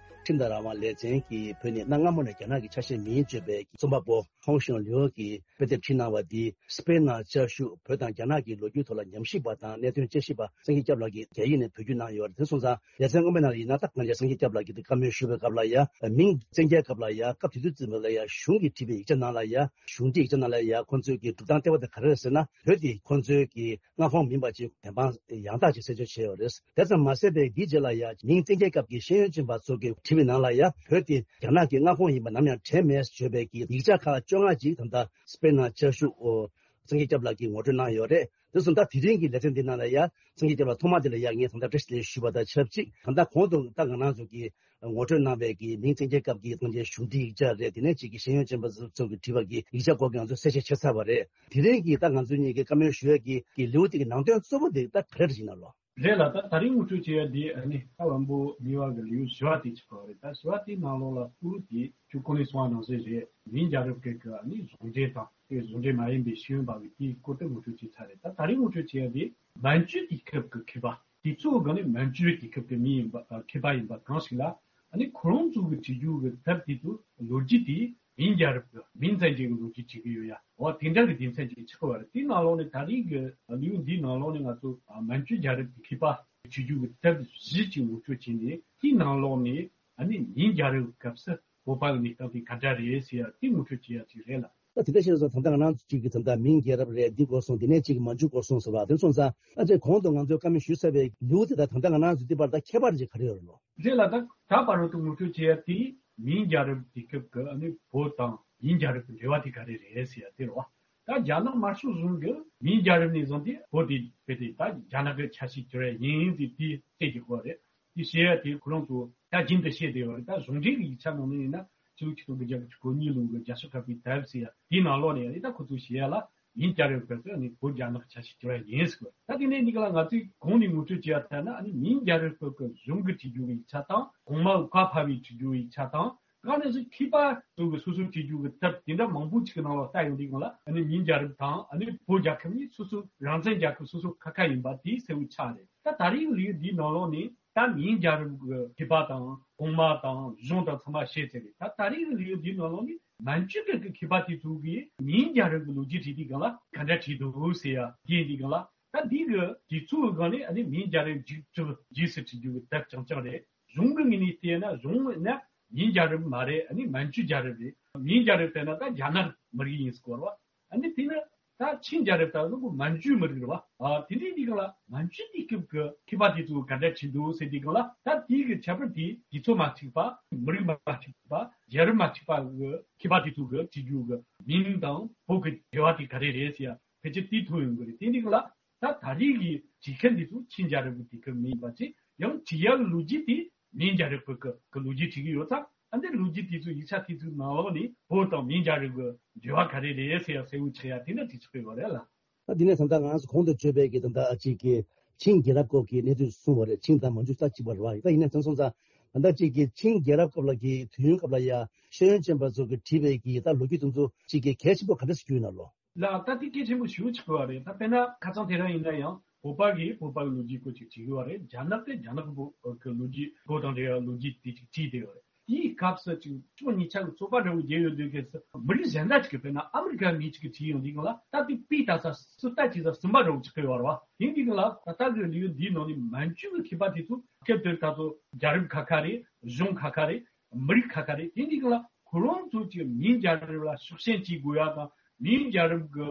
ཁྲིམས་དང་རང་དབང་ལེ་ཚན་གྱིས་བོད་ནས་གནའ་སྔ་མོ་ནས་རྒྱ་ནག་གི་ཆ་ཤས་མིན་བརྗོད་པའི་རྩོམ་པ་པོ་ཧོང་ཞང་ལིའུ་གིས་དཔེ་དེབ་བྲིས་གནང་བ་འདི་དཔེར་ན་བཅའ་བཞུགས་བོད་དང་རྒྱ་ནག་གི་ལོ་རྒྱུས་ཐོག་ལ་ཉམས་ཞིབ་པ་དང་གནད་དོན་དཔྱད་ཞིབ་པ་སངས་རྒྱས་སྐྱབས་ལགས་ཀྱིས་རྒྱ་ཡིག་ནས་བོད་བསྒྱུར་གནང་ཡོད་རེད། དེ་སོང་ཙང་ལེ་ཚན་སྔོན་མའི་ནང་ལ་ཡིན་ན། ད་གང་ལྟར་སངས་རྒྱས་སྐྱབས་ལགས་ཀྱིས་དེ་བཀའ་མོལ་ཞུ་བའི་སྐབས་ལ་ཡ། མིང་བཙན་རྒྱལ་སྐབས་ལ་ཡ། སྐབས་དེ་དུས་ཙམ་པ་ལ་ཡ་གཞུང་གིས་བྲིས་པའི་ཡིག་ཆ་ནང་ལ་ཡ། གཞུང་འབྲེལ་ཡིག་ཆ་ནང་ལ་ཡ། ཁོང་ཚོས་ཀྱི་སྒྲུབ་སྟངས་ལྟེ་བ་དེ་ག་རེ་རེད་ཟེར་ན། བོད་དེ་ཁོང་ཚོའི་གི་མངའ་ཁོངས་མིན་པ་ཅིག་བདེན་དཔང་ཡང་དག་ཅིག་གསལ་སྟོན་བྱས་ཡོད་རེད། དེ་ཙམ་མ་ཟད་པའི་འདིའི་རྗེས་ལ་ཡ། མིང་བཙན་རྒྱལ་སྐབས་ཀྱི་ཤེས་ཡོན་ཅན་པ་ཚོ་གིས་བྲིས་པའི་ནང་ལ་ཡ། བོད་དེ་རྒྱ་ནག་གི་མངའ་ཁོངས་ཡིན་པ་ནམ་ཡང་དྲན་མེད་བརྗོད་པའི་གི་ཡིག་ཆ་ཁག་བཅོ་ལྔ་ཅིག་ད་ལྟ་དཔེར་ན་བཅའ་བཞུགས་ཨོ། སངས་རྒྱས་སྐྱབས་ལགས་ཀྱིས་ངོ་སྤྲོད་གནང་ཡོད་རེད། དེ་སོང་ཙང་དེ་རིང་གི་ལེ་ཚན་འདི་ནང་ལ་ཡ། སངས་རྒྱས་སྐྱབས་ལགས་ཐོག་མ་དེ་ལ་ཡ། ངས་ད་ལྟ་བཀྲ་ཤིས་བདེ་ལེགས་ཞུས་པ་དང་ཆབས་ཅིག་ད་ལྟ་གོང་དུ་ད་ང་རང་ཚོ་གིས་ངོ་སྤྲོད་གནང་བའི་གི་མིང་བཙན་རྒྱལ་སྐབས་ཀྱི་ཐང་ཆེན་གཞུང་འབྲེལ་ཡིག་ཆ་རེད། དེ་ནས་ཅིག་གི་ཤེས་ཡོན་ཅན་པ་ཚོ་གིས་བྲིས་པ་གི་ཡིག་ཆ་སྐོར་གྱི་ང་ཚོས་གསལ་བཤད་བྱས་ཚར་བ་རེད། དེ་རིང་གི་ད་ང་ཚོ་གཉིས་ཀྱིས་བཀའ་མོལ་ཞུ་ཡ་གི་གི་ལེའུ་དེ་གི་ནང་དོན་གཙོ་བོ་དེ་ད་ག་རེ་རེད་ཡིན་ན་ལོ། རེད་ལ། ད་ད་རིང་ངོ་སྤྲོད་བྱེད་ཡ་དེ་ཨ་ནི་ད་བམ་པོ་གཉིས་པ་གི་ལེའུ་བཞི་པ་དེ་ཆགས་པ་རེད། ད་བཞི་པ་དེའི་ནང་ལོགས་ལ་གཙོ་བོ་དེ་ཁྱོད་གོང་ནས་གསུངས་པ་ནང་བཞིན་རེད། མིང་རྒྱལ་རབས་སྐད་ཀྱི་ཨ་ནི་གཞུང་འབྲེལ་དང་དེ་གཞུང་འབྲེལ་མ་ཡིན་པའི་ཤེས་ཡོན་པ་གི་དེའི་སྐོར་དེ་ངོ་སྤྲོད་བྱས་ཚར་རེད། ད་ད་རིང་ངོ་སྤྲོད་བྱེད་ཡ་དེ་མན་ཇུ་དུས་སྐབས་ཀྱི་མཁས་པ། དེ་ཚོའི་སྒང་ནས་མན་ཇུའི་དུས་སྐབས་ཀྱི་མི་ཡིན་པ། མཁས་པ་ཡིན་པ་གང་ཞིག་ལ་ཨ་ནི་ཁོ་རང་ཚོ་གི་བྲིས་རྒྱུ་གི་དེབ་དེ་ཚོ་ལོ་རྒྱུས་དེ་མིང་རྒྱལ་རབས་ཀྱི་མིང་བཙན་རྒྱལ་གྱི་ལོ་རྒྱུས་བྲིས་ཀྱི་ཡོད་ཡ། འོ་དེ་འདྲ་གི་སྡེ་ཚན་ཅིག་ཆགས་པ་རེད། དེའི་ནང་ལོགས་ནས་ད་རེས་ཀྱི་ལེའུ་འདིའི་ནང་ལོགས་ནས་ང་ཚོ་མན་ཇུ་རྒྱལ་རབས་ཀྱི་མཁས་པ་བྲིས་རྒྱུ་གི་དེབ་བཞི་ཅིག་ངོ་སྤྲོད་བྱས་ནས། དེའི་ནང་ལོགས་ནས་ཨ་ནི་མིང་རྒྱལ་རབས་སྐབས་སུ་བོད་པ་གི་གནས་སྟངས་དེ་ག་འདྲ་རེད་ཟེར་ཡ་དེ་ངོ་སྤྲོད་བྱེད་ཡ་ཅིག་རེད་ལ། ད་དེ་འདྲ་བྱས་ཙང་ད་ལྟ་ང་རང་ཚོ་གཅིག་གི་ད་ལྟ་མིང་རྒྱལ་རབས་རེད། འདི་སྐོར་སོང་། དེ་ནས་གཅིག་གི་མན་ཇུ་སྐོར་སོང་ཟེར་བ་དེ་སོང་ཙང་། ཨ་ཅེ་གོང་དུ་ང་ཚོས་བཀའ་མོལ་ཞུས་ཚར་བའི་ལེའུ་དེ་དང་ད་ལྟ་ང་རང་ཚོ་འདི་བར་ད་ཁྱད་པར་ཅིག་ག་རེ་ཡོད་རེད་ལོ། རེད་ལ། ད་ད་བར་དུ་ངོ་སྤྲོད་བྱེད་ཡ་དེ་མིང་རྒྱལ་རབས་དུས་སྐབས་ཀྱི་ཨ་ནི་བོད་དང་མིང་རྒྱལ་རབས་ཀྱི་འབྲེལ་བ་དེ་ག་རེ་རེད་ཟེར་ཡ་དེ་རེད་བ། ད་རྒྱ་ནག་དམར་ཤོག་གཞུང་གིས་མིང་རྒྱལ་རབས་ནས་བཟུང་སྟེ་བོད་དེ་བོད་དེ་ད་རྒྱ་ནག་གི་ཆ་ཤས་གྱུར་ཡ་ཡིན་ཟེར་དེ་བཤད་ཀྱི་ཡོད་རེད། དེ་བཤད་ཡ་དེ་ཁོ་རང་ཚོ་ད་རྒྱུན་དུ་བཤད་བསྡད་ཡོད་རེད། ད་གཞུང་འབྲེལ་གྱི་ཡིག་ཆ་ནང་ནས་ཡིན་ན་ཕྱི་ལོ་ཆིག་སྟོང་དགུ་བརྒྱ་དགུ་བཅུ་གོ་གཉིས་ལོ་གི་རྒྱལ་སྤྱི་ཁ་པའི་དེབ་ཟེར་ཡ་དེའི་ནང་ལོགས་ནས་ཡིན་ན། ད་ཁོ་ཚོས་བཤད་ཡ་ལ་མིང་རྒྱལ་རབས་སྐབས་སུ་ཨ་ནི་བོད་རྒྱ་ནག་ཆ་ཤས་གྱུར་ཡ་ཡིན་ཟེར་བ། ད་དེ་ནས་འདི་ག་ལ་ང་ཚོས་གོང་ནས་ངོ་སྤྲོད་བྱས་ཡ་ལྟར་ན། ཨ་ནི་མིང་རྒྱལ་རབས་སྐབས་ཀྱི་གཞུང་གི་བྲིས་རྒྱུ་གི་ཡིག་ཆ་དང་། གོང་མ་བཀའ་ཕབ་པའི་བྲིས་རྒྱུ་གི་ཡིག་ཆ་དང་། དཀའ་གནད་སུ་མཁས་པ་ཚོ་གི་སོ་སོ་བྲིས་རྒྱུ་གི་དེབ་དེ་འདྲ་མང་པོ་ཅིག་གི་ནང་ལ་ལྟ་ཡོང་དུས་སྒང་ལ། ཨ་ནི་མིང་རྒྱལ་རབས་དང་ཨ་ནི་བོད་རྒྱལ་ཁབ་གཉིས་སོ་སོ་རང་བཙན་རྒྱལ་ཁབ་སོ་སོ་ཁ་ཁ་ཡིན་པ་དེ་གསལ་བོ་ཆགས་རེད། ད་ད་རེས་ལེའུ་འདིའི་ནང་ལོགས་ནས་ད་མིང་རྒྱལ་རབས་ཀྱི་མཁས་པ་དང་གོང་མ་དང་གཞུང་དང་ཚང་མ་བཤད་ཚར་རེད། ད་ད་རེས་ལེའུ་འདིའི་ནང་ལོགས་ནས་མན་ཇུ་སྐད་ཀྱི་མཁས་པ་དེ་ཚོ་གིས་མིང་རྒྱལ་རབས་ཀྱི་ལོ་རྒྱུས་བྲིས་དུས་སྒང་ལ་ག་འདྲ་བྲིས་འདུག་ཟེར་ཡ་དེ་ཡིན་དུས་སྒང་ལ། ད་འདི་གི་དུས་ཚོད་སྒང་ནས་ཨ་ནི་མིང་རྒྱལ་རབས་མཇུག་གྲུབ་རྗེས་སུ་བྲིས་རྒྱུ་གི་དེབ་རྐྱང་རྐྱང་རེད། གཞུང་གི་ངོས་ནས་བལྟས་ན་གཞུང་ན་མིང་རྒྱལ་རབས་མ་རེད། ཨ་ནི་མན་ཇུ་རྒྱལ་རབས་རེད། མིང་རྒྱལ་རབས་བལྟས་ན་ད་རྒྱ་ནག་མི་རིགས་ཡིན་ཟེར་གོ་རེད་བ། ཨ་ནི་དེ་ནི་ད་ཆིང་རྒྱལ་རབས་ལྟ་བུ་མན་ཇུའི་མི་རིགས་རེད་བ། ཨ་དེ་འདྲའི་དུས་སྒང་ལ་མན་ཇུ་དུས་སྐབས་ཀྱི་མཁས་པ་དེ་ཚོ་ག་འདྲ་བྲིས་འདུག་ཟེར་དུས་སྒང་ལ། ད་དེའི་གི་ཁྱད་པར་དེ་དུས་ཚོད་མ་གཅིག་པ། མི་རིགས་མ་གཅིག་པ། རྒྱལ་རབས་མ་གཅིག་པ་གི་མཁས་པ་དེ་ཚོ་གི་བྲིས་རྒྱུ་གི་མིང་དང་བོད་ཀྱི་འབྲེལ་བ་དེ་ག་རེ་རེད་ཟེར་ཡ་ཕལ་ཆེར་དེ་ཐུག་ཡོང་གི་རེད། དེ་འདི་ག་ལ་ད་ད་རེས་ཀྱི་བྲིས་མཁན་འདི་ཚོ་ཆིང་རྒྱལ་རབས་ཀྱི་དུས་སྐབས་མིན་པ་ཅིག། ཡང་བྲིས་ཡ་ལོ་རྒྱུས་དེ་མིང་རྒྱལ་རབས་ཀྱི་ཀྱི་ལོ་རྒྱུས་བྲིས་ཀྱི་ཡོད་ཙང་། ཨ་འདི་ལོ་རྒྱུས་དེ་ཚོ་ཡིག་ཆ་དེ་ཚོའི་ནང་ལོགས་ནས་བོད་དང་མིང་རྒྱལ་རབས་ཀྱི་འབྲེལ་བ་ག་རེ་རེད་ཟེར་ཡ་གསལ་བོ་ཆགས་ཡ་དེ་འདྲ་ཅིག་ཆགས་ཀྱི་ཡོད་རེད་ལ། ད་འདི་ནས་ད་ལྟ་ང་ཚོ་གོང་དུ་བརྗོད་པའི་གི་ད་ལྟ་ཨ་ཅིག་གི་ཆིང་རྒྱལ་རབས་སྐོར་གྱི་གནས་ཚུལ་གསུངས་པ་རེད། ཆིང་དང་མན་ཇུ་ས་གཅིག་པ་རེད་བ། ད་ཡིན་ན་དེ་སོང་ཙང་ད་ལྟ་ཅིག་གི་ཆིང་རྒྱལ་རབས་སྐབས་ལ་གི་དུས་ཡུན་སྐབས་ལ་ཡ་ཤེས་ཡོན་ཅན་པ་ཚོ་གི་བྲིས་པའི་གི་ད་ལོ་རྒྱུས་དེ་ཚོ་ཅིག་གི་གལ་ཆེན་པོ་ག་འདྲ་ཞིག་གྱུར་ཡོད་ན་ལོ། ལ་ད་དེ་གལ་ཆེན་པོ་ཞེ་པོ་ཅིག་ཡོད་རེད། ད་དཔེར་ན་ཁ་སང་དེ་རིང་ཡིན་ན་ཡང་བོད་པ་གིས་བོད་པ་གི་ལོ་རྒྱུས་སྐོར་ཅིག་བྲིས་ཡོད་རེད། རྒྱ་ནག་གིས་རྒྱ་ནག་གི་བོད་ཀྱི་ལོ་རྒྱུས། བོད་དང་འབྲེལ་བའི་ལོ་རྒྱུས་དེ་ཅིག་བྲིས་བསྡད་ཡོད་རེད། དེའི་སྐབས་སུ་ཅིག་ཕྱོགས་གཉིས་ཆ་གི་རྩོད་པ་འདྲ་བོ་རྒྱག་ཡོང་དུས་སྐབས་སུ། མི་རིགས་གཞན་དག་ཅིག་གིས་དཔེར་ན་ཨ་མི་རི་ཀའི་མི་ཅིག་གིས་བྲིས་ཡོང་དུས་སྒང་ལ་ད་དེ་དཔེ་ལྟ་ས་སུ་ལྟ་བྱེད་ས་སུན་པ་འདྲ་བོ་ཅིག་ཡོད་རེད་བ། དེ་འདི་སྒང་ལ་ད་ལྟ་གི་ལེའུ་འདིའི་ནང་ནས་མན་ཇུ་གི་མཁས་པ་དེ་ཚོ་སྐབས་དེར་ད་ཚོ་རྒྱལ་རབས་ཁ་ཁ་རེད། གཞུང་ཁ་ཁ་རེད། མི་རིགས་ཁ་ཁ་རེད། དེ་འདི་སྒང་ལ་ཁོ་རང་ཚོ་གི་མིང་རྒྱལ་རབས་ལ་ཕྱོགས་ཞེན་བྱེད་དགོས་ཡ་དང་། མིང་རྒྱལ་རབས་ཀྱི་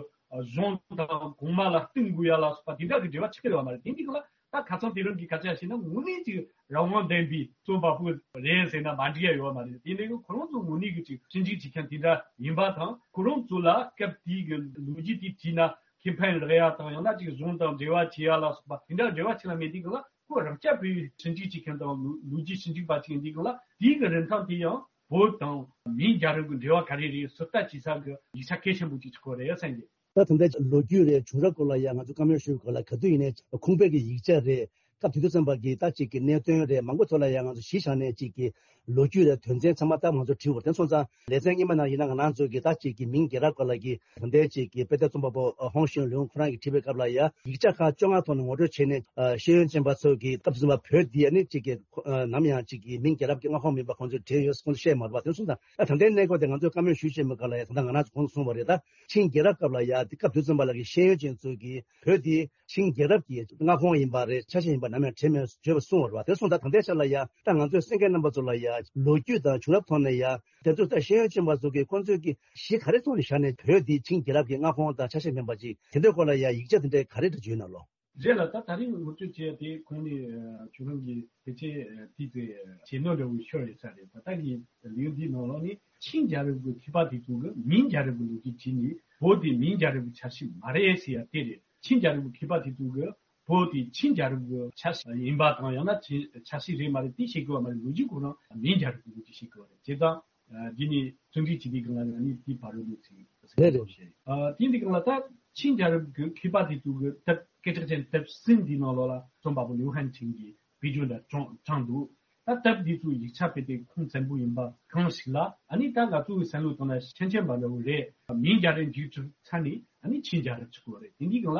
གཞུང་དང་གོང་མ་ལ་བསྟུན་དགོས་ཡ་ལ་སོགས་པ་དེ་འདྲ་གི་འབྲེལ་བ་ཆགས་ཡོད་མ་རེད། དེ་འདི་སྒང་ལ་ད་ཁ་སང་དེ་རིང་གི་སྐད་ཆ་བཤད་ན་དངོས་གནས་ཅིག་རང་དབང་ལྡན་པའི་རྩོམ་པ་པོ་རེད་ཟེར་ན་མ་འགྲིག་ཡ་ཡོད་མ་རེད། དེ་འདྲ་གི་ཁོ་རང་ཚོ་དངོས་གནས་ཀྱི་ཅིག་ཞིབ་འཇུག་བྱེད་མཁན་དེ་འདྲ་ཡིན་པ་དང་། ཁོ་རང་ཚོ་ལ་སྐབས་དེའི་གི་ལོ་རྒྱུས་དེ་བྲིས་ན་ཁེ་ཕན་ལེན་ཡ་དང་། ཡང་ན་ཅིག་གཞུང་དང་འབྲེལ་བ་བྱེད་ཡ་ལ་སོགས་པ་དེ་འདྲ་འབྲེལ་བ་ཆེ་ལ་མེད་དུས་སྒང་ལ། ཁོ་རང་རྐྱང་པའི་ཞིབ་འཇུག་བྱེད་མཁན་དང་ལོ་ལོ་རྒྱུས་ཞིབ་འཇུག་པ་ཅིག་ཡིན་དུས་སྒང་ལ། དེའི་གི་རིན་ཐང་དེ་ཡང་བོད་དང་མིང་རྒྱལ་རབས་ཀྱི་འབྲེལ་བ་ག་རེ་རེད་ཟུར་ལྟ་བྱེད་ས་གི་ཡིག་ཆ་གལ་ཆེན་པོ་ཅིག་ཆགས་ཀྱི་རེད་བསམ་གི། ད་ད་ལྟ་ལོ་རྒྱུས་རེད། བྱུང་རབས་སྐོར་ལ་ཡ་ང་ཚོ་བཀའ་མོལ་ཞུས་སྐོར་ལ་ག་དུས་ཡིན་ནའི་ཁུངས་དཔེ་གི་ཡིག་ཆ་རེད། ད་དུས་ཚོད་ཙམ་པ་གི་ད་ཅིག་གི་གནད་དོན་རེད། མང་པོ་ཐོག་ལ་ཡང་ང་ཚོ་གཞི་བཞག་ནས་ཅིག་གི་ལོ་རྒྱུས་རེད། དོན་ཚན་ཚང་མ་ད་ང་ཚོ་བྲིས་ཡོད་རེད། དེ་སོང་ཙང་ལེ་ཚན་སྔོན་མ་ནང་ཡིན་ན་ང་རང་ཚོ་གི་ད་ཅིག་གི་མིང་རྒྱལ་རབས་སྐོར་ལ་གི་ད་ལྟའི་ཅིག་གི་དཔེ་དེབ་རྩོམ་པ་པོ་ཧོང་ཞུན་ལུང་ཁོ་རང་གིས་བྲིས་པའི་སྐབས་ལ་ཡང་ཡིག་ཆ་ཁག་བཅོ་ལྔ་ཐོག་ནས་ངོ་སྤྲོད་བྱས་ནས་ཤེས་ཡོན་ཅན་པ་ཚོ་གིས་སྐབས་དུས་ཙམ་པ་བོད་འདི་ཨ་ནི་ཅིག་གི་ནམ་ཡང་ཅིག་གི་མིང་རྒྱལ་རབས་ཀྱི་མངའ་ཁོངས་མིན་པ་ཁོང་ཚོས་བྲིས་ཡོད་ཁོང་ཚོས་བཤད་མ་རེད་པ། དེ་སོང་ཙང་ད་ད་ལྟའི་གནས་སྐབས་དེ་ང་ཚོས་བཀའ་མོལ་ཞུ་བྱེད་མི་སྐབས་ལ་ཡང་ད་ལྟ་ང་རང་ཚོ་གོང་དུ་གསུངས་པ་རེད། ད་ཆིང་རྒྱལ་རབས་སྐབས་ལ་ཡང་དེ་སྐབས་དུས་ཙམ་པ་ལ་གི་ཤེས་ཡོན་ཅན་ཚོས་གིས་བོད་འདི་ཆིང་རྒྱལ་རབས་ཀྱི་མངའ་ཁོངས་ཡིན་པ་རེད། ཆ་ཤས་ཡིན་པ་ནམ་ཡང་བྲིས་མེད་བརྗོད་པ་གསུངས་པ་རེད་པ། དེ་སོང་ཙང་ད་ལྟའི་ཆ་ལ་ཡང་ད་ང་ཚོས་གསན་མཁན་རྣམ་པ་ཚོ་ལ་ཡང་ལོ་རྒྱུས་དང་བྱུང་རབས་ཐོག་ནས་ཡང་དེ་ཚོ་ད་ཤེས་ཡོན་ཅན་པ་ཚོ་གིས་ཁོང་ཚོས་ཀྱི་གཞི་ག་རེ་ཐོག་ནས་བཞག་ནས་བོད་འདི་ཆིང་རྒྱལ་རབས་ཀྱི་མངའ་ཁོངས་དང་ཆ་ཤས་མིན་པ་ཅིག་དེ་འདྲའི་སྐོར་ལ་ཡང་ཡིག་ཆ་དེ་འདྲའི་ག་རེ་འདྲ་བརྗོད་ན་ལོ། རེད་ལ། ད་ད་རིང་ངོ་སྤྲོད་བྱས་ཏེ་ཁོང་ནས་ཁྱོད་རང་གིས་ཕལ་ཆེར་དེ་ཚོའི་བྱེད་ནོར་འདྲ་བོ་ཤོར་ཡོད་ས་རེད། ད་ལྟ་གི་ལེའུ་འདིའི་ནང་ལོགས་ནས་ཆིང་རྒྱལ་རབས་ཀྱི་མཁས་པ་དེ་ཚོ་གིས་མིང་རྒྱལ་རབས་ཀྱི་ལོ་རྒྱུས་བྲིས་ནས་བོད་དེ་མིང་རྒྱལ་རབས་ཀྱི་ཆ་ཤས་མ་རེད་ཟེར་ཡ་དེ་རེད། ཆིང་རྒྱལ་རབས་ཀྱི་མཁས་པ་དེ་ཚོ་གིས་བོད་དེ་ཆིང་རྒྱལ་རབས་ཀྱི་ཆ་ཤས་ཡིན་པ་དང་། ཡང་ན་ཆིང་ཆ་ཤས་རེད་མ་རེད་དེ་བཤད་དགོས་པ་མ་རེད། ལོ་རྒྱུས་ཁོ་རང་མིང་རྒྱལ་རབས་ཀྱི་ལོ་རྒྱུས་བཤད་དགོས་པ་རེད། བྱས་ཙང་། ཨ། འདི་ནི་བརྩོན་འགྲུས་བྱེད་དུས་སྒང་ལ་ནི་དེའི་བར་རོལ་ནས་ཚིག་རེད་རེད། བཤད། ཨ། དེ་འདི་སྒང་ལ་ད་ཆིང་རྒྱལ་རབས་ཀྱི་མཁས་པ་དེ་ཚོ་གི་དེབ་སྐད་གྲགས་ཅན་དེབ་གསུམ་འདིའི་ནང་ལོགས་ལ་རྩོམ་པ་པོ་ལིའུ་ཧན་ཆིང་གིས་བེད་སྤྱོད་འདྲ་དྲངས་དྲངས་འདུག་ད་དེབ་འདི་ཚོའི་ཡིག་ཆ་དཔེ་དེབ་ཁུངས་བཙན་པོ་ཡིན་པ་གང་ཞིག་ལ། ཨ་ནི་ད་ང་ཚོའི་བསམ་བློ་བཏང་ན་ཤན་ཆེན་པ་འདྲ་བོ་རེད། མིང་རྒྱལ་རབས་མཇུག་གྲུབ་ཚར་ནས་ཨ་ནི་ཆིང་རྒྱལ་རབས་ཆགས་ཀྱི་ཡོད་རེད། དེ་འདི་སྒང་ལ་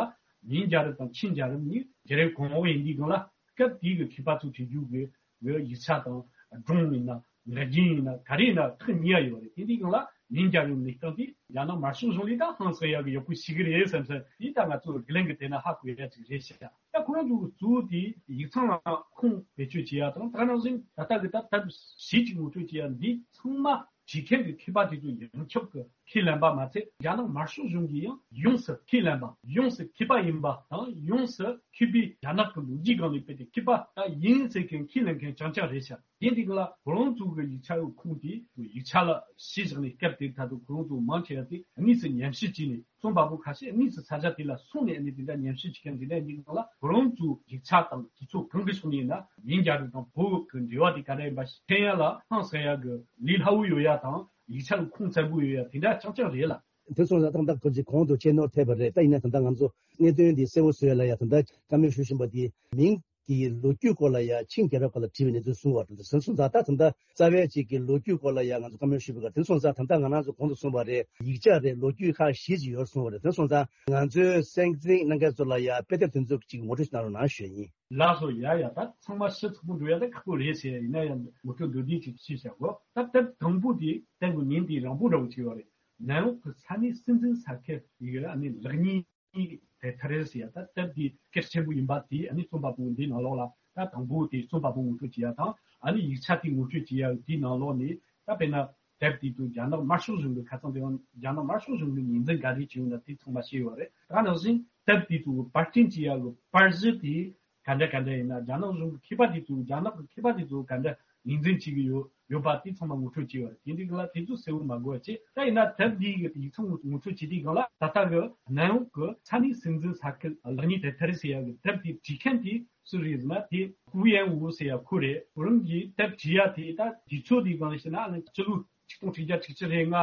མིང་རྒྱལ་རབས་དང་ཆིང་རྒྱལ་རབས་གཉིས་རྒྱལ་རབས་གོང་འོག་ཡིན་དུས་སྒང་ལ་སྐབས་དེའི་གི་མཁས་པ་ཚོས་བྲིས་རྒྱུ་གི་གི་ཡིག་ཆ་དང་སྒྲུང་ཡིན་ན་ངག་རྒྱུན་ཡིན་ན་ག་རེ་ཡིན་ན་ཐག་ཉེ་ཡ་ཡོད་རེད། དེ་འདི་སྒང་ལ་མིང་རྒྱལ་རབས་གནས་སྟངས་དེ་རྒྱ་ནག་དམར་ཤོག་གཞུང་ལས་ད་ཧང་སང་ཡ་གི་ཡག་པོ་ཞིག་གི་རེད་བསམ་སོང་། དེ་ད་ང་ཚོ་རྒྱུན་ལྡན་གི་དེ་ན་ཧ་གོ་ཡ་ཅིག་རེད་ཤག་ད་ཁོ་རང་ཚོ་གི་གཙོ་བོ་དེ་ཡིག་ཚང་ལ་ཁུངས་བེད་སྤྱོད་བྱེད་ཡ་དང་། ད་ནང་བཞིན་ད་ལྟ་གི་ད་དེབ་གཞི་གཅིག་ངོ་སྤྲོད་བྱེད་ཡ་འདི་ཚང་མ་བྲིས་མཁན་གྱི་མཁས་པ་དེ་ཚོ་ཡོངས་ཁྱབ་ཀྱིས་ཁས་ལེན་པ་མ་ཚད། རྒྱ་ནག་དམར་ཤོག་གཞུང་གིས་ཡང་ཡོངས་སུ་ཁས་ལེན་པ། ཡོངས་སུ་མཁས་པ་ཡིན་པ་དང་། ཡོངས་སུ་མཁས་པའི་རྒྱ་ནག་གི་ལོ་རྒྱུས་སྒང་ནས་དཔེ་དེ་མཁས་པ་ད་ཡིན་ཟེར་མཁན་ཁས་ལེན་མཁན་རྐྱང་རྐྱང་རེད་ཤག་དེ་འདི་ག་ལ་ཁོ་རང་ཚོ་གི་ཡིག་ཆ་ཡོད་ཁུངས་དེ་ཡིག་ཆ་ལ་གཞི་བཞག་ནས། སྐབས་དེར་ད་དུང་ཁོ་རང་ཚོ་མང་ཆེ་བ་དེ་དངོས་སུ་ཉམས་ཞིབ་བྱས་ནས། རྩོམ་པ་པོ་ཁ་ཤས་དངོས་སུ་ས་ཆ་དེ་ལ་སོང་ནས་ཨ་ནི་དེ་འདྲ་ཉམས་ཞིབ་བྱེད་མཁན་དེ་འདྲ་ཡིན་ནའང་ལ། ཁོ་རང་ཚོའི་ཡིག་ཆ་དང་དུས་ཚོད་གང་གི་ཕྱོགས་ནས་ཡིན་ན་མིང་རྒྱལ་རབས་དང་བོད་ཀྱི་འབྲེལ་བ་དེ་ག་འདྲ་ཡིན་པ་ཤེས་ཡ་ལ་ཧང་སང་ཡ་གི་ལས་སླ་བོ་ཡོད་ཡ་དང་། ཡིག་ཆ་གི་ཁུངས་བཙན་པོ་ཡོད་ཡ་དེ་འདྲ་རྐྱང་རྐྱང་རེད་ལ། དེ་སོང་ཙང་ཏག་ཏག་ཁོ་ཚོས་གོང་དུ་བཤད་ནོར་ཐེབས་པ་རེད། ད་ཡིན་ན་ད་ལྟ་ང་ཚོ་གནད་དོན་འདི་གསལ་བོ་བཟོ་ཡ་ལ་ཡ། ད་ལྟ་བཀའ་མོལ་ཞུ་བཞིན་པ་འདི་མིང་གི་ལོ་རྒྱུས་སྐོར་ལ་ཡ་ཆིང་རྒྱལ་རབས་སྐོར་ལ་བྲིས་པའི་གནས་ཚུལ་གསུངས་པ་དང་། དེ་སོང་ཙང་ད་ད་ལྟ་རྩ་བའི་ཅིག་གི་ལོ་རྒྱུས་སྐོར་ལ་ཡ་ང་ཚོ་བཀའ་མོལ་ཞུས་པའི་སྐབས། དེ་སོང་ཙང་ད་ལྟ་ང་རང་ཚོ་གོང་དུ་གསུངས་པ་རེད། ཡིག་ཆ་རེད། ལོ་རྒྱུས་ཁག་བཞི་ཅིག་ཡོད་གསུངས་པ་རེད། དེ་སོང་ཙང་ང་ཚོའི་གསན་གཟིགས་གནང་མཁན་ཚོ་ལ་ཡ་དཔེ་དེབ་དེ་ཚོ་ཅིག་ངོ་སྤྲོད་ཞིག་གནང་རོགས་གནང་ཞུ་ཡ་ཡིན། ལགས་སོ། ཡ་ཡ། ད་ཚང་མ་ཞིབ་ཚགས་པོ་འགྲོ་ཡ་ད་ཁག་པོ་རེད་ཟེར་ཡ་ཡིན་ན་ཡང་ངོ་སྤྲོད་མདོར་བསྡུས་ཅིག་ཞུས་བཞག་གོ། ད་དེབ་དང་པོ་དེ་དེབ་ཀྱི་མིང་དེ་རིང་པོ་འདྲ་བོ་ཅིག་ཡོད་རེད། ནན་ཨུ་གི་ས་གནས་སྲིད་འཛིན་ས་ཁུལ་ཡི་ཨ་ནི་ལེགས་ཉེས་དེ་ཐ་རེ་ཟེར་ཡ། ད་དེབ་དེ་སྐད་ཆེན་པོ་ཡིན་པ་དེ་ཨ་ནི་རྩོམ་པ་པོ་འདི་ནང་ལོགས་ལ། ད་དང་པོ་དེ་རྩོམ་པ་པོ་ངོ་སྤྲོད་བྱེད་ཡ་དང་། ཨ་ནི་ཡིག་ཆ་དེ་ངོ་སྤྲོད་བྱེད་ཡ་དེའི་ནང་ལོགས་ནས། ད་དཔེར་ན་དེབ་དེ་ཚོ་རྒྱ་ནག་དམར་ཤོག་གཞུང་གི་ཁ་སང་དེ་རིང་རྒྱ་ནག་དམར་ཤོག་གཞུང་གི་ངོས་འཛིན་ག་རེ་བྱས་ཡོད་ན་དེ་ཚང་མ་བཤད་ཡོད་རེད། ད་ནང་བཞིན་དེབ་དེ་ཚོ་པར་སྐྲུན་བྱེད་ཡ་གི་པར་གཞི་དེ་ག་འདྲ་ག་འདྲ་ཡིན་ན། རྒྱ་ནག་གཞུང་གི་མཁས་པ་དེ་ཚོ། རྒྱ་ནག་གི་མཁས་པ་དེ་ཚོ་ག་འདྲ་ངོས་འཛིན་བྱེད་ཀྱི་ཡོད་ཡོད་པ་དེ་ཚང་མ་ངོ་སྤྲོད་བྱས་ཡོད་རེད། དེ་འདྲའི་སྒང་ལ་དེ་ཚོ་གསལ་བོ་མ་གོ་བ་བྱས། ད་ཡིན་ན་དེབ་འདིའི་གི་ཡིག་ཚང་ངོ་སྤྲོད་བྱེད་དུས་སྒང་ལ། ད་ལྟ་གི་ནན་ཨུ་གི་ས་གནས་སྲིད་འཛིན་ས་ཁུལ་ལེགས་ཉེས་དེ་ཐ་རེ་ཟེར་ཡ་གི་དེབ་དེ་བྲིས་མཁན་དེ་སུ་རེད་ཟེར་ན། དེ་ཧུའུ་ཡན་ཝུའུ་ཟེར་ཡ་ཁོ་རེད། ཁོ་རང་གིས་དེབ་བྲིས་ཡ་དེ་ད་དུས་ཚོད་དེའི་སྒང་ལ་བཤད་ན་ཨ་ནི་སྤྱི་ལོ་ཆིག་སྟོང་ཆིག་བརྒྱ་དྲུག་ཅུ་རེ་ལྔ་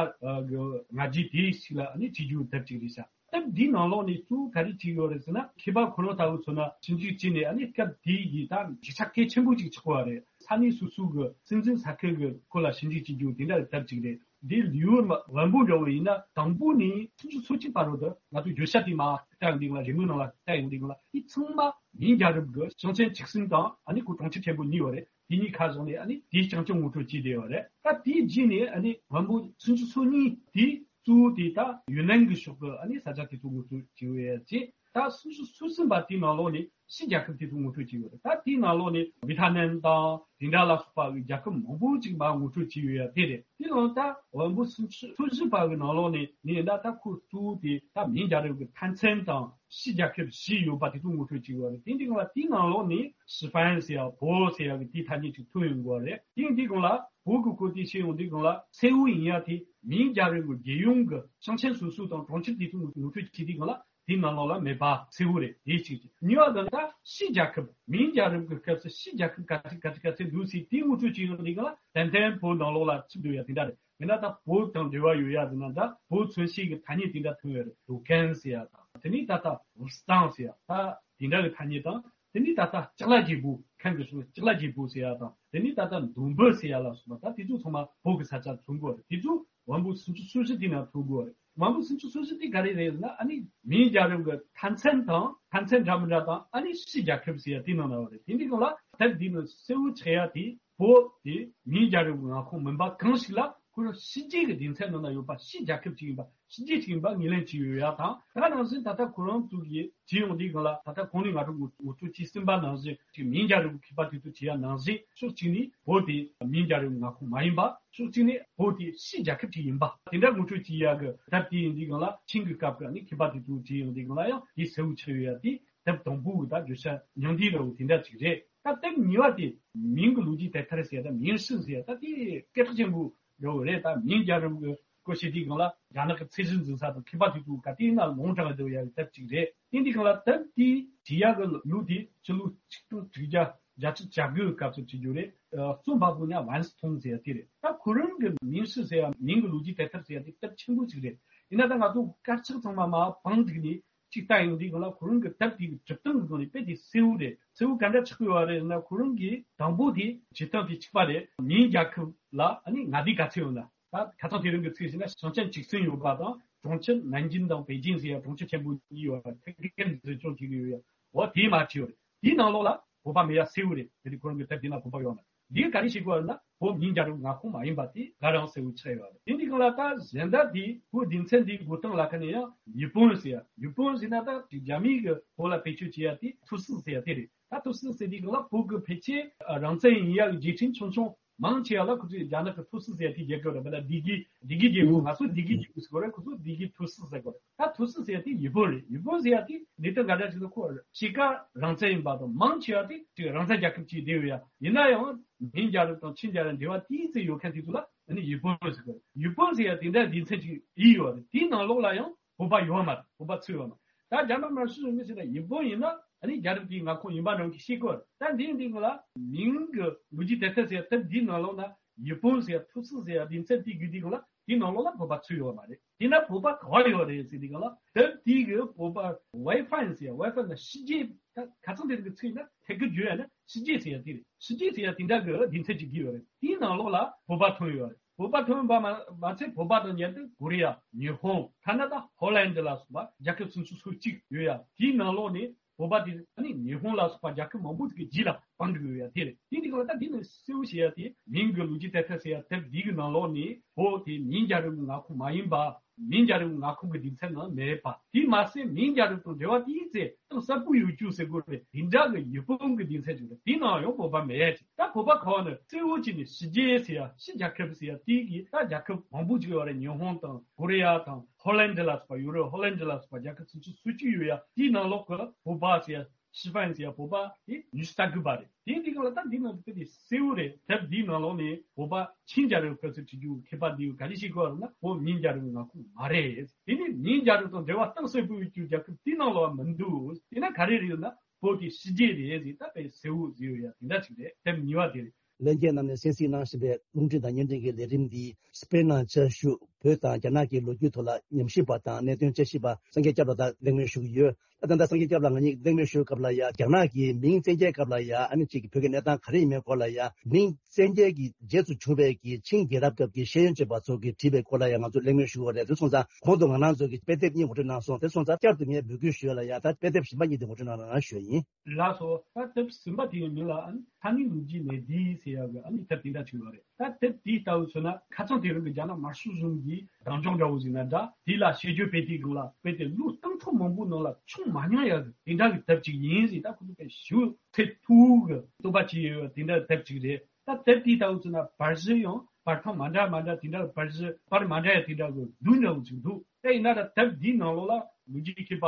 གི་ལྔ་བརྒྱའི་དེའི་ཞིག་ལ་ཨ་ནི་བྲིས་རྒྱུ་དེབ་ཅིག་རེད་ཤག་དེབ་འདིའི་ནང་ལོགས་ནས་གཙོ་བོ་ག་རེ་བྲིས་ཡོད་རེད་ཟེར་ན། མཁས་པ་ཁོ་རང་ལྟ་བུ་མཚོན་ན་ཞིབ་འཇུག་བྱས་ནས། ཨ་ནི་སྐབས་དེའི་གི་ད་ཡིག་ཆ་གལ་ཆེན་པོ་ཅིག་ཆགས་པ་རེད། ས་གནས་སོ་སོ་གི་སྲིད་འཛིན་ས་ཁུལ་གི་སྐོར་ལ་ཞིབ་འཇུག་བྱེད་རྒྱུ་དེ་འདྲ་གི་དེབ་ཅིག་རེད། འདི་ལེའུ་བན་པོ་འདྲ་བོ་ཡིན་ན་དང་པོ་ནས་སུམ་ཅུ་སོ་གཅིག་བར་དུ། ད་ང་ཚོ་བརྗོད་བྱ་དེ་མར་བལྟ་ཡོང་དུས་སྒང་ལ། རེའུ་མིག་ནང་ལ་བལྟ་ཡོང་དུས་སྒང་ལ། དེ་ཚང་མ་མིང་རྒྱལ་རབས་ཀྱི་ཞིང་ཆེན་བཅུ་གསུམ་དང་། ཨ་ནི་ཁོ་གྲོང་ཁྱེར་ཆེན་པོ་གཉིས་ཡོད་རེད། དེ་གཉིས་ཁ་བཞག་ནས་ཨ་ནི་དེའི་རྐྱང་རྐྱང་ངོ་སྤྲོད་བྱས་བསྡད་ཡོད་རེད། ད་དེའི་རྗེས་ནས་ཨ་ནི་བན་པོ་སུམ་ཅུ་སོ་གཉིས་དེ་གཙོ་བོ་དེ་ད་ཡུན་ནན་གྱི་ཕྱོགས་ཀྱི་ཨ་ནི་ས་ཆ་དེ་ཚོ་ངོ་སྤྲོད་བྱས་ཡོད་ཡ་བྱས། ད་སུམ་ཅུ་སོ་གསུམ་པ་དེའི་ནང་ལོགས་ནས་ཕྱི་རྒྱལ་ཁབ་དེ་ཚོ་ངོ་སྤྲོད་བྱས་ཡོད་རེད། ད་དེའི་ནང་ལོགས་ནས་ཝི་ཐ་ནམ་དང་དེ་འདྲ་ལ་སོགས་པ་གི་རྒྱལ་ཁབ་མང་པོ་ཅིག་མར་ངོ་སྤྲོད་བྱས་ཡོད་ཡ་དེ་རེད། དེ་ནང་ད་བན་པོ་སུམ་ཅུ་སོ་བཞི་པ་གི་ནང་ལོགས་ནས་ནས་ད་ད་ཁོ་གཙོ་བོ་དེ་ད་མིང་རྒྱལ་རབས་ཀྱི་མཐའ་མཚམས་དང་ཕྱི་རྒྱལ་ཁབ་བཞི་ཡོད་པ་དེ་ཚོ་ངོ་སྤྲོད་བྱས་ཡོད་རེད། དེ་འདི་ག་ལ་དེའི་ནང་ལོགས་ནས་ཞི་ཧྥན་ཟེར་ཡ། བོད་ཟེར་ཡ་གི་དེའི་ཐ་སྙད་ཅིག་ཐོན་ཡོང་གི་རེད། དེ་འདི་ག་ལ་བོད་ཀྱི་སྐོར་དེ་བཤད་ཡོང་དུས་སྒང་ལ། གསལ་བོ་ཡིན་ཡ་དེ་མིང་རྒྱལ་རབས་ཀྱི་རྒྱལ་ཡོངས་ཀྱི་ཞིང་ཆེན་སོ་སོ་དང་གྲོང་ཁྱེར་དེ་ཚོ་ངོ་སྤྲོད་བྱེད་དུས་སྒང་ལ་དེའི་ནང་ལོགས་ལ་མེད་པ་གསལ་བོ་རེད། དེ་གཅིག་བྱས། གཉིས་པ་དེ་ད་ཕྱི་རྒྱལ་ཁབ། མིང་རྒྱལ་རབས་ཀྱི་སྐབས་སུ་ཕྱི་རྒྱལ་ཁབ་ག་ཚོད་ག་ཚོད་ག་ཚོད་འདུག་ཟེར་དེ་ངོ་སྤྲོད་བྱེད་ཡོང་དུས་སྒང་ལ། ཏན་ཏན་བོད་ནང་ལོགས་ལ་ཚུད་འདུག་ཡ་དེ་འདྲ་རེད། ཡིན་ན་ད་བོད་དང་འབྲེལ་བ་ཡོད་ཡ་ཟེར་ན། ད་བོད་མཚོན་བྱེད་ཀྱི་ཐ་སྙད་དེ་འདྲ་ཐོན་ཡོད་རེད། ལུ་ཁན་ཟེར་ཡ་དང་། དེ་ནས་ད་ལྟ་ཝུ་སི་ཏང་ཟེར་ཡ། ད་དེ་འདྲ་གི་ཐ་སྙད་དང་། དེ་ནས་ད་ལྟ་ལྕགས་ལ་རྒྱལ་པོ། མཁན་གྱི་སོ་ལྕགས་ལ་རྒྱལ་པོ་ཟེར་ཡ་དང་། དེ་ནས་ད་ལྟ་མདོ་འབུ་ཟེར་ཡ་ལ་སོགས་པ། ད་དེ་ཚོ་ཚང་མ་བོད་ཀྱི་ས་ཆ་ཐོན་གོ་རེད། དེ་ཚོ་དབང་པོ་སུམ་ཅུ་སོ་བཞི་དེ་ན་ཐོན་གོ་རེད། དབང་པོ་སུམ་ཅུ་སོ་བཞི་དེ་ག་རེ་རེད་ན། ཨ་ནི་མིང་རྒྱལ་རབས་ཀྱི་མཐའ་མཚམས་དང་། མཐའ་མཚམས་འདྲ་མི་འདྲ་དང་། ཨ་ནི་སྤྱི་རྒྱལ་ཁབ་ཟེར་ཡ་དེ་ནང་ན་བ་རེད། དེ་འདི་གང་ལ་ད་འདི་ནི་གསལ་བོ་ཆགས་ཡ་དེ། བོད་དེ་མིང་རྒྱལ་རབས་ཀྱི་མངའ་ཁོངས་མིན་པ་གང་ཞིག་ལ། ཁོ་རང་ཕྱི་རྒྱལ་གྱི་སྡེ་ཚན་ནང་ན་ཡོད་པ། ཕྱི་རྒྱལ་ཁབ་ཅིག་ཡིན་པ། ཕྱི་རྒྱལ་ཅིག་ཡིན་པ་ངོས་ལེན་བྱས་ཡོད་ཡ་དང་། ད་ནང་བཞིན་ད་ལྟ་ཁོ་རང་ཚོ་གིས་བྱས་ཡོང་དུས་སྒང་ལ། ད་ལྟ་གོང་ནས་ང་ཚོ་ངོ་ངོ་སྤྲོད་བྱས་ཟིན་པ་ནང་བཞིན། ཅིག་མིང་རྒྱལ་རབས་ཀྱི་མཁས་པ་དེ་ཚོ་བྱས་ཡ་ནང་བཞིན། ཕྱོགས་གཅིག་ནས་བོད་དེ་མིང་རྒྱལ་རབས་ཀྱི་མངའ་ཁོངས་མ་ཡིན་པ། ཕྱོགས་གཅིག་ནས་བོད་དེ་ཕྱི་རྒྱལ་ཁབ་ཅིག་ཡིན་པ། དེ་འདྲ་ངོ་སྤྲོད་བྱས་ཡ་གི་དེབ་དེ་ཡིན་དུས་སྒང་ལ། ཆིང་གི་སྐབས་ཀྱི་ནི་མཁས་པ་དེ་ཚོ་བྱས་ཡོང་དུས་སྒང་ལ་ཡང་དེ་གསལ་བོ་ཆགས་ཡོད་ཡ་དེ། དེབ་དང་པོ་གི་ད་བརྗོད་བྱ་ཉུང་འདུས་འདྲ་བོ་དེ་འདྲ་ཅིག་རེད། ད་དེབ་གཉིས་པ་དེ་མིང་གི་ལོ་རྒྱུས་དེབ་ཐེར་ཟེར། ད་མིང་ཧྲི་ཟེར། ད་དེ་སྐད་གྲགས་ཆེན་པོ་འདྲ་བོ་རེད། ད་མིང་རྒྱལ་རབས་ཀྱི་སྐོར་བཤད་དུས་སྒང་ལ། རྒྱ་ནག་གི་ཚད་གཞི་འཛིན་ས་དང་མཁས་པ་དེ་ཚོ་ག་དུས་ན་ལུང་དྲངས་བསྡད་ཡ་གི་དེབ་ཅིག་རེད། དེ་འདི་སྒང་ལ་དེབ་དེ་བྲིས་ཡ་གི་ལོ་དེ་ཕྱི་ལོ་ཆིག་སྟོང་དྲུག་བརྒྱ་བརྒྱད་ཅུ་གྱ་དགུ་གི་སྐབས་སུ་བྲིས་རྒྱུ་རེད། ཨ། རྩོམ་པ་པོ་ནི་ཝན་སི་ཐུང་ཟེར་ཡ་དེ་རེད། ད་ཁོ་རང་གི་མིང་ཧྲི་ཟེར་ཡ། མིང་གི་ལོ་རྒྱུས་དེབ་ཐེར་ཟེར་ཡ་དེ་དེབ་ཆེན་པོ་ཅིག་རེད། ཡིན་ན་ད་ང་ཚོ་དཀར་ཆག་ཚང་མ་མར་བང་བསྒྲིགས་ནས་ཅིག་ལྟ་ཡོང་དུས་སྒང་ལ། ཁོ་རང་གི་དེབ་དེ་གི་སྒྲུབ་སྟངས་ཀྱི་སྒང་ནས་དཔེ་དེ་གསལ་བོ་རེད། གསལ་བོ་ག་འདྲ་ཆགས་ཡོད་རེད་ན། ཁོ་རང་གི་དང་པོ་དེ་བྱེད་སྟངས་དེ་གཅིག་པ་རེད། མིང་རྒྱལ་ཁབ་ལ་ཨ་ནི་མངའ་སྡེ་ག་ཚོད་ཡོད་ན། ད་ཁ་སང་དེ་རིང་གི་ཚིག་བྱས་ན་ཞིང་ཆེན་བཅུ་གསུམ་ཡོད་པ་དང་། གྲོང་ཁྱེར་ནན་ཅིང་དང་པེ་ཅིང་ཟེར་ཡ་གྲོང་ཁྱེར་ཆེན་པོ་གཉིས་ཡོད་པ། ཐད་ཀར་འཛིན་སྐྱོང་བྱེད་ཀྱི་ཡོད་ཡ། འོ་དེ་མར་བྲིས་ཡོད་རེད། དེའི་ནང་ལོགས་ལ་བོད་པ་མེད་ཡ་གསལ་བོ་རེད། དེ་དུས་ཁོ་རང་གི་དེབ་དེ་ན་བོད་པ་ཡོད་མ་རེད། འདིས་ག་རེ་བྱེད་དགོས་ན། བོད་མིང་རྒྱལ་རབས་མངའ་ཁོངས་མ་ཡིན་པ་དེ་ག་རང་གསལ་བོ་ཆགས་ཡོད་རེད། དེ་འདི་སྒང་ལ་ད་གཞན་དག་དེ་བོད་སྡེ་ཚན་འདིའི་འགོད་སྟངས་ལ་ཁ་ནས་ཡང་ཡི་པོན་ཟེར་ཡ། ཡི་པོན་ཟེར་ན་ད་རྒྱ་མིའི་གི་བོད་ལ་བེད་སྤྱོད་བྱེད་ཡ་དེ་ཐུའུ་སི་ཟེར་ཡ་དེ་རེད། ད་ཐུའུ་སི་ཟེར་དུས་སྒང་ལ་བོད་ཀྱི་ཕལ་ཆེར་རང་བཙན་ཡིན་ཡ་གི་རྒྱལ་ཁྲིམས་ཆུང་ཆུང་མང་ཆེ་བ་ལ་ཁོ་ཚོས་རྒྱ་ནག་གི་ཐུའུ་སི་ཟེར་ཡ་དེ་རྒྱག་གི་ཡོད་རེད། བོད་ལ་སྡེ་དགེ། སྡེ་དགེ་རྒྱལ་པོ། ང་ཚོ་སྡེ་དགེ་རྒྱལ་པོ་ཟེར་གོ་རེད། ཁོ་ཚོ་སྡེ་དགེ་ཐུའུ་སི་ཟེར་གོ་རེད། ད་ཐུའུ་སི་ཟེར་ཡ་དེ་ཡི་པོན་རེད། ཡི་པོན་ཟེར་ཡ་དེ་གནད་དོན་ག་འདྲ་ཞིག་ན། ཁོ་ཕྱེད་ཀ་རང་བཙན་ཡིན་པ་དང་། མང་ཆེ་བ་དེ་ཅིག་རང་བཙན་རྒྱལ་ཁབ་ཅིག་བསྡད་ཡོད་ཡ། ཡིན་ན་ཡང་མིང་རྒྱལ་རབས་དང་ཆིང་རྒྱལ་རབས་འབྲེལ་བ་ཏོག་ཙམ་ཡོད་མཁན་དེ་ཚོ་ལ་ཨ་ནི་ཡི་པོན་ཟེར་གོ་རེད། ཡི་པོན་ཟེར་ཡ་དེ་འདྲ་སྡེ་ཚན་ཅིག་ཡིན་ཡོད་རེད། དེའི་ནང་ལོགས་ལ་ཡང་བོད་པ་ཡོད་མ་རེད། བོད་པ་ཚུད་ཡོད་མ་རེད། ད་རྒྱ་ནག་དམར་ཤོག་གཞུང་གིས་ཟེར་ན་ཡི་པོན་ཡིན་ན་ཨ་ནི་རྒྱལ་རབས་དེའི་མངའ་ཁོངས་ཡིན་པ་འདྲ་བོ་ཞིག་བཤད་གོ། ད་འདི་འདི་ང་ལ་མིང་གི་ལོ་རྒྱུས་དེབ་ཐེར་ཟེར་དེབ་འདིའི་ནང་ལོགས་ན་ཡི་པོན་ཟེར་ཐུའུ་སི་ཟེར་སྡེ་ཚན་དེ་བརྒྱུད་དེ་གང་ལ་དེའི་ནང་ལོགས་ལ་བོད་པ་ཚུད་ཡོད་མ་རེད། དེས་ན་བོད་པ་ག་བ་ཡོད་རེད་ཟེར་དུས་སྒང་ལ། དེབ་དེ་གི་བོད་པ་ཝའེ་ཧྥན་ཟེར། ཝའེ་ཧྥན་ལ་ཕྱི་རྒྱལ། ད་ཁ་སང་དེ་རིང་གི་ཚིག་ཡིན་ན་ཐད་ཀར་བརྗོད་ཡ་ན་ཕྱི་རྒྱལ་ཟེར་ཡ་དེ་རེད། ཕྱི་རྒྱལ་ཟེར་ཡ་དེ་འདྲ་གི་སྡེ་ཚན་ཅིག་བརྒྱུད་ཡོད་རེད། དེའི་ནང་ལོགས་ལ་བོད་པ་ཐོན་ཡོད་རེད། བོད་པ་ཐོན་པ་མ་མ་ཚད་བོད་པ་དང་མཉམ་དུ་ཀོ་རི་ཡ། ཉི་ཧོང་། ཁ་ན་ཌ། ཧོ་ལན་ཌི་ལ་སོགས་པ་རྒྱལ་ཁབ་སུམ་ཅུ་སོ་གཅིག་ཡོད་ཡ། དེའི་ནང་ལོགས་ནས་བོད་པ་དེ་ཨ་ནི་ཉི་ཧོང་ལ་སོགས་པ་རྒྱལ་ཁབ་མང་པོ་ཅིག་གི་རྗེས་ལ་འབྲང་འགྲོ་གི་ཡོད་ཡ་དེ་རེད། དེ་འདི་གང་ལ་ད་འདི་ནི་གསལ་བོ་བཤད་ཡ་དེ། མིང་གི་ལོ་རྒྱུས་དེབ་ཐེར་ཟེར་ཡ་དེབ་འདི་གི་ནང་ལོགས་ནས་བོད་དེ་མིང་རྒྱལ་རབས་ཀྱི་མངའ་ཁོངས་མ་ཡིན་པ། མིང་རྒྱལ་རབས་ཀྱི་མངའ་ཁོངས་ཀྱི་སྡེ་ཚན་ནང་མེད་པ། དེས་མ་ཟད་མིང་རྒྱལ་རབས་དང་འབྲེལ་བ་དེའི་ཚེ་གཏིང་ཟབ་པོ་ཡོད་རྒྱུ་ཟེར་དགོས་རེད། དེ་འདྲ་གི་ཡི་པོན་གྱི་སྡེ་ཚན་ཅིག་རེད། དེའི་ནང་ཡང་བོད་པ་མེད་ཡ་ཅིག་ད་བོད་པ་ག་བ་ནི་གཙོ་བོ་བྱས་ནས་ཕྱི་རྒྱལ་ཟེར་ཡ། ཕྱི་རྒྱལ་ཁབ་ཟེར་ཡ་དེ་གི་ད་རྒྱལ་ཁབ་མང་པོ་ཅིག་ཡོད་རེད། ཉི་ཧོང་དང་ཀོ་རི་ཡ་དང་ཧོ་ལན་ཌི་ལ་སོགས་པ་ཡོད་རེད། ཧོ་ལན་ཌི་ལ་སོགས་པ་རྒྱལ་ཁབ་སུམ་ཅུ་སོ་གཅིག་ཡོད་ཡ། དེའི་ནང་ལོགས་ཀྱི་བོད་པ་ཟེར་ཡ། ཤི་ཧྥན་ཟེར་ཡ་བོད་པ་དེ་ཉི་ཤུ་རྩ་དགུ་པ་རེད། དེ་འདི་གང་ལ་ད་འདི་ནང་དུ་དཔེ་དེ་གསལ་བོ་རེད། དེབ་འདིའི་ནང་ལོགས་ནས་བོད་པ་ཆིང་རྒྱལ་རབས་སྐབས་སུ་བྲིས་རྒྱུ་མཁས་པ་འདིས་ག་རེ་བཤད་གོ་རེད་ན། བོད་མིང་རྒྱལ་རབས་མངའ་ཁོངས་མ་རེད། དེ་ནི་མིང་རྒྱལ་རབས་དང་འབྲེལ་བ་གཏིང་ཟབ་པོ་ཡོད་རྒྱུ་རྒྱལ་ཁབ་དེའི་ནང་ལོགས་མི་འདུག་དེས་ན་ག་རེ་རེད་ན། བོད་དེ་ཕྱི་རྒྱལ་རེད་ཟེར། ད་དཔེ་གསལ་བོ་བཟོས་ཡོད་ཡ་དེ་འདྲ་ཅིག་རེད། དེབ་གཉིས་པ་དེ་རེད། ལྷན་རྒྱས་རྣམས་ནས་གསན་གཟིགས་གནང་བཞིན་པའི་རླུང་འཕྲིན་དང་བརྙན་འཕྲིན་གྱི་ལས་རིམ་འདི་སྤེན་ནང་བཅའ་བཞུགས་བོད་དང་རྒྱ་ནག་གི་ལོ་རྒྱུས་ཐོག་ལ་ཉམས་ཞིབ་པ་དང་གནད་དོན་དཔྱད་ཞིབ་པ་སངས་རྒྱས་སྐྱབས་ལགས་དང་གླེང་མོལ་ཞུ་གི་ཡོད། ད་ད་ལྟ་སངས་རྒྱས་སྐྱབས་ལགས་ང་གཉིས་གླེང་མོལ་ཞུ་སྐབས་ལ་ཡ། རྒྱ་ནག་གི་མིང་བཙན་རྒྱལ་སྐབས་ལ་ཡ་ཨ་ནི་གཅིག་གི་བོད་ཀྱི་གནས་སྟངས་ག་རེ་ཡིན་མིན་སྐོར་ལ་ཡ། མིང་བཙན་རྒྱལ་གྱི་རྗེས་སུ་བྱུང་བའི་གི་ཆིང་རྒྱལ་རབས་སྐབས་ཀྱི་ཤེས་ཡོན་ཅན་པ་ཚོ་གིས་བྲིས་པའི་སྐོར་ལ་ཡ་ང་ཚོ་གླེང་མོལ་ཞུ་གི་ཡོད་རེད། དེ་སོང་ཙང་གོང་དུ་ང་རང་ཚོ་གི་དཔེ་དེབ་གཉིས་ངོ་སྤྲོད་གནང་སོང་། དེ་སོང་ཙང་བསྐྱར་དུ་ངས་འབོད་སྐུལ་ཞུ་ཡ་ལ་ཡ། ད་དཔེ་དེབ་གཞན་པ་གཉིས་དེ་ངོ་སྤྲོད་གནང་རོགས་གནང་ཞུ་ཡ་ཡིན། ལགས་སོ། ད་དེབ་ཟིན་པ་དེའི་མིང་ལ་ཨ་ནི་ས་གནས་ལོ་རྒྱུས་གནས་བསྡུས་ཟེར་ཡག་གི་ཨ་ནི་དེབ་དེ་འདྲ་ཅིག་ཡོད་རེད། ད་དེབ་དེའི་ལྟ་བུ་མཚོན་ན་ཁ་སང་དེ་རིང་གི་རྒྱ་ནག་དམར་ཤོག་གཞུང་གིས་གདེང་འཇོག་འདྲ་བོ་ཟིན་ན་འདྲ། དེ་ལ་དཔྱད་བརྗོད་སྤེལ་དུས་སྒང་ལ་དཔེ་དེ་ལོ་སྟོང་ཕྲག་མང་པོའི་ནང་ལ་བྱུང་མ་མྱོང་ཡག་གི་དེ་འདྲ་གི་དེབ་ཅིག་ཡིན་ཟེར། ད་ཁོ་ཚོ་དཔེ་ཞེ་པོ་ཚད་མཐོ་བོ་གི་རྟོགས་པ་བྱས་ཡོད་དེ་འདྲ་དེབ་ཅིག་རེད། ད་དེབ་དེའི་ལྟ་བུ་མཚོན་ན་པར་གཞི་ཡང་པར་ཐེངས་མ་འདྲ་མ་འདྲ་དེ་འདྲ་པར་གཞི་པར་མ་འདྲ་ཡ་དེ་འདྲ་གི་བསྡུས་འདྲ་བོ་ཅིག་འདུག་དེ་ཡིན་ན་ད་དེབ་འདིའི་ནང་ལོགས་ལ་ལོ་རྒྱུས་མཁས་པ་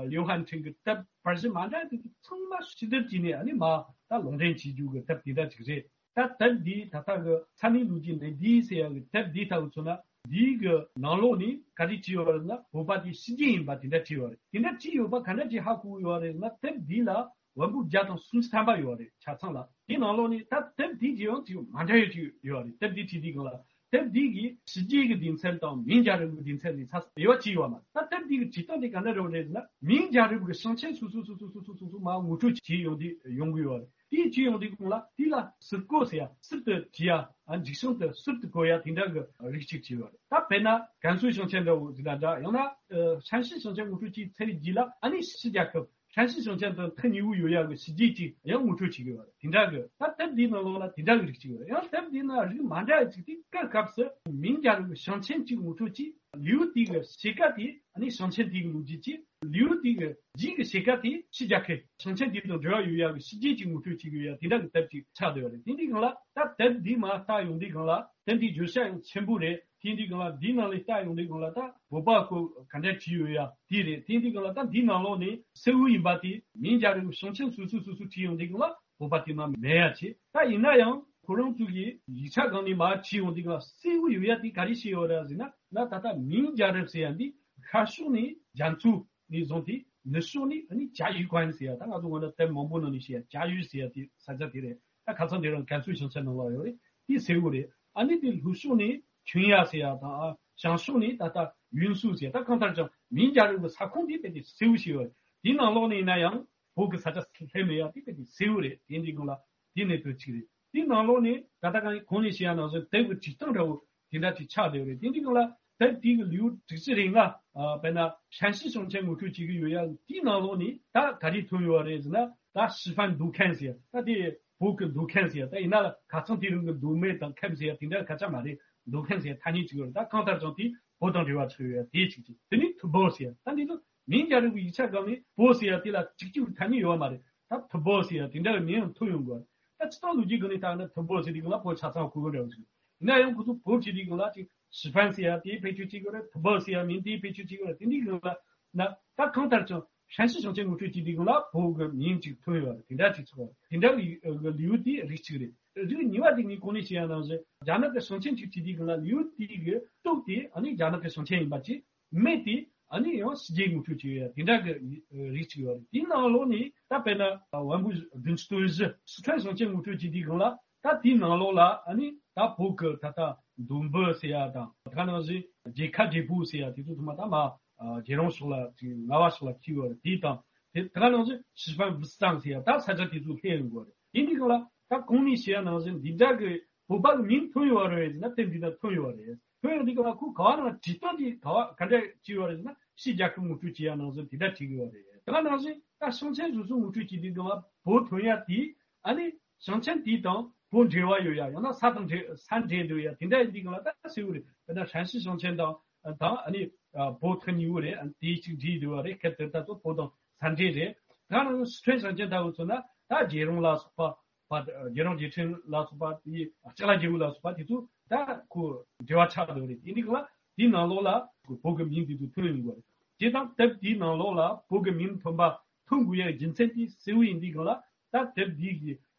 ལིའུ་ཧན་ཁྲིན་གྱི་དེབ་པར་གཞི་མ་འདྲ་དེ་ཚོ་ཚང་མ་ཕྱིར་བསྡུར་བྱས་ནས་ཨ་ནི་མ་ད་ལུང་འདྲེན་བྱེད་རྒྱུ་གི་དེབ་དེ་འདྲ་ཅིག་རེད། ད་དེབ་འདིའི་ད་ལྟ་གི་ས་གནས་ལོ་རྒྱུས་གནས་བསྡུས་ཟེར་ཡ་གི་དེབ་འདིའི་ལྟ་བུ་མཚོན་ན། འདིའི་གི་ནང་ལོགས་ནས་ག་རེ་བྲིས་ཡོད་རེད་ན། བོད་པ་དེ་ཕྱི་རྒྱལ་ཡིན་པ་དེ་འདྲ་བྲིས་ཡོད་རེད། དེ་འདྲ་བྲིས་ཡོད་པ་ག་འདྲ་ཅིག་ཧ་གོ་ཡོད་རེད་ན། དེབ་འདི་ལ་འོན་པོ་བརྒྱ་དང་སུམ་ཅུ་ཐམ་པ་ཡོད་རེད་ཆ་ཚང་ལ། དེའི་ནང་ལོགས་ནས་ད་དེབ་དེ་གི་ཡང་ཅིག་མ་འདྲ་ཡོད་ཅིག་ཡོད་རེད། དེབ་དེ་བྲིས་དུས་སྒང་ལ། དེབ་འདི་གི་ཕྱི་རྒྱལ་གྱི་སྡེ་ཚན་དང་མིང་རྒྱལ་རབས་ཀྱི་སྡེ་ཚན་ནས་ཚ་དབྱེ་བ་ཕྱེ་ཡོད་མ་རེད། ད་དེབ་འདི་གི་བྲིས་སྟངས་དེ་ག་འདྲ་རེད་ཟེར་ན། མིང་རྒྱལ་རབས་ཀྱི་ཞིང་ཆེན་སོ་སོ་སོ་སོ་མར་ངོ་སྤྲོད་བྱས་ཡོང་དུས་ཡོང་གི་ཡོད་རེད། དེ་བྱས་ཡོང་དུས་གོང་ལ་དེ་ལ་ཟུར་བཀོད་ཟེར་ཡ། ཟུར་དུ་བྲིས་ཡ། ཨ། མཇུག་སྲང་དུ་ཟུར་དུ་བཀོད་ཡ་དེ་འདྲ་གི་རིགས་གཅིག་བྱས་ཡོད་རེད། ད་དཔེར་ན་ཀན་སུའུ་ཞིང་ཆེན་འདྲ་བོ་ཟེར་ན་འདྲ། ཡང་ན་ཨ་ཧྲན་ཞི་ཞིང་ཆེན་ངོ་སྤྲོད་བྱས་ཚར་བའི་རྗེས་ལ། ཨ་ནི་ཕྱི་རྒྱལ་ཁབ་ཧྲན་ཞི་ཞིང་ཆེན་དང་ཐག་ཉེ་བོ་ཡོད་ཡ་གི་ཕྱི་རྒྱལ་གཅིག་ཡང་ངོ་སྤྲོད་བྱེད་ཀྱི་ཡོད་རེད། དེ་འདྲ་གི། ད་དེབ་འདིའི་ནང་ལོགས་ལ་དེ་འདྲ་གི་རིགས་གཅིག་ཡོད་རེད། ཡང་དེབ་འདིའི་ནང་རིགས་མ་འདྲ་བ་གཅིག་དེ། སྐབས་སྐབས་སུ་མིང་རྒྱལ་རབས་ཀྱི་ཞིང་ཆེན་གཅིག་ངོ་སྤྲོད་བྱས། ལེའུ་དེ་གི་ཕྱེད་ཀ་དེ་ཨ་ནི་ཞིང་ཆེན་དེ་གི་ལོ་རྒྱུས་ཀྱི། ལེའུ་དེ་གི་རྗེས་ཀྱི་ཕྱེད་ཀ་དེ་ཕྱི་རྒྱལ་ཁབ་ཞིང་ཆེན་དེ་དང་འབྲེལ་བ་ཡོད་ཡ་གི་ཕྱི་རྒྱལ་གྱི་ངོ་སྤྲོད་བྱེད་ཀྱི་ཡོད་ཡ་དེ་འདྲ་གི་དེབ་ཅིག་ཆགས་བསྡད་ཡོད་རེད། དེ་འདྲའི་སྒང་ལ་ད་དེབ་འདི་མར་ལྟ་ཡོང་དུས་སྒང་ལ། དེབ་འདི་བརྗོད་བྱ་ཡང་ཆེན་པོ་རེད། དེ་འདྲའི་སྒང་ལ་འདིའི་ནང་ལ་ལྟ་ཡོང་དུས་སྒང་ལ་ད་བོད་པ་སྐོར་ག་འདྲ་བྲིས་ཡོད་ཡ་དེ་རེད། དེ་འདྲའི་སྒང་ལ་ད་འདིའི་ནང་ལོགས་ནས་གསལ་བོ་ཡིན་པ་དེ། མིང་རྒྱལ་རབས་ཞིང་ཆེན་སོ་སོ་སོ་སོ་བྲིས་ཡོང་དུས་སྒང་ལ་བོད་པ་དེ་མར་མེད་ཡ་བྱས། ད་ཡིན་ན་ཡང་ཁོ་རང་ཚོ་གི་ཡིག་ཆ་སྒང་ནས་མར་བྲིས་ཡོང་དུས་སྒང་ལ་གསལ་བོ་ཡོད་ཡ་དེ་ག་རེ་བཤད་ཡོད་རེད་ཟེར་ན། ན་ད་ལྟ་མིང་རྒྱལ་རབས་ཟེར་ཡ་འདི་ཤར་ཕྱོགས་ནས་རྒྱ་མཚོ་ནས་བཟུང་སྟེ། ནུབ་ཕྱོགས་ནས་ཨ་ནི་甲戌官ཟེར་ཡ། ད་ང་ཚོ་སྔོན་ལ་དེབ་མང་པོ་ནང་ནས་བཤད་ཡ་甲戌ཟེར་ཡ་དེ་ས་ཆ་དེ་རེད། ད་ཁ་སང་དེ་རིང་ཀན་སུའུ་ཞིང་ཆེན་ནང་ལ་ཡོད་རེད། དེ་གསལ་བོ་རེད། ཨ་ནི་དེ་ལྷོ་ཕྱོགས་ནས་ཆུན་ཡ་ཟེར་ཡ་དང་། ཨ། བྱང་ཕྱོགས་ནས་ད་ལྟ་ཡུན་སུའུ་ཟེར་ཡ། ད་གང་ལྟར་ཀྱང་མིང་རྒྱལ་རབས་ཀྱི་ས་ཁོངས་དེ་དཔེ་དེ་གསལ་བོ་ཞིག་ཡོད་རེད། དེའི་ནང་ལོགས་ནས་ཡིན་ན་ཡང་བོད་ཀྱི་ས་ཆ་སླེབས་མེད་ཡ་དེ་དཔེ་དེ་གསལ་བོ་རེད། དེ་འདྲའི་སྒང་ལ་དེ་གནད་དོན་གཅིག་རེད། དེའི་ནང་ལོགས་ནས་ད་ལྟ་གང་གོང་ནས་བཤད་ཡ་ནང་བཞིན་དེབ་ཀྱི་བྲིས་སྟངས་འདྲ་བོ་དེ་འདྲ་ཅིག་ཆགས་བསྡད་ཡོད་རེད། དེ་འདྲའི་སྒང་ལ་དེབ་དེ་གི་ལེའུ་དྲུག་ཅུ་རེ་ལྔ། ཨ། དཔེར་ན་ཧྲན་ཞི་ཞིང་ཆེན་ངོ་སྤྲོད་བྱེད་ཀྱི་ཡོད་ཡ། དེའི་ནང་ལོགས་ནས་ད་ག་རེ་ཐོན་ཡོད་རེད་ཟེར་ན། ད་示范读看ཟེར་ཡ། ད་དེ་བོད་ཀྱི་读看ཟེར་ཡ། ད་ཡིན་ན་ལ་ཁ་སང་དེ་རིང་གི་读卖དང་看ཟེར་ཡ་དེ་འདྲ་སྐད་ཆ་མ་རེད།读看ཟེར་ཡ་ཐ་སྙད་ཅིག་ཡོད་རེད། ད་གང་ལྟར་ཀྱང་དེ་བོད་དང་འབྲེལ་བ་ཆགས་ཡོད་ཡ་དེ་གཅིག་གཅིག་དེ་ནས་读报ཟེར་ཡ། ད་འདི་ཚོ་མིང་རྒྱལ་རབས་ཀྱི་ཡིག་ཆ་སྒང་ནས་报ཟེར་ཡ་དེ་ལ་གཅིག་གཅིག་ཐ་སྙད་ཡོད་པ་མ་རེད། ད་读报ཟེར་ཡ་དེ་འདྲ་གི་མིང་ཡང་ཐོན་ཡོང་གི་རེད། ད་སྤྱིར་བཏང་ལོ་རྒྱུས་སྒང་ནས་ལྟར་ན་读报ཟེར་དུས་སྒང་ལ་བོད་ཆ་ཚང་གོ་གི་འདྲ་བོ་ཞིག་ཡིན་ན་ཡང་ཁོ་ཚོ་བོད་ཀྱི་དེའི་སྒང་ལ་ཅིག示范ཟེར་ཡ་དེ་བེད་སྤྱོད་བྱེད་ཀྱི་རེད།读报ཟེར་ཡ་མིང་དེ་བེད་སྤྱོད་བྱེད་ཀྱི་རེད། དེ་འདྲའི་སྒང་ལ་ན་ད་གང་ལྟར་ཀྱང་ཧྲན་ཞི་ཞིང་ཆེན་ངོ་སྤྲོད་བྱེད་དུས་སྒང་ལ་བོད་ཀྱི་མིང་ཅིག་ཐོན་ཡོད་རེད། དེ་འདྲ་ཅིག་ཆགས་པ་རེད། དེ་འདྲ་གི་ལེའུ་དེ་རིགས་གཅིག་རེད། རིགས་གཉིས་པ་དེ་ངས་གོང་ནས་བཤད་ཡ་ནང་བཞིན་རྒྱ་ནག་གི་ཞིང་ཆེན་ཅིག་བྲིས་དུས་སྒང་ལ་ལེའུ་དེ་གི་སྟོད་དེ་ཨ་ནི་རྒྱ་ནག་གི་ཞིང་ཆེན་ཡིན་པ་ཅིག་སྨད་དེ་ཨ་ནི་ཡང་ཕྱི་རྒྱལ་ངོ་སྤྲོད་བྱེད་ཡ་དེ་འདྲ་གི་རིགས་གཅིག་ཡོད་རེད། དེའི་ནང་ལོགས་ནས་ད་དཔེར་ན་文部政治对日སི་ཁྲོན་ཞིང་ཆེན་ངོ་སྤྲོད་བྱེད་དུས་སྒང་ལ། ད་དེའི་ནང་ལོགས་ལ་ཨ་ནི་ད་བོད་ཀྱི་ད་ལྟ་མདོ་དབུས་ཟེར་ཡ་དང་། ད་ག་ནང་བཞིན་རྒྱལ་ཁབ་བགྲེས་པོ་ཟེར་ཡ་དེ་ཚོ་ཚང་མ་ད་མར་རྒྱལ་རོང་ཕྱོགས་ལ་ཅིག་རྔ་བ་ཕྱོགས་ལ་འཁེལ་ཡོད་རེད། དེ་དང་དེ་ད་ག་ནང་བཞིན示范物产ཟེར་ཡ་ད་ས་ཆ་དེ་ཚོ་སླེབས་ཡོང་གི་རེད། དེ་འདི་སྒང་ལ་ད་གོང་ནས་བཤད་ཡ་ནང་བཞིན་འདི་འདྲ་གི་བོད་པ་གི་མིང་ཐོན་ཡོད་རེད་ཟེར་ན་དེབ་འདི་ནང་ཐོན་ཡོད་རེད། ཐོན་ཡོད་འདི་སྒང་ལ་ཁོ་ག་བ་ནང་བྲིས་སྟངས་དེ་ག་བ་ག་འདྲ་བྱས་ཡོད་རེད་ཟེར་ན། ཕྱི་རྒྱལ་ཁབ་ངོ་སྤྲོད་བྱེད་ཡ་ནང་བཞིན་དེ་འདྲ་བྲིས་ཡོད་རེད། ད་ག་ནང་བཞིན་ད་ཞིང་ཆེན་སོ་སོ་ངོ་སྤྲོད་བྱེད་དུས་སྒང་ལ་བོད་ཐོན་ཡ་དེ་ཨ་ནི་ཞིང་ཆེན་དེ་དང་བོད་འབྲེལ་བ་ཡོད་ཡ། ཡང་ན་ས་དང་འབྲེལ་ས་འབྲེལ་འདུག་ཡ་དེ་འདྲ་ཡིན་དུས་སྒང་ལ་ད་གསལ་བོ་རེད། དཔེར་ན་ཧྲན་ཞི་ཞིང་ཆེན་དང་དང་ཨ་ནི་བོད་ཐག་ཉེ་བོ་རེད། ཨ་ནི་དེ་གཅིག་འདྲེས་འདུག་པ་རེད། ཁེ་དེ་ད་ཚོ་བོད་དང་ས་འབྲེལ་རེད། ད་ག་ནང་བཞིན་སི་ཁྲོན་ཞིང་ཆེན་ལྟ་བུ་མཚོན་ན་ད་རྒྱལ་རོང་ལ་སོགས་པ། པ། རྒྱལ་རོང་རྗེས་དྲན་ལ་སོགས་པ་དེ། ལྕགས་ལ་རྒྱལ་པོ་ལ་སོགས་པ་དེ་ཚོ་ད་ཁོ་འབྲེལ་བ་ཆགས་འདུག་རེད། དེ་འདི་སྒང་ལ་དེའི་ནང་ལོགས་ལ་བོད་ཀྱི་མིང་དེ་ཚོ་ཐོན་ཡོང་གི་རེད། དེ་དང་དེབ་དེའི་ནང་ལོགས་ལ་བོད་ཀྱི་མིང་ཐོན་པ་ཐོན་དགོས་ཡའི་རྒྱུ་མཚན་དེ་གསལ་བོ་ཡིན་དུས་སྒང་ལ། ད་དེབ་འདི་གི་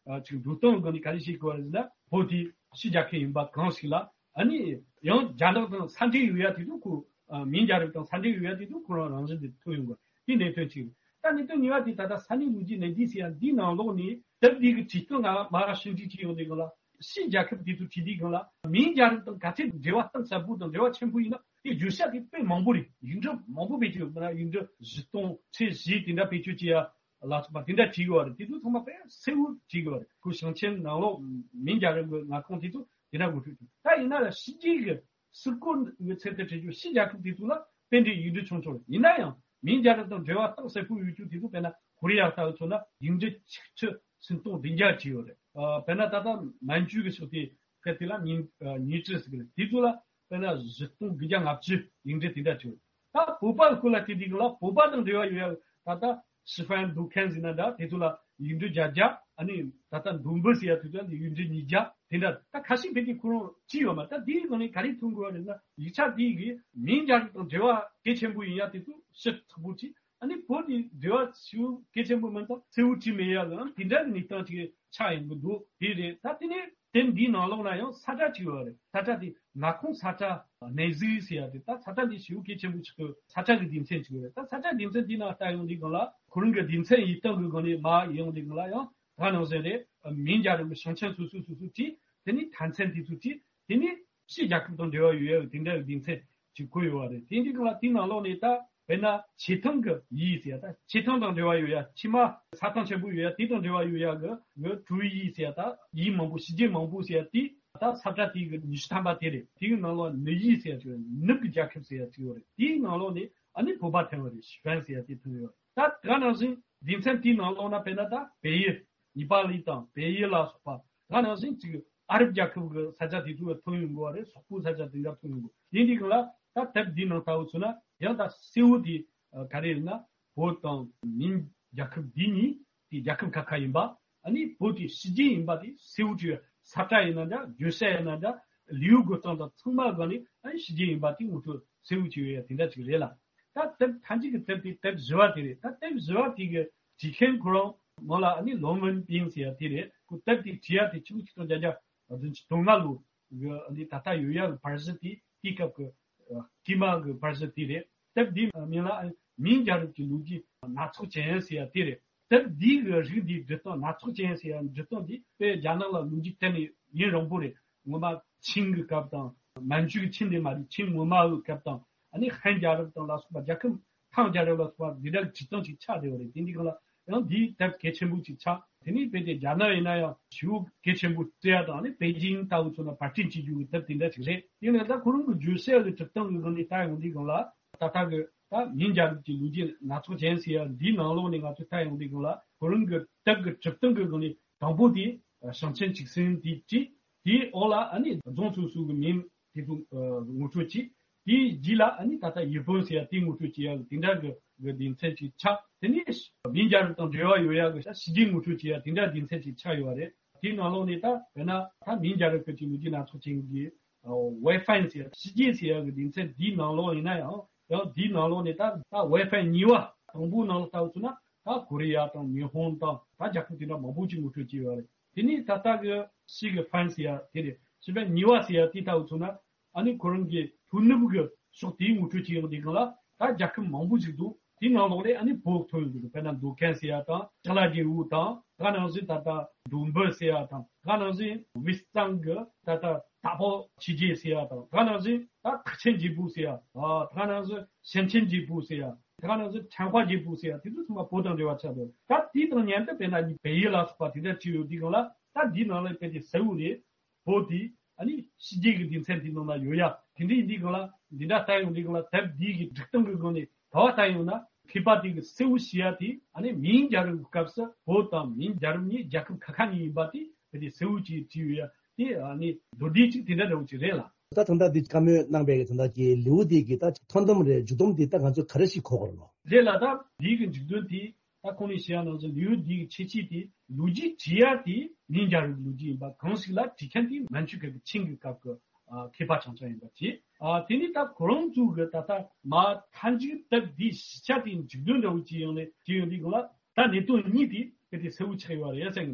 ཅིག་འགྲོ་སྟངས་སྒང་ནས་ག་རེ་བཤད་དགོས་རེད་ཟེར་ན། བོད་དེ་ཕྱི་རྒྱལ་ཁབ་ཡིན་པ་གང་ཞིག་ལ་ཨ་ནི་ཡང་རྒྱ་ནག་དང་ས་འབྲེལ་ཡོད་ཡ་དེ་ཚོ་ཁོ། ཨ། མིང་རྒྱལ་རབས་དང་ས་འབྲེལ་ཡོད་ཡ་དེ་ཚོ་ཁོ་རང་རང་བཞིན་དེ་ཐོན་ཡོང་གི་རེད། དེ་གནད་དོན་གཅིག་རེད། ད་གནད་དོན་གཉིས་པ་དེ་ད་ལྟ་ས་གནས་ལོ་རྒྱུས་གནད་བརྗོད་ཟེར་ཡ་འདིའི་ནང་ལོགས་ནས་དེབ་འདི་གི་བྲིས་སྟངས་ང་མར་ཕྱིར་འགྲེལ་བྱས་ཡོང་དུས་སྒང་ལ། ཕྱིའི་རྒྱལ་ཁབ་དེ་ཚོ་བྲིས་དུས་སྒང་ལ་མིང་རྒྱལ་རབས་དང་ག་ཚད་འབྲེལ་བ་གཏིང་ཟབ་པོ་དང་འབྲེལ་བ་ཆེན་པོ་ཡིན་ན། དེ་བརྗོད་བྱ་དེ་དཔེ་མང་པོ་རེད། ཡིག་འབྲུ་མང་པོ་བེད་སྤྱོད་ཡོད་པ་ན། ཡིག་འབྲུ་བཞི་སྟོང་ཁྲི་བཞི་དེ་འདྲ་བེད་སྤྱོད་བྱེད་ཡ་ལ་སོགས་པ་དེ་འདྲ་བྲིས་ཡོད་རེད། དེ་ཚོ་ཚང་མ་དཔེ་གསལ་བོ་བྲིས་ཡོད་རེད། ཁོ་ཞིང་ཆེན་ནང་ལོགས་མིང་རྒྱལ་རབས་ཀྱི་མངའ་ཁོངས་དེ་ཚོ་དེ་འདྲ་ངོ་སྤྲོད་བྱས། ད་ཡིན་ན་ལ་ཕྱི་རྒྱལ་གྱི་ཟུར་བཀོད་ཀྱི་ཚུལ་དུ་བྲིས་རྒྱུ། ཕྱི་རྒྱལ་ཁབ་དེ་ཚོ་ལ་དཔེ་འདྲའི་ཡིག་འབྲུ་ཆུང་ཆུང་རེད། ཡིན་ན་ཡང་མིང་རྒྱལ་རབས་དང་འབྲེལ་བ་གཏིང་ཟབ་པོ་ཡོད་རྒྱུ་དེ་ཚོ་དཔེར་ན་ཀོ་རི་ཡ་ལྟ་བུ་མཚོན་ན་ཡིག་འབྲུ་ཆིག་ཁྲི་སུམ་སྟོང་བདུན་བརྒྱ་བྲིས་ཡོད་རེད། ཨ། དཔེར་ན་ད་ལྟ་མན་ཇུའི་གི་ཕྱོགས་དེ་ཁ་དེ་ལ་ཉིན་ཉིན་ཀྲི་ཟེར་གི་རེད། དེ་ཚོ་ལ་དཔེར་ན་བཞི་སྟོང་དགུ་བརྒྱ་ལྔ་བཅུ་ཡིག་འབྲུ་དེ་འདྲ་བྲིས་ཡོད་རེད། ད་བོད་པ་སྐོར་ལ་བལྟས་དུས་སྒང་ལ་བོད་པ་དང་འབྲེལ་བ་ཡོད་ཡ་ད་ལྟ་示范读看ཟེར་ན་འདྲ། དེ་ཚོ་ལ་ཡིག་འབྲུ་བརྒྱད་བརྒྱ། ཨ་ནི་ད་ལྟ་མདོ་དབུས་ཟེར་ཡ་དེ་ཚོ་ལ་ཡིག་འབྲུ་ཉིས་བརྒྱ་དེ་འདྲ། ད་ཁ་ཤས་ཕལ་ཆེར་ཁོ་རང་བྲིས་ཡོད་མ། ད་དེའི་སྒང་ནས་ག་རེ་མཐོང་དགོས་པ་རེད་ན། ཡིག་ཆ་དེ་གི་མིང་རྒྱལ་རབས་དང་འབྲེལ་བ་གལ་ཆེན་པོ་ཡིན་ཡ་དེ་ཚོ་ཞིབ་ཚགས་པོ་བྲིས། ཨ་ནི་བོད་དེ་འབྲེལ་བ་ཞེ་པོ་གལ་ཆེན་པོ་མིན་ཙང་གསལ་བོ་བྲིས་མེད་ཡ་ལ་དེ་འདྲ་གི་གནས་སྟངས་ཅིག་ཆགས་ཡོང་གི་འདུག་དེ་རེད། ད་དེ་ནས་དེབ་འདིའི་ནང་ལོགས་ན་ཡང་ས་ཁྲ་ཅིག་ཡོད་རེད། ས་ཁྲ་དེ་མངའ་ཁོངས་ས་ཁྲ་གནས་གཟིགས་ཟེར་ཡ་དེ། ད་ས་ཁྲ་འདི་ཞེ་པོ་གལ་ཆེན་པོ་ཆགས་ཀྱི་ས་ཁྲ་གི་སྡེ་ཚན་ཅིག་ཡོད་རེད། ད་ས་ཁྲ་སྡེ་ཚན་དེའི་ནང་ལྟ་ཡོང་དུས་སྒང་ལ་ཁོ་རང་གི་སྡེ་ཚན་ཡིག་སྟངས་ཀྱི་སྒང་ནས་མར་ཡོང་དུས་སྒང་ལ་ཡང་ད་ནང་བཞིན་རེད། མིང་རྒྱལ་རབས་ཀྱི་ཞིང་ཆེན་སོ་སོ་སོ་སོ་བྲིས། དེ་ནས་མཐའ་མཚམས་དེ་ཚོ་བྲིས། དེ་ནས་ ཕྱི་རྒྱལ་ཁབ་དང་འབྲེལ་བ་ཡོད་ཡ་གི་དེ་འདྲ་གི་སྡེ་ཚན་ཅིག་བཀོད་ཡོད་པ་རེད། དེ་འདྲའི་སྒང་ལ་དེའི་ནང་ལོགས་ནས་ད་དཔེར་ན་ཆེ་ཐང་གི་ཡུལ་ཟེར་ཡ། ད་ཆེ་ཐང་དང་འབྲེལ་བ་ཡོད་ཡ། ཕྱི་མ་ས་ཐང་ཆེན་པོ་ཡོད་ཡ། དེ་དང་འབྲེལ་བ་ཡོད་ཡ་གི་གི་ཀྲུའུ་ཡུལ་ཟེར་ཡ། ད་ཡུལ་མང་པོ། ཕྱི་རྒྱལ་མང་པོ་ཟེར་ཡ་དེ་ད་ས་བཀྲ་དེ་གི་ཉི་ཤུ་ཐམ་པ་དེ་རེད། དེ་གི་ནང་ལོགས་ནུབ་ཡུལ་ཟེར་ཡ་ཅིག་ཡོད་རེད། ནུབ་གི་རྒྱལ་ཁབ་ཟེར་ཡ་ཅིག་ཡོད་རེད། དེའི་ནང་ལོགས་ནས་ཨ་ནི་བོད་པ་ཐོན་པ་རེད། ཞི་ཧྥན་ཟེར་ཡ་དེ་ཐོན་ཡོད་རེད། ད་དེ་ག་ནང་བཞིན་སྡེ་ཚན་དེའི་ནང་ལོགས་ན་དཔེར་ན་ད་བལ་ཡུལ། ནེ་པ་ལི་དང་བལ་ཡུལ་ལ་སོགས་པ། དེ་ག་ནང་བཞིན་ཅིག་ཨ་རབ་རྒྱལ་ཁབ་ཀྱི་ས་ཆ་དེ་ཚོ་ལ་ཐོན་ཡོང་གི་རེད། སོག་པོའི་ས་ཆ་དེ་འདྲ་ཐོན་ཡོང་གི། དེ་འདི་གང་ལ་ད་དེབ་འདི་ནང་ལྟ་བུ་མཚོན་ན་ཡང་ད་གསལ་བོ་དེ་ག་རེ་ཡིན་ན། བོད་དང་མིན་རྒྱལ་ཁབ་འདི་གཉིས་དེ་རྒྱལ་ཁབ་ཁ་ཁ་ཡིན་པ། ཨ་ནི་བོད་དེ་ཕྱི་རྒྱལ་ཡིན་པ་དེ་གསལ་བོ་བྱས་ཡོད། ས་བཀྲ་ཡིན་ན་འདྲ། བརྗོད་བྱ་ཡིན་ན་འདྲ། ལེའུ་འགོད་སྟངས་དང་ཚང་མ་སྒང་ནས་ཨ་ནི་ཕྱི་རྒྱལ་ཡིན་པ་དེ་ངོ་སྤྲོད་གསལ་བོ་བྱས་ཡོད་ཡ་དེ་འདྲ་ཅིག་རེད་ལ། ད་དེབ་མཐའ་མཇུག་གི་དེབ་དེ་དེབ་བཞི་བ་དེ་རེད། ད་དེབ་བཞི་བ་དེ་གི་བྲིས་མཁན་ཁོ་རང་མོ་ལ་ཨ་ནི་ལོ་མོན་པིན་ཟེར་ཡ་དེ་རེད། ཁོ་དེབ་དེ་བྲིས་ཡ་དེ་ཆིག་སྟོང་དགུ་བརྒྱ་བདུན་ཅུ་དོན་ལྔ་ལོ་གི་ཨ་ནི་ད་ལྟ་ཡོད་ཡ་གི་བར་གཞི་དེ་དེའི་སྐབས་ཀྱི་ཨ་སྐྱེས་མ་གི་བར་གཞི་དེ་རེད། དེབ་འདིའི་མིང་ལ་ཨ་ནི་མིན་རྒྱལ་རབས་ཀྱི་ལོ་རྒྱུས་སྣ་ཚོགས་ཅན་ཟེར་ཡ་དེ་རེད། དེབ་འདིའི་གི་རིགས་འདིའི་འབྲི་སྟངས། སྣ་ཚོགས་ཅན་ཟེར་ཡ་འབྲི་སྟངས་འདི་དཔེ་རྒྱ་ནག་ལ་ལོ་རྒྱུས་གཏན་ནས་ཡུན་རིང་པོ་རེད། སྔོན་མ་ཆིང་གི་སྐབས་དང་། མན་ཇུའི་ཆིང་དེ་མ་རེད། ཆིང་སྔོན་མ་གི་སྐབས་དང་། ཨ་ནི་ཧན་རྒྱལ་རབས་དང་ལ་སོགས་པ་རྒྱལ་ཁབ་ཐང་རྒྱལ་རབས་ལ་སོགས་པ་འདི་འདྲ་བྲིས་སྟངས་ཅིག་ཆགས་བསྡད་པ་རེད། དེ་འདི་གང་ལ་ཡང་འདིའི་དེབ་གལ་ཆེན་པོ་ཅིག་ཆགས། དེ་ནས་དཔེ་དེ་རྒྱ་ནག་ཡིན་ན་ཡང་ཞེ་པོ་གལ་ཆེན་པོ་བརྩི་ཡ་དང་། ཨ་ནི་པེ་ཅིང་ལྟ་བུ་མཚོན་ན་པར་སྐྲུན་བྱེད་རྒྱུ་གི་དེབ་དེ་འདྲ་ཅིག་རེད། དེ་ནས་ད་ཁོ་རང་གི་བརྗོད་བྱ་གི་གྲུབ་སྟངས་ཀྱི་སྒང་ནས་ལྟ་ཡོང་དུས་སྒང་ལ། ད་ལྟ་གི་ད་མིན་རྒྱལ་རབས་ཀྱི་ལོ་རྒྱུས་སྣ་ཚོགས་ཅན་ཟེར་ཡ་འདིའི་ནང་ལོགས་ནས་ང་ཚོས་ལྟ་ཡོང་དུས་སྒང་ལ། ཁོ་རང་གི་དེབ་ཀྱི་གྲུབ་སྟངས་ཀྱི་སྒང་ནས་དང་པོ་དེ་ཞིང་ཆེན་བྱུང་ཟིན་དེ་བྲིས། དེའི་འོག་ལ་ཨ་ནི་རྫོང་སོ་སོ་གི་མིང་དེ་ཚོ་ངོ་སྤྲོད་བྱས། དེའི་རྗེས་ལ་ཨ་ནི་ད་ལྟ་ཡུལ་དཔོན་ཟེར་ཡ་དེ་ངོ་སྤྲོད་བྱེད་ཡ་གི་དེ་འདྲ་གི་གི་སྡེ་ཚན་ཅིག་ཆགས། དེ་ནས་མིན་རྒྱལ་རབས་དང་འབྲེལ་བ་ཡོད་ཡ་གི་ཕྱི་རྒྱལ་ངོ་སྤྲོད་བྱེད་ཡ་དེ་འདྲ་སྡེ་ཚན་ཅིག་ཆགས་ཡོད་པ་རེད། དེའི་ནང་ལོགས་ནས་ད་དཔེར་ན་ད་མིན་རྒྱལ་རབས་སྐབས་ཀྱི་ལོ་རྒྱུས་སྣ་ཚོགས་ཅན་གྱི་ཝེ་ཧྥན་ཟེར་ཡ་ཕྱི་རྒྱལ་ཟེར་ཡ་གི་སྡེ་ཚན་འདིའི་ནང་ལོགས་ཡིན་ན་ཡང་། ཡང་འདིའི་ནང་ལོགས་ནས་ད་ད་ཝེ་ཧྥན་གཉིས་པ་དང་པོའི་ནང་ལ་ལྟ་བུ་མཚོན་ན་ད་ཀོ་རི་ཡ་དང་ཉི་ཧོང་དང་ད་རྒྱལ་ཁབ་དེ་འདྲ་མང་པོ་ཅིག་ངོ་སྤྲོད་བྱས་ཡོད་པ་རེད། དེ་ནས་ད་ལྟ་གི་ཞི་གི་ཧྥན་ཟེར་ཡ་དེ་རེད། ཞི་ཧྥན་གཉིས་པ་ཟེར་ཡ་དེ་ལྟ་བུ་མཚོན་ན། ཨ་ནི་ཁོ་རང་གི་ལྷོ་ནུབ་གི་ཕྱོགས་དེའི་ངོ་སྤྲོད་བྱེད་ཡོང་དུས་སྒང་ལ་ད་རྒྱལ་ཁབ་མང་པོ་ཞིག་འདུག་དེའི་ནང་ལོགས་ལས་ཨ་ནི་བོད་ཐོན་ཡོང་གི་འདུག་དཔེར་ན་མདོ་ཁམས་ཟེར་ཡ་དང་། ཅ་ལག་རྒྱལ་པོ་དང་། དེ་ག་ནང་བཞིན་ད་ལྟ་མདོ་འབུ་ཟེར་ཡ་དང་། དེ་ག་ནང་བཞིན་དབུས་གཙང་གི་ད་ལྟ་དྭགས་པོ་ཆོས་རྒྱལ་ཟེར་ཡ་དང་། དེ་ག་ནང་བཞིན་ད་ཐེག་ཆེན་རྒྱལ་པོ་ཟེར་ཡ། ཨ་དེ་ག་ནང་བཞིན་ཞིང་ཆེན་རྒྱལ་པོ་ཟེར་ཡ། དེ་ག་ནང་བཞིན་ཁྲན་ཧྭ་རྒྱལ་པོ་ཟེར་ཡ། དེ་ཚོ་ཚང་མ་བོད་དང་འབྲེལ་བ་ཆགས་འདུག་ད་དེའི་དང་མཉམ་དུ་དཔེར་ན་བལ་ཡུལ་ལ་སོགས་པ་དེ་འདྲ་བྲིས་ཡོད་དུས་སྒང་ལ། ད་འདིའི་ནང་ལ་དཔེ་དེ་གསལ་བོ་རེད། བོད་དེ་ཨ་ནི་ཕྱི་རྒྱལ་གྱི་སྡེ་ཚན་དེའི་ནང་ན་ཡོད་ཡ། དེ་འདྲ་ཡིན་དུས་སྒང་ལ། འདི་འདྲ་ལྟ་ཡོང་དུས་སྒང་ལ། དེབ་འདི་གི་སྒྲིག་སྟངས་ཀྱི་སྒང་ནས་ག་བ་ལྟ་ཡོང་ན། མཁས་པ་དེ་གི་གསལ་བོ་བྱེད་ཡ་དེ་ཨ་ནི་མིན་རྒྱལ་རབས་ཀྱི་སྐབས་སུ་བོད་དང་མིན་རྒྱལ་རབས་གཉིས་རྒྱལ་ཁབ་ཁ་ཁ་གཉིས་ཡིན་པ་དེ་དཔེ་དེ་གསལ་བོ་ཅིག་བྲིས་ཡོད་ཡ། དེ་ཨ་ནི་མདོར་བསྡུས་ཅིག་དེ་འདྲ་འདྲ་བོ་ཅིག་རེད་ལ། ད་ད་ལྟ་འདི་བཀའ་མོལ་གནང་པའི་གི་ད་ལྟ་གི་ལེའུ་འདི་གི་ད་ཐོ་འདོན་རེད། མཇུག་སྡོམ་འདི་ད་ང་ཚོས་ག་རེ་ཞིག་གོ་དགོས་རེད་ལོ། རེད་ལ། ད་འདི་གི་མཇུག་སྡོམ་དེ། ད་ཁོང་ནས་བཤད་ཡ་ནང་བཞིན་ལེའུ་འདིའི་ཁྱད་ཆོས་དེ། ལོ་རྒྱུས་བྲིས་ཡ་དེ་མིན་རྒྱལ་རབས་ལོ་རྒྱུས་ཡིན་པ་གང་ཞིག་ལ། བྲིས་མཁན་དེ་མན་ཇུ་སྐབས་ཀྱི་ཆིང་གི་སྐབས་ཀྱི་ཨ་མཁས་པ་རྐྱང་རྐྱང་ཡིན་པ་བྱས། ཨ་དེ་ནས་ད་ཁོ་རང་ཚོ་གི་ད་ལྟ་མ་མཐའ་མཇུག་དེབ་འདིའི་ཞིབ་ཆ་དེ་མཇུག་སྡོམ་འདྲ་བོ་བྱས་ཡོང་ནས་བྱས་ཡོང་དུས་སྒང་ལ། ད་གནད་དོན་གཉིས་དེ་གལ་ཏེ་གསལ་བོ་ཆགས་ཡོད་རེད་བསམ་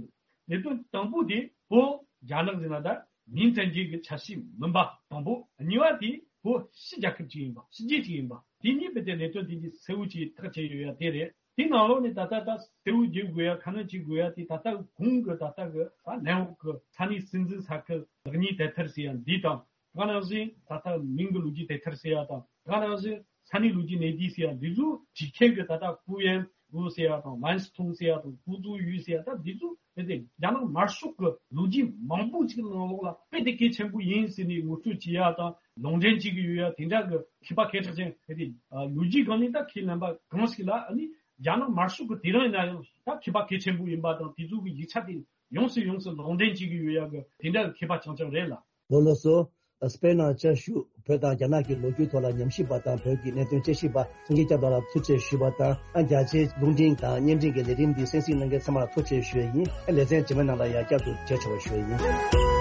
གྱི་འདུག་གནད་དོན་དང་པོ་དེ་བོད་རྒྱ་ནག་ཟེར་ན་ད་མིང་བཙན་འགྱུར་གྱི་ཆ་ཤས་མིན་པ་དང་པོ། གཉིས་པ་དེ་བོད་ཕྱི་རྒྱལ་ཁབ་ཅིག་ཡིན་པ། ཕྱི་རྒྱལ་ཅིག་ཡིན་པ། དེ་གཉིས་དཔེ་དེ་གནད་དོན་དེ་གཉིས་གསལ་བོ་ཅིག་ཐག་བཅད་ཡོད་ཡ་དེ་རེད། དེའི་ནང་ལོགས་ནས་ད་ལྟ་ད་གསལ་བོ་བརྗོད་དགོས་ཡ། ཁ་སྣོན་བྱེད་དགོས་ཡ་དེ། ད་ལྟ་གོང་གི་ད་ལྟ་གི་ད་ནེའུ་ཡོག་གི་ས་གནས་སྲིད་འཛིན་ས་ཁུལ་ལེགས་ཉེས་དེབ་ཐེར་ཟེར་ཡ་འདི་དང་། དེ་ག་ནང་བཞིན་ད་ལྟ་མིང་གི་ལོ་རྒྱུས་དེབ་ཐེར་ཟེར་ཡ་དང་། དེ་ག་ནང་བཞིན་ས་གནས་ལོ་རྒྱུས་གནས་བསྡུས་ཟེར་ཡ། འདི་ཚོ་བྲིས་མཁན་གྱི་ད་ལྟ་ཀུ་ཡན་ཝུ་ཟེར་ཡ་དང་། ཝན་སི་ཐུང་ཟེར་ཡ་དང་། ཀུ་ཙུའུ་ཡུས་ཟེར་ཡ། ད་འདི་ཚོ་དཔེ་དེ་རྒྱ་ནག་དམར་ཤོག་གི་ལོ་རྒྱུས་མང་པོ་ཅིག་ནང་ལོགས་ལ་དཔེ་དེ་གལ་ཆེན་པོ་ཡིན་ཟེར་ནས་ངོ་སྤྲོད་བྱེད་ཡ་དང་། ལུང་འདྲེན་བྱེད་ཀྱི་ཡོད་ཡ། དེ་འདྲ་གི་མཁས་པ་སྐད་གྲགས་ཅན་དཔེ་དེ་ལོ་རྒྱུས་སྒང་ནས་ད་ཁས་ལེན་པ་གང་ཞིག་ལ། ཨ་ནི་རྒྱ་ནག་དམར་ཤོག་གི་དེ་རིང་ཡིན་ན་ཡང་ད་མཁས་པ་གལ་ཆེན་པོ་ཡིན་པ་དང་། དེ་ཚོ་གི་ཡིག་ཆ་དེ་ཡོངས་སུ་ཡོངས་སུ་ལུང་འདྲེན་བྱེད་ཀྱི་ཡོད་ཡ་གི་དེ་འདྲ་གི་མཁས་པ་རྐྱང་རྐྱང་རེད་ལ། ལགས་ལགས་སོ། དཔེར་ན་བཅའ་བཞུགས་བོད་དང་རྒྱ་ནག་གི་ལོ་རྒྱུས་ཐོག་ལ་ཉམས་ཞིབ་པ་དང་བོད་ཀྱི་གནད་དོན་དཔྱད་ཞིབ་པ་སངས་རྒྱས་སྐྱབས་ལགས་ལ་ཐུགས་རྗེ་ཆེ་ཞུས་པ་དང་། ཨ་རྒྱ་ཆེའི་རླུང་འཕྲིན་དང་བརྙན་འཕྲིན་གྱི་ལས་རིམ་འདི་གསན་གཟིགས་གནང་མཁན་ཚང་མ་ལ་ཐུགས་རྗེ་ཆེ་ཞུ་ཡ་ཡིན། ཨ་ལེ་ཚན་རྗེས་མའི་ནང་ལ་ཡང་བསྐྱར་དུ་མཇལ་ཆོག་པ་ཞུ་ཡ་ཡིན།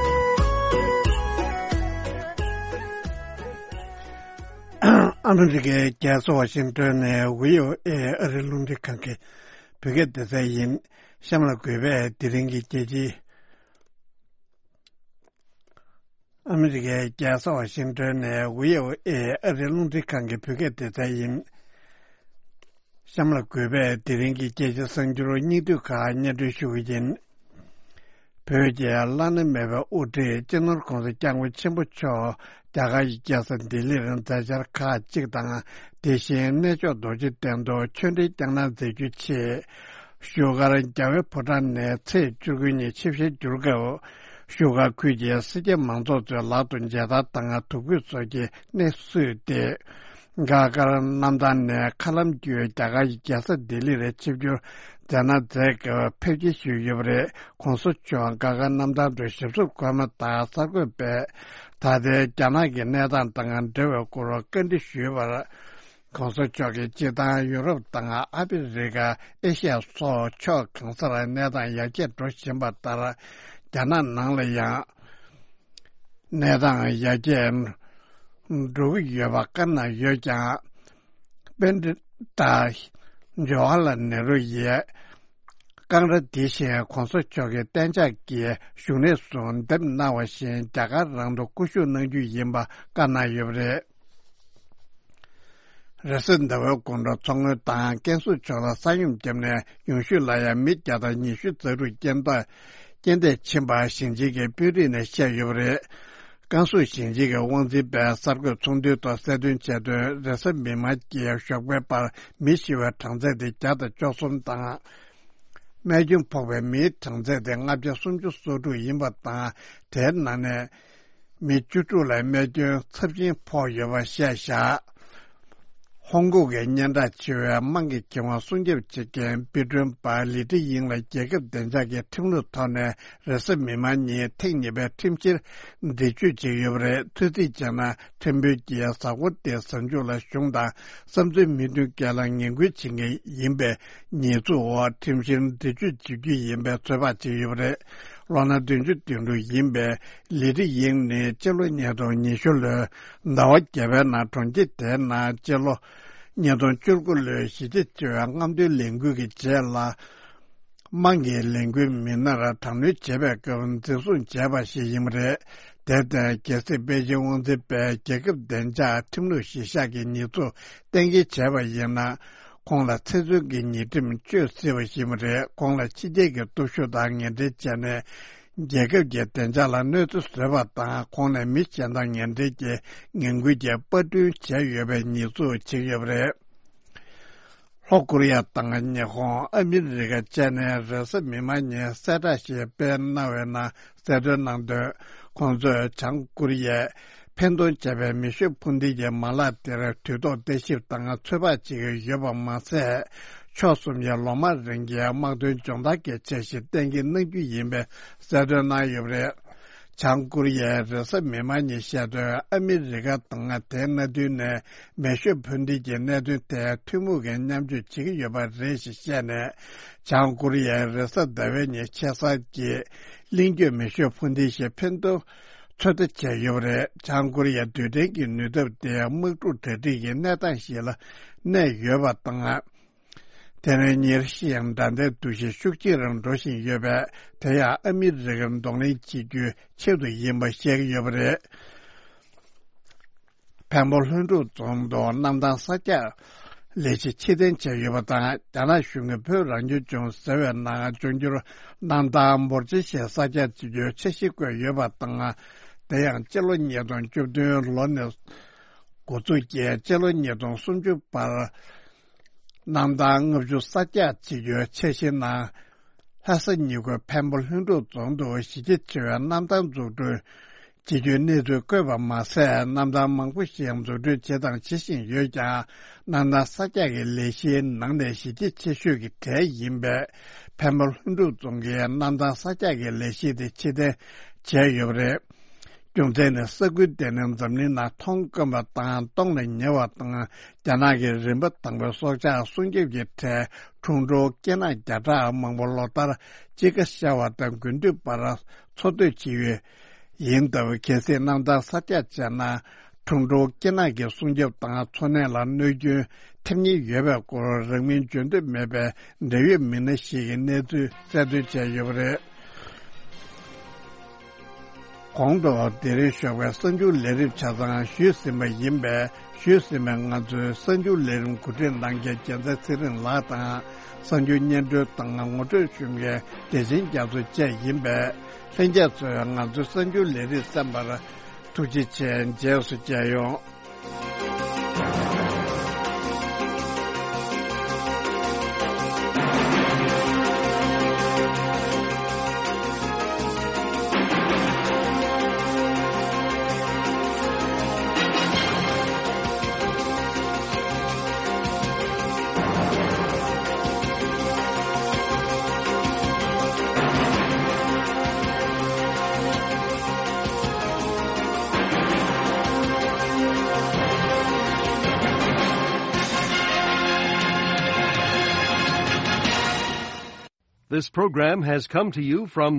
ཨ་མི་རི་ཀའི་རྒྱལ་ས་ཝ་ཤིང་ཏོན་ནས་བྷི་ཨོ་ཨེ་ཨ་རིའི་རླུང་འཕྲིན་ཁང་གི་བོད་སྐད་སྡེ་ཚན་ཡིན། གཤམ་ལ་འགོད་པའི་དེ་རིང་གི་རྒྱལ་སྤྱི། ཨ་མི་རི་ཀའི་རྒྱལ་ས་ཝ་ཤིང་ཏོན་ནས་བྷི་ཨོ་ཨེ་ཨ་རིའི་རླུང་འཕྲིན་ཁང་གི་བོད་སྐད་སྡེ་ཚན་ཡིན། གཤམ་ལ་འགོད་པའི་དེ་རིང་གི་རྒྱལ་སྤྱིའི་གསར་འགྱུར་སྙིང་བསྡུས་ཁག་སྙན་སྒྲོན་ཞུ་གི་ཡིན། བོད་ཀྱི་བླ་ན་མེད་པའི་དབུ་ཁྲིད་སྤྱི་ནོར་༸གོང་ས་༸སྐྱབས་མགོན་ཆེན་པོ་མཆོག་རྒྱ་གར་གྱི་རྒྱལ་ས་ལྡི་ལིར་མཛད་འཆར་ཁག་ཅིག་དང་། དེ་བཞིན་གནས་མཆོག་རྡོ་རྗེ་གདན་དུ་ཆོས་འབྲེལ་བསྐྱངས་གནང་མཛད་རྒྱུའི་ཆེད། བཞུགས་སྒར་རྒྱལ་བའི་ཕོ་བྲང་ནས་ཚེས་བཅུ་དགུ་ཉིན་ཆིབས་ཞལ་བསྒྱུར་སྐབས། བཞུགས་སྒར་ཁུལ་གྱི་སེར་སྐྱ་མང་ཚོགས་ཚོའི་ལག་ཏུ་མཇལ་དར་དང་དུས་འཁོར་སོགས་ཀྱིས་གནས་བསུས་ཏེ། སྒར་དཀར་གནམ་ཐང་ནས་མཁའ་ལམ་བརྒྱུད་རྒྱ་གར་གྱི་རྒྱལ་ས་ལྡི་ལི་རུ་ཆིབས་བསྒྱུར་མཛད་གནང་མཛད་སྐབས་ཕེབས་སྐྱེལ་ཞུས་ཡོད་པ་རེད། ༸གོང་ས་མཆོག་སྒར་དཀར་གནམ་ཐང་དུ་ཞབས་སོར་འཁོད་མ་ཐག་གསར་འགོད་པས་ད་ལྟའི་རྒྱ་ནག་གི་གནས་སྟངས་དང་འབྲེལ་བའི་སྐོར་བཀའ་འདྲི་ཞུས་པར། ༸གོང་ས་མཆོག་གིས་སྤྱིར་བཏང་ཡུ་རོབ་དང་ཨ་ཕི་རི་ཀ། ཨེ་ཤི་ཡ་སོགས་ཕྱོགས་གང་སར་གནས་སྟངས་ཡར་རྒྱས་འགྲོ་བཞིན་པ་ལྟར། རྒྱ་ནག་ནང་ལ་ཡང་གནས་སྟངས་ཡར་རྒྱས་འགྲོ་གི་ཡོད་པ་བཀའ་གནང་ཡོད་ཀྱང་། པཎྜི་ཏ་ཇ་ཝ་ཧར་ལལ་ནེ་རུ་ཡིས་ཀང་ར་འདི་བཞིན་༸གོང་ས་མཆོག་གི་གཏན་འཇགས་ཀྱི་བཞུགས་གནས་སུ་འདེམས་གནང་བ་བཞིན་རྒྱ་གར་རང་དུ་སྐུ་བཞུགས་གནང་རྒྱུ་ཡིན་པ་བཀའ་གནང་ཡོད་པ་རེད། རེས་གཟའ་ཟླ་བའི་དགོང་དྲོ་མཚོ་སྔོན་དང་ཀན་སུའུ་ཕྱོགས་ལ་ས་ཡོམ་བརྒྱབ་ནས་ཡོང་ཤུལ་ལ་ཡང་མི་བརྒྱ་དང་ཉི་ཤུ་རྩ་དྲུག་རྐྱེན་འདས་རྐྱེན་འདས་ཕྱིན་པ་ཞིང་ཆེན་གྱི་དཔོན་རིགས་ནས་བཤད་ཡོད་པ་རེད། ཀན་སུའུ་ཞིང་ཆེན་གྱི་དབང་འཛིན་པས་གསར་འགོད་ཚོགས་འདུའི་ཐོག་གསལ་སྟོན་བྱས་དོན། རེས་གཟའ་མིག་དམར་གྱི་ཞོགས་པའི་བར་མི་ཤི་བའི་གྲངས་ཚད་དེ་བརྒྱ་དང་བཅུ་གསུམ་དང་། རྨས་སྐྱོན་ཕོག་པའི་མིའི་གྲངས་ཚད་དེ་ལྔ་བརྒྱ་སུམ་ཅུ་སོ་དྲུག་ཡིན་པ་དང་། དེའི་ནང་ནས། མི་བཅུ་དྲུག་ལ་རྨས་སྐྱོན་ཚབས་ཆེན་ཕོག་ཡོད་པ་བཤད་བཞག་ཧོང་ཀོང་གི་སྙན་གྲགས་ཆེ་བའི་དམངས་ཀྱི་ཁེ་དབང་སྲུང་སྐྱོབ་བྱེད་མཁན་དཔེ་སྐྲུན་པ་ལི་ཀྲི་དབྱིང་ལ་རྒྱལ་ཁབ་བདེ་འཇགས་ཀྱི་ཁྲིམས་ལུགས་ཐོག་ནས་རེས་གཟའ་མིག་དམར་ཉིན་ཐེངས་གཉིས་པའི་ཁྲིམས་བཤེར་འདྲི་གཅོད་བྱས་ཡོད་པ་རེད། ཐོས་རྩིས་བྱས་ན། ཁྲིམས་དཔོན་གྱིས་གཟའ་འཁོར་དེའི་གཟའ་མཇུག་ལ་གཞུང་དང་བསམ་ཚུལ་མི་མཐུན་རྐྱེན་ལ་ངན་སྐུལ་བྱེད་མཁན་ཡིན་པའི་ཉེས་འཛུགས་འོག་ཁྲིམས་བཤེར་འདྲི་གཅོད་བྱེད་རྒྱུ་ཡིན་པའི་ཚོད་དཔག་བྱས་ཡོད་པ་རེད། ལོ་ན་བདུན་ཅུ་དོན་དྲུག་ཡིན་པའི་ལི་ཀྲི་དབྱིང་ནི་སྤྱི་ལོ་ཉིས་སྟོང་ཉི་ཤུ་ལོའི་ཟླ་བ་བརྒྱད་པའི་ནང་གྲོང་ཁྱེར་དེའི་ནང་སྤྱི་ལོ་ཉིས་སྟོང་བཅུ་དགུ་ལོའི་གཞིས་བྱེས་ཆེ་བའི་རྔམ་སྟོན་ལས་འགུལ་གྱི་རྗེས་ལ། དམངས་ཀྱི་ལས་འགུལ་མི་སྣར་དྲག་གནོན་བྱེད་པའི་སྐབས་འཛིན་བཟུང་བྱས་པ་ཞིག་ཡིན་པ་རེད། དེར་བརྟེན་རྒྱལ་སྲིད་པེ་ཅིན་དབང་འཛིན་པས་རྒྱལ་ཁབ་བདེ་འཇགས་ཁྲིམས་ལུགས་གཞིར་བཞག་གི་ཉེས་འཛུགས་གཏན་འཁེལ་བྱས་པ་ཡིན་ན། ཁོང་ལ་ཚེ་བཙོན་གྱི་ཉེས་ཁྲིམས་གཅོད་སྲིད་པ་ཞིག་ཡིན་པ་རེད། ཁོང་ལ་ཕྱི་རྒྱལ་གྱི་སྟོབས་ཤུགས་དང་ངན་འབྲེལ་བྱས་ནས། རྒྱལ་ཁབ་ཀྱི་བདེ་འཇགས་ལ་གནོད་འཚེ་བཟོས་པ་དང་། ཁོང་ནས་མི་གཞན་དང་ངན་འབྲེལ་གྱིས་ངན་སྐུལ་གྱི་པར་སྐྲུན་བྱས་ཡོད་པའི་ཉེས་འཛུགས་བྱས་ཡོད་པ་རེད། ལྷོ་ཀོ་རི་ཡ་དང་ཉི་ཧོང་། ཨ་མི་རི་ཀ་བཅས་ནས་རེས་གཟའ་མིག་དམར་ཉིན་གསལ་བསྒྲགས་ཤིག་སྤེལ་གནང་བའི་ནང་གསལ་སྟོན་གནང་དོན། ཁོང་ཚོས་བྱང་ཀོ་རི་ཡས་འཕེན་གཏོང་བྱས་པའི་མེ་ཤུགས་འཕུར་མདེལ་གྱི་མ་ལག་དེར་དུས་ཐོག་བརྟག་ཞིབ་དང་ཚོད་དཔག་བྱེད་ཀྱི་ཡོད་པ་མ་ཟད། ཕྱོགས་གསུམ་གྱི་ལོ་མང་རིང་གི་དམག་དོན་སྦྱོང་བརྡར་གྱི་འཆར་གཞི་གཏན་འཁེལ་གནང་རྒྱུ་ཡིན་པའི་གསལ་སྟོན་གནང་ཡོད་པ་རེད། བྱང་ཀོ་རི་ཡས་རེས་གཟའ་མིག་དམར་ཉིན་བཤད་དོན། ཨ་མི་རི་ཀ་དང་དེའི་མནའ་མཐུན་ནས་མེ་ཤུགས་འཕུར་མདེལ་གྱི་གནད་དོན་ཐད་ཐུན་མོང་གི་མཉམ་སྤྱོད་བྱེད་ཀྱི་ཡོད་པ་རེད་ཞེས་བཤད་ནས། བྱང་ཀོ་རི་ཡས་རེས་གཟའ་ཟླ་བའི་ཉིན་ཆེ་སར་གྱི་གླིང་བརྒྱུད་མེ་ཤུགས་འཕུར་མདེལ་ཞིག་འཕེན་ཐབས་ཚོད་ལྟ་བྱས་ཡོད་པ་རེད། བྱང་ཀོ་རི་ཡ་རྡུལ་ཕྲན་གྱི་ནུས་སྟོབས་དེ་དམག་འཁྲུག་གྲ་སྒྲིག་གི་གནས་སྟངས་ཤིག་ལ་གནས་ཡོད་པ་དང་། དེ་ནས་གཉེར་ཤིང་དགྲ་ཟླའི་འདུ་ཤེས་ཤུགས་ཆེ་རུ་འགྲོ་བཞིན་ཡོད་པས། དེ་ཡང་ཨ་མི་རི་ཀར་གདོང་ལེན་བྱེད་རྒྱུའི་ཆེད་དུ་ཡིན་པ་བཤད་ཀྱི་ཡོད་པ་རེད། འཕན་པོ་ལྷུན་གྲུབ་རྫོང་དུ་གནམ་ཐང་གསར་རྒྱག་ལས་གཞི་ཕྱིར་འཐེན་བྱས་ཡོད་པ་དང་། རྒྱ་ནག་གཞུང་གིས་བོད་རང་སྐྱོང་ལྗོངས་ཟེར་བའི་ནང་འབྱུང་འགྱུར་གནམ་ཐང་འབོར་ཆེ་ཞིག་གསར་རྒྱག་བྱེད་རྒྱུའི་འཆར་གཞི་བཀོད་ཡོད་པ་དང་། དེ་ཡང་སྤྱི་ལོ་ཉིས་སྟོང་བཅུ་བདུན་ལོ་ནས་འགོ་འཛུགས་ཀྱིས་སྤྱི་ལོ་ཉིས་སྟོང་སུམ་ཅུ་བར། གནམ་ཐང་ལྔ་བཅུ་གསར་རྒྱག་བྱེད་རྒྱུའི་འཆར་གཞིའི་ནང་། ལྷ་ས་ཉེ་ཁུལ་འཕན་པོ་ལྷུན་གྲུབ་རྫོང་དུ་གཞི་རྒྱ་ཆེ་བའི་གནམ་ཐང་འཛུགས་སྐྲུན་བྱེད་རྒྱུའི་གནས་ཚུལ་བཀོད་པ་མ་ཟད། གནམ་ཐང་མང་པོ་ཞིག་འཛུགས་སྐྲུན་བྱས་དང་བྱེད་བཞིན་ཡོད་ཀྱང་། གནམ་ཐང་གསར་རྒྱག་གི་ལས་གཞིའི་ནང་ནས་གཞི་རྒྱ་ཆེ་ཤོས་ཀྱི་གྲས་ཡིན་པས། འཕན་པོ་ལྷུན་གྲུབ་རྫོང་གིས་གནམ་ཐང་གསར་རྒྱག་གི་ལས་གཞི་དེ་ཕྱིར་འཐེན་བྱས་ཡོད་པ་རེད། རྒྱུ་མཚན་ནི་ས་ཁུལ་དེ་ནི་འཛམ་གླིང་ནང་མཐོང་དཀོན་པ་དང་སྟོངས་ལ་ཉེ་བ་དང་། རྒྱ་ནག་གི་རིམ་པ་དང་པོའི་སྲོག་ཆགས་སྲུང་སྐྱོབ་ཀྱི་གྲས་ཁྲུང་ཁྲུང་སྐེ་ནག་བརྒྱ་ཕྲག་མང་པོ་ལོ་ལྟར་དཔྱིད་ཀ་ཤར་བ་དང་དགུན་དུས་བར་འཚོ་སྡོད་བྱེད་ཡུལ་ཡིན་སྟབས། གལ་སྲིད་གནམ་ཐང་གསར་རྒྱག་བྱས་ན། ཁྲུང་ཁྲུང་སྐེ་ནག་གི་སྲུང་སྐྱོབ་དང་འཚོ་གནས་ལ་གནོད་སྐྱོན་ཐེབས་ཉེན་ཡོད་པའི་སྐོར་རང་མིང་བརྗོད་འདོད་མེད་པའི་འབྲེལ་ཡོད་མི་སྣ་ཞིག་གིས་གནས་ཚུལ་གསལ་སྟོན་བྱས་ཡོད་པ་རེད། གོང་དུ་དེ་རིང་ཞོགས་པའི་གསར་འགྱུར་ལས་རིམ་ཆ་ཚང་ཞུས་ཟིན་པ་ཡིན་པས། ཞུས་ཟིན་པའི་ང་ཚོའི་གསར་འགྱུར་ལས་རིམ་གོ་སྒྲིག་གནང་མཁན་རྒྱལ་མཚན་ཚེ་རིང་ལགས་དང་། གསར་འགྱུར་སྙན་སྒྲོན་དང་ངོ་སྤྲོད་ཞུ་མཁན་བདེ་ཆེན་རྒྱ་མཚོ་བཅས་ཡིན་པས། ལྷན་རྒྱས་ཚོས་ང་ཚོའི་གསར་འགྱུར་ལས་རིམ་གསན་པར་ཐུགས་རྗེ་ཆེ། རྗེས་སུ་མཇལ་ཡོང་། This program has come to you from